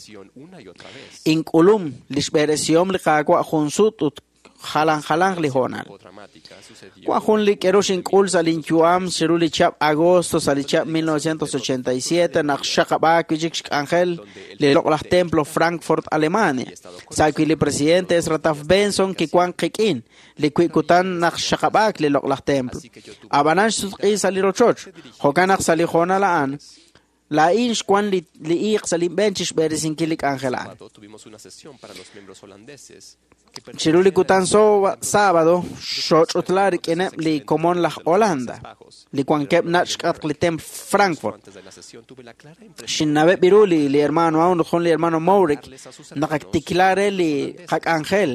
Ink'ulum li xb'eresihom li Qaawa' jun sut ut jalan jalanq li hoonal. Wan jun li k'eru xink'ul sa' linyu'am chiru li chihab' agosto sa' li chihab' mil novecientos ochenta y siete naq xxaqab'aak wi' chik xk'anjel li loq'laj templo Frankfurt, Alemania. Sa' wi' li presidente Ezra Taft Benson kiwank qik'in li wi' kutan naq xxaqab'aak li loq'laj templo. Ab'anan xsutq'i sa' li rochoch, jo'kan naq sa' li hoonal a'an laa'in xwan li iiq sa' linb'een chixb'eresinkil li k'anjel a'an. Chiru li kutan sábado xoch'utla rik'ineb' li komon laj Holanda, li wankeb' nach' xk'atq li templo Frankfurt. Xinnaweb' ru li li hermano aun jun li hermano Mourik naq ak tikla re li qak'anjel.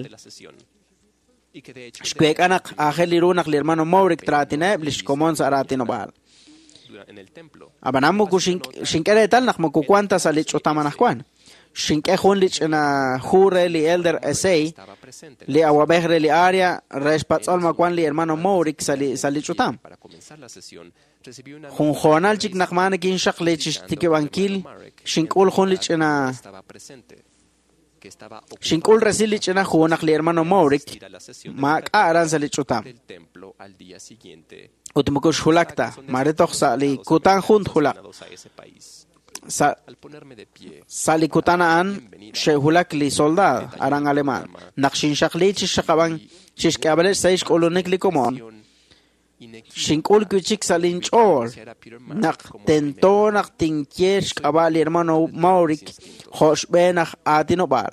Xweek'a naq aajel li ru naq li hermano Mourik traatineb' li xkomon sa' raatinob'aal. Ab'anan moko xink'e reetal naq moko wank ta sa' li ch'utam anaqwan. Xink'e jun li ch'ina hu re li Elder Esey, li awab'ej re li área re xpatz'ol ma wan li hermano Mourik sa' li sa' li ch'utam. Jun hoonal chik naq maa nakinxaqli chixtikib'ankil xink'ul jun li ch'ina xink'ul resil li ch'ina hu naq li hermano Mourik maak'a' aran sa' li ch'utam. Ut moko xjulak ta, mare toj sa' li kutan jun tjulaq. Sa' sa' li kutan a'an xe'julak li soldado aran Alemán. Naq xinxaqli chixxaqab'an chixk'ab'aleb' sa' xk'ulunik li komon. Xink'ul wi' chik sa' linch'ool naq tento naq tinye xk'ab'a' li hermano Mourik jo' xb'een aj aatinob'aal.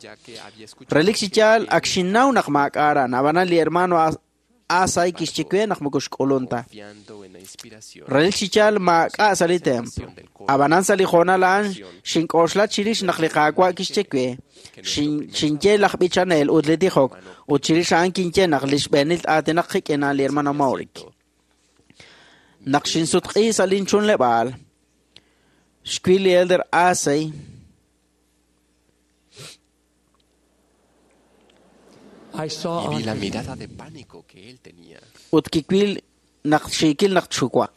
Relik chi yaal ak xinnaw naq maak'a' aran, ab'anan li hermano Asay kixye we naq moko xk'ulun ta. Relik chi yaal maak'a' sa' li templo. Ab'anan sa' li hoonal a'an xink'oxla chirix naq li Qaawa' kixye we xinye laj b'ichanel ut li tijok ut chirix a'an kinye naq li xb'eenil aatinaq qik'in li hermano Mourik. Naq xinsutq'i sa' linchunleb'aal xwil li Elder Asay Y vi la mirada de pánico que él tenía. Ut kiwil naq xiikil naq txuwaq.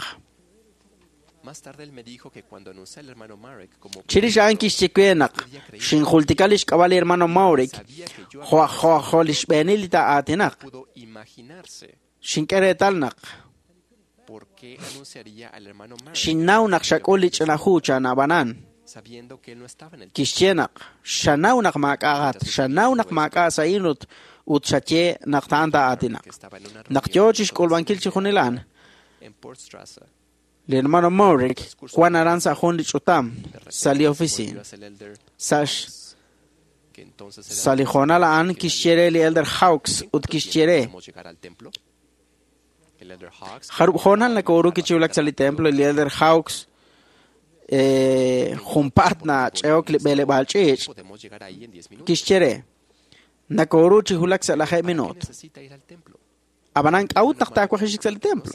Más tarde él me dijo que cuando anuncié al hermano Marek como Chirix a'an kixye we naq xinjultika li xk'ab'a' li hermano Mourik jo' jo' jo' li xb'eenil li taa'aatinaq. pudo imaginarse Xink'e reetal naq por qué anunciaría al hermano Marek xinnaw naq xak'ul li ch'ina hu chan ab'anan. sabiendo que él no estaba en el Kixye naq xanaw naq maak'a'at, xanaw naq maak'a' sa'in ut ut xaye naq ta'an taa'aatinaq. Naq yoo chixk'ulb'ankil chi junilan, en Portstrasse. li hermano Mourik wan aran sa' jun li ch'utam sa' li oficina. Sa' sa' li hoonal a'an kixye re li Elder Hawks ut kixye re ¿Podemos llegar al templo? El Elder Hawks jarub' hoonal nakooru kichiwulak sa' li templo li Elder Hawks eh, junpaat nach'eok li b'eleb'aal ch'iich' podemos llegar ahí en diez minutos. kixye re nakooru chi hulak sa' lajeeb' minuut. Necesita ir al templo. Ab'anan k'a'ut naq taawajixik sa' li templo.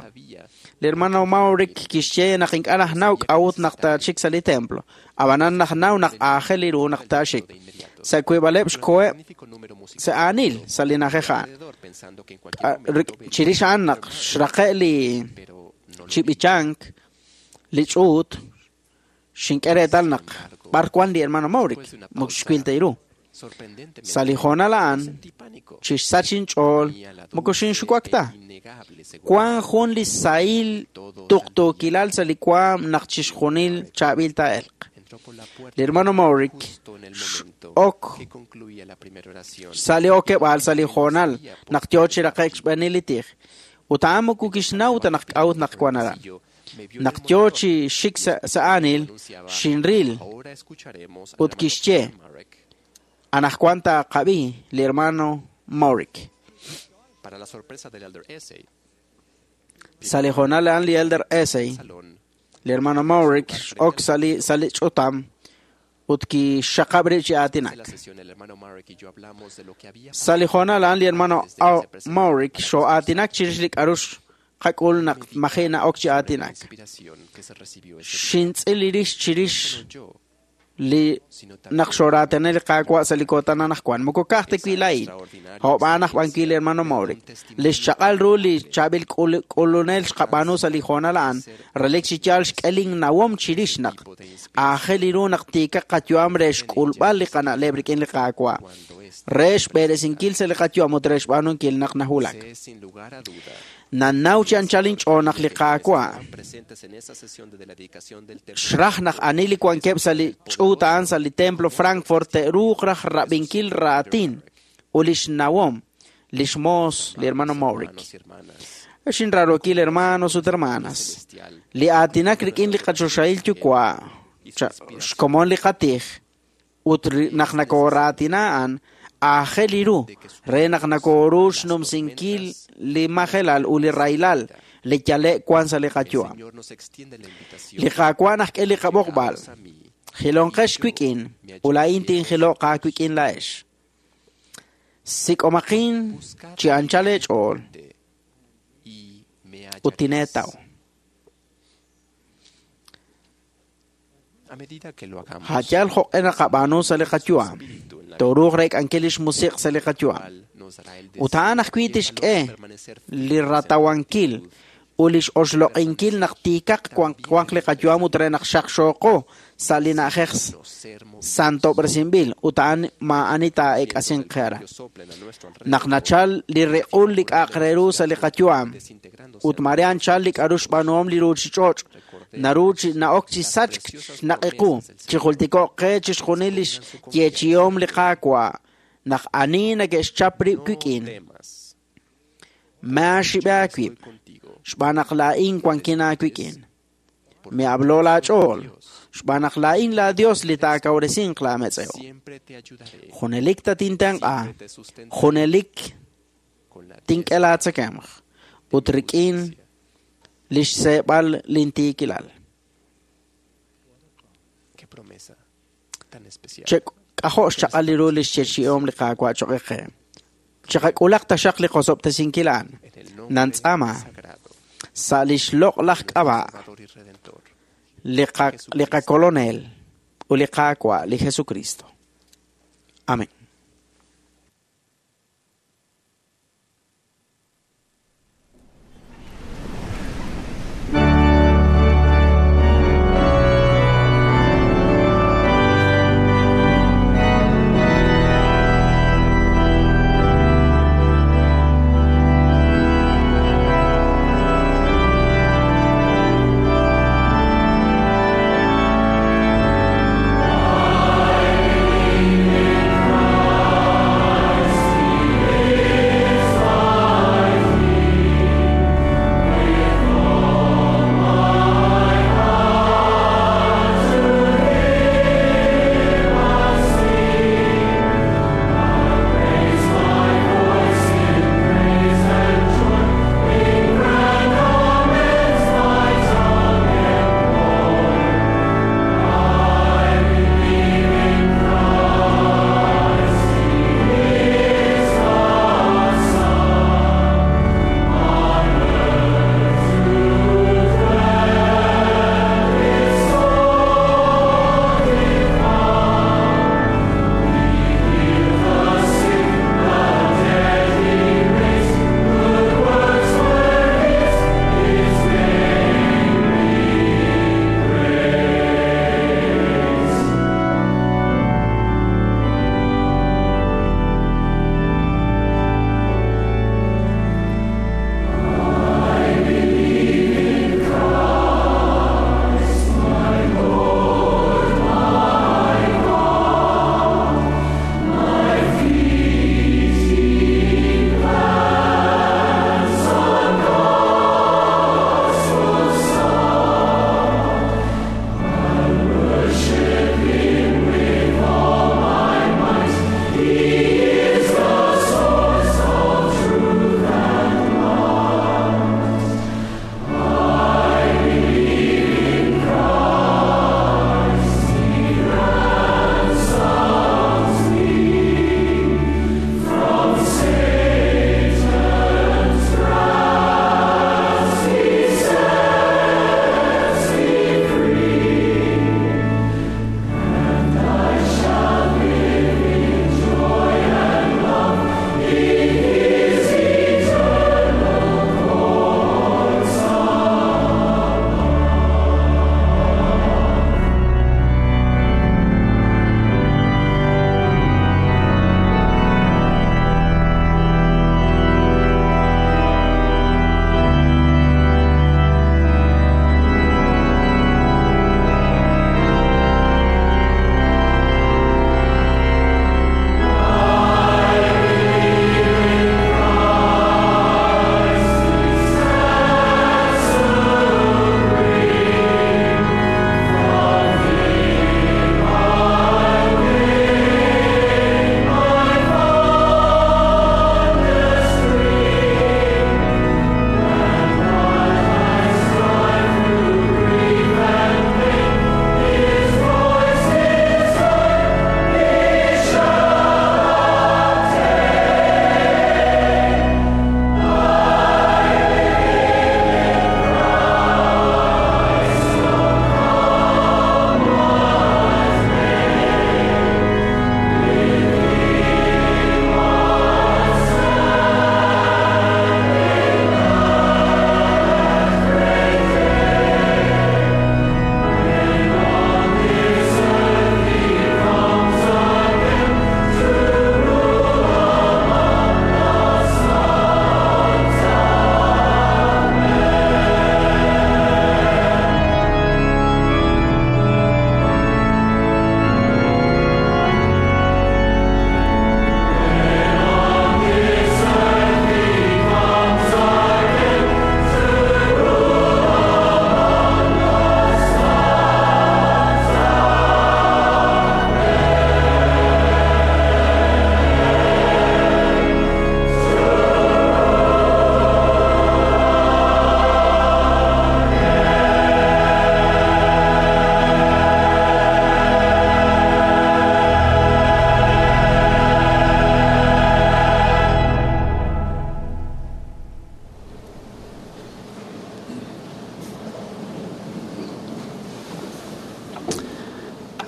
Li hermano Mourik kixye naq ink'a' najnaw k'a'ut naq taachik sa' li templo. Ab'anan najnaw naq aajel li ru naq taaxik. Sa' wiib'aleb' xkoheb' sa' aanil sa' li na'ajej a'an. Pensando que en cualquier Ah, Chirix a'an naq xraqe' li chib'ichank li ch'uut xink'e reetal naq b'ar wan li hermano Mourik moko xwil ta ru. sorprendentemente Sa' li hoonal a'an chixsach inch'ool moko xinxuwak ta. Wan jun li sahil tuqtuukilal sa' li waam naq chixjunil chaab'il taa'elq. Li hermano Mourik ok que concluía la primera oración. sa' li okeb'aal sa' li hoonal naq yoo chi raqe'k xb'eenil li tij. Ut a'an moko kixnaw ta naq k'a'ut naq wan aran. Naq yoo chi xik sa' sa' aanil xinril Ahora escucharemos al ut kixye anaqwan taaqab'i li hermano Mourik. Para la sorpresa del Elder Essay, Sa' li hoonal a'an li Elder Esey salón Li hermano Maverick x'ok sa' li sa' li ch'utam ut kixxaqab' rib' chi aatinak. Sa' li hoonal a'an li hermano Maverick xoo'aatinak chirix li k'a'ru xqak'ul naq maji' na'ok chi aatinak. Xintz'il rix chirix li naq xooraatene li Qaawa' sa' li kutan anaqwan. Moko ka'aj ta wi' laa'in, jo'b'aan aj b'an wi' li hermano Maverick. Li xchaq'al ru li chaab'il k'ulunel xqab'aanu sa' li hoonal a'an, relik chi yaal xk'e linnawom chirix naq aajel ru naq tiikaq qayu'am re xk'ulb'al li qana'leb' rik'in li Qaawa', re xb'eresinkil sa' li qayu'am ut re xb'aanunkil naq nahulak. Nanaw chi anchal inch'ool naq li Qaawa' xraj naq ani li wankeb' sa' li ch'uut a'an sa' li templo Frankfurt te'ruuq raj rab'inkil raatin ut lix nawom lix moos li hermano Maverick. Xinrarookil hermanos ut hermanas, li aatinak rik'in li qachoxahil yuwa' xkomon li qatij ut naq nakooraatina a'an aajel ru re naq nakooru xnumsinkil li majelal ut li rahilal li yale' wan sa' li qayu'am. Li Qaawa' naxk'e li qab'oqb'al. Jilonqex wik'in ut laa'in tinjiloq aawik'in laa'ex. Sik'omaqin chi anchal eech'ool ut tineetaw. Jayal jo'q'e naqab'aanu sa' li qayu'am. Tooruuq reek'ankil lix musiq' sa' li qayu'am. Ut a'an ajwi' tixk'e li ratawankil ut lix oxloq'inkil naq tiikaq wanq li qayu'am ut re naq xaqxooqo sa' li na'ajej santob'resinb'il ut a'an maa'ani taa'eek'asinq qe aran. Naq nachal li riq'ul li k'a'aq re ru sa' li qayu'am ut mare anchal li k'a'ru xb'aanuhom li ruuchich'och' naru chi na'ok chi sachk xnaq'iqu chi jultiko'q qe chixjunil lix yeechihom li Qaawa' naq ani neke'xchap rib' wik'in. Maaxib'e aawib' xb'aan naq laa'in wankin aawik'in. Mi'ablo laach'ool xb'aan naq laa'in laa Dios li taakawresinq laametz'ew. Junelik tatintenq'a, junelik tink'e laatzakemq ut rik'in lix seeb'al lintiikilal. K'ajo' xchaq'al li ru lix yeechi'om li Qaawa' choq' qe. Chiqak'ulaq taxaq li qosob'tesinkil a'an. Nantz'ama sa' lix loq'laj k'ab'a' li qakolonel ut li Qaawa' li Jesucristo. Amén. I believe in Christ.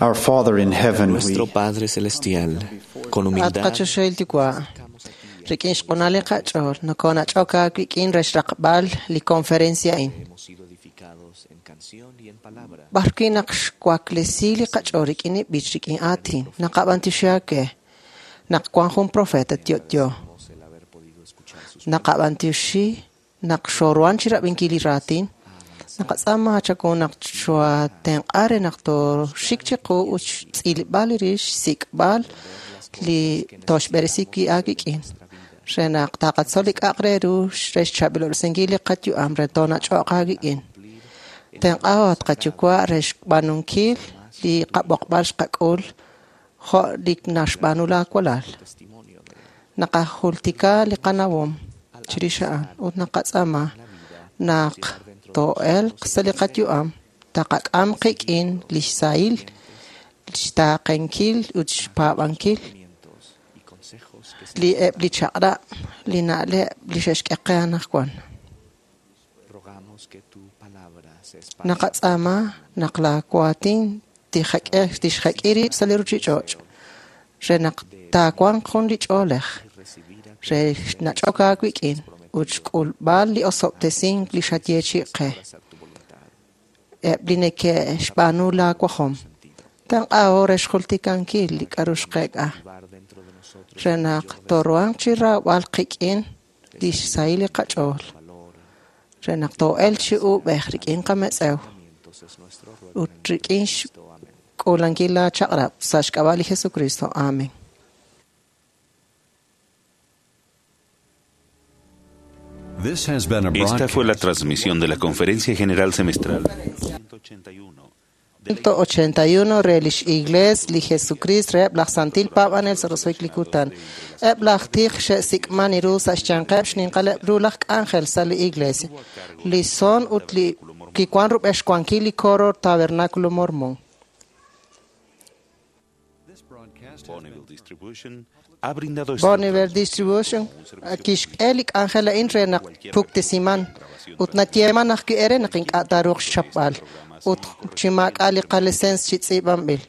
Our Father in heaven, Nuestro Padre Celestial, con humildad, At qachoxahil Yuwa', rik'in xq'unal li qach'ool, nokonach'ok aawik'in re xraqb'al li conferencia a'in. B'arwi' naq xwaklesi li qach'ool rik'in li b'ich rik'in aatin, naqab'antioxi aawe naq wan jun profeta yo'yo. Naqab'antioxi naq xooruhan chirab'inkil li raatin, naqatz'aama chaku naq xooatenq'a re naq tooxik chiqu ut xtz'ilb'al li rix xsik'b'al li tooxb'eresi wi' aawik'in re naq taqatzol li k'a'aq re ru re xchaab'ilob'resinkil li qayu'am re toonach'oq aawik'in. Tenq'aho at qayuwa' re xb'aanunkil li qab'oqb'al xqak'ul jo' li naxb'aanu laawalal. Naqajultika li qanawom chirix a'an ut naqatz'aama naq too'elq sa' li qayu'am taqak'am qik'in li xsahil xtaaqenkil ut xpaab'ankil li eb' li chaq'rab' li na'leb' li xe'xk'e qe anaqwan. Naqatz'aama naq laawaatin tixjek'i tixjek'i rib' sa' li ruchich'och' re naq taawanq jun li ch'oolej re nach'ok aawik'in ut xk'ulb'al li osob'tesink li xayeechi'i qe eb' li neke'xb'aanu laawajom. Tenq'aho re xjultikankil li k'a'ru xqeek'a re naq tooruhanq chi raab'al qik'in li xsahil li qach'ool re naq too'elq chi uub'ej rik'in qametz'ew ut rik'in xk'uulankil laachaq'rab' sa' xk'ab'a' li Jesucristo. Amen. Esta fue la transmisión de la Conferencia General Semestral ciento ochenta y uno re lix Iglees li Jesucrist reheb' laj Santil Paab'anel sa' roso'jik li kutan. Eb' laj tij xe'sik'man ru sa' xyanqeb' xninqaleb' ru laj k'anjel sa' li Iglesia. Li son ut li kiwan rub'el xwankil li coro Tabernáculo Mormón. Bonneville Distribution ha brindado Bonneville Distribution kixk'e li k'anjel a'in re naq puktesiman ut nayeeman ajwi' ere naq ink'a' taaruuq xchapb'al ut chi maak'a' li qalisens chi tz'iib'anb'il.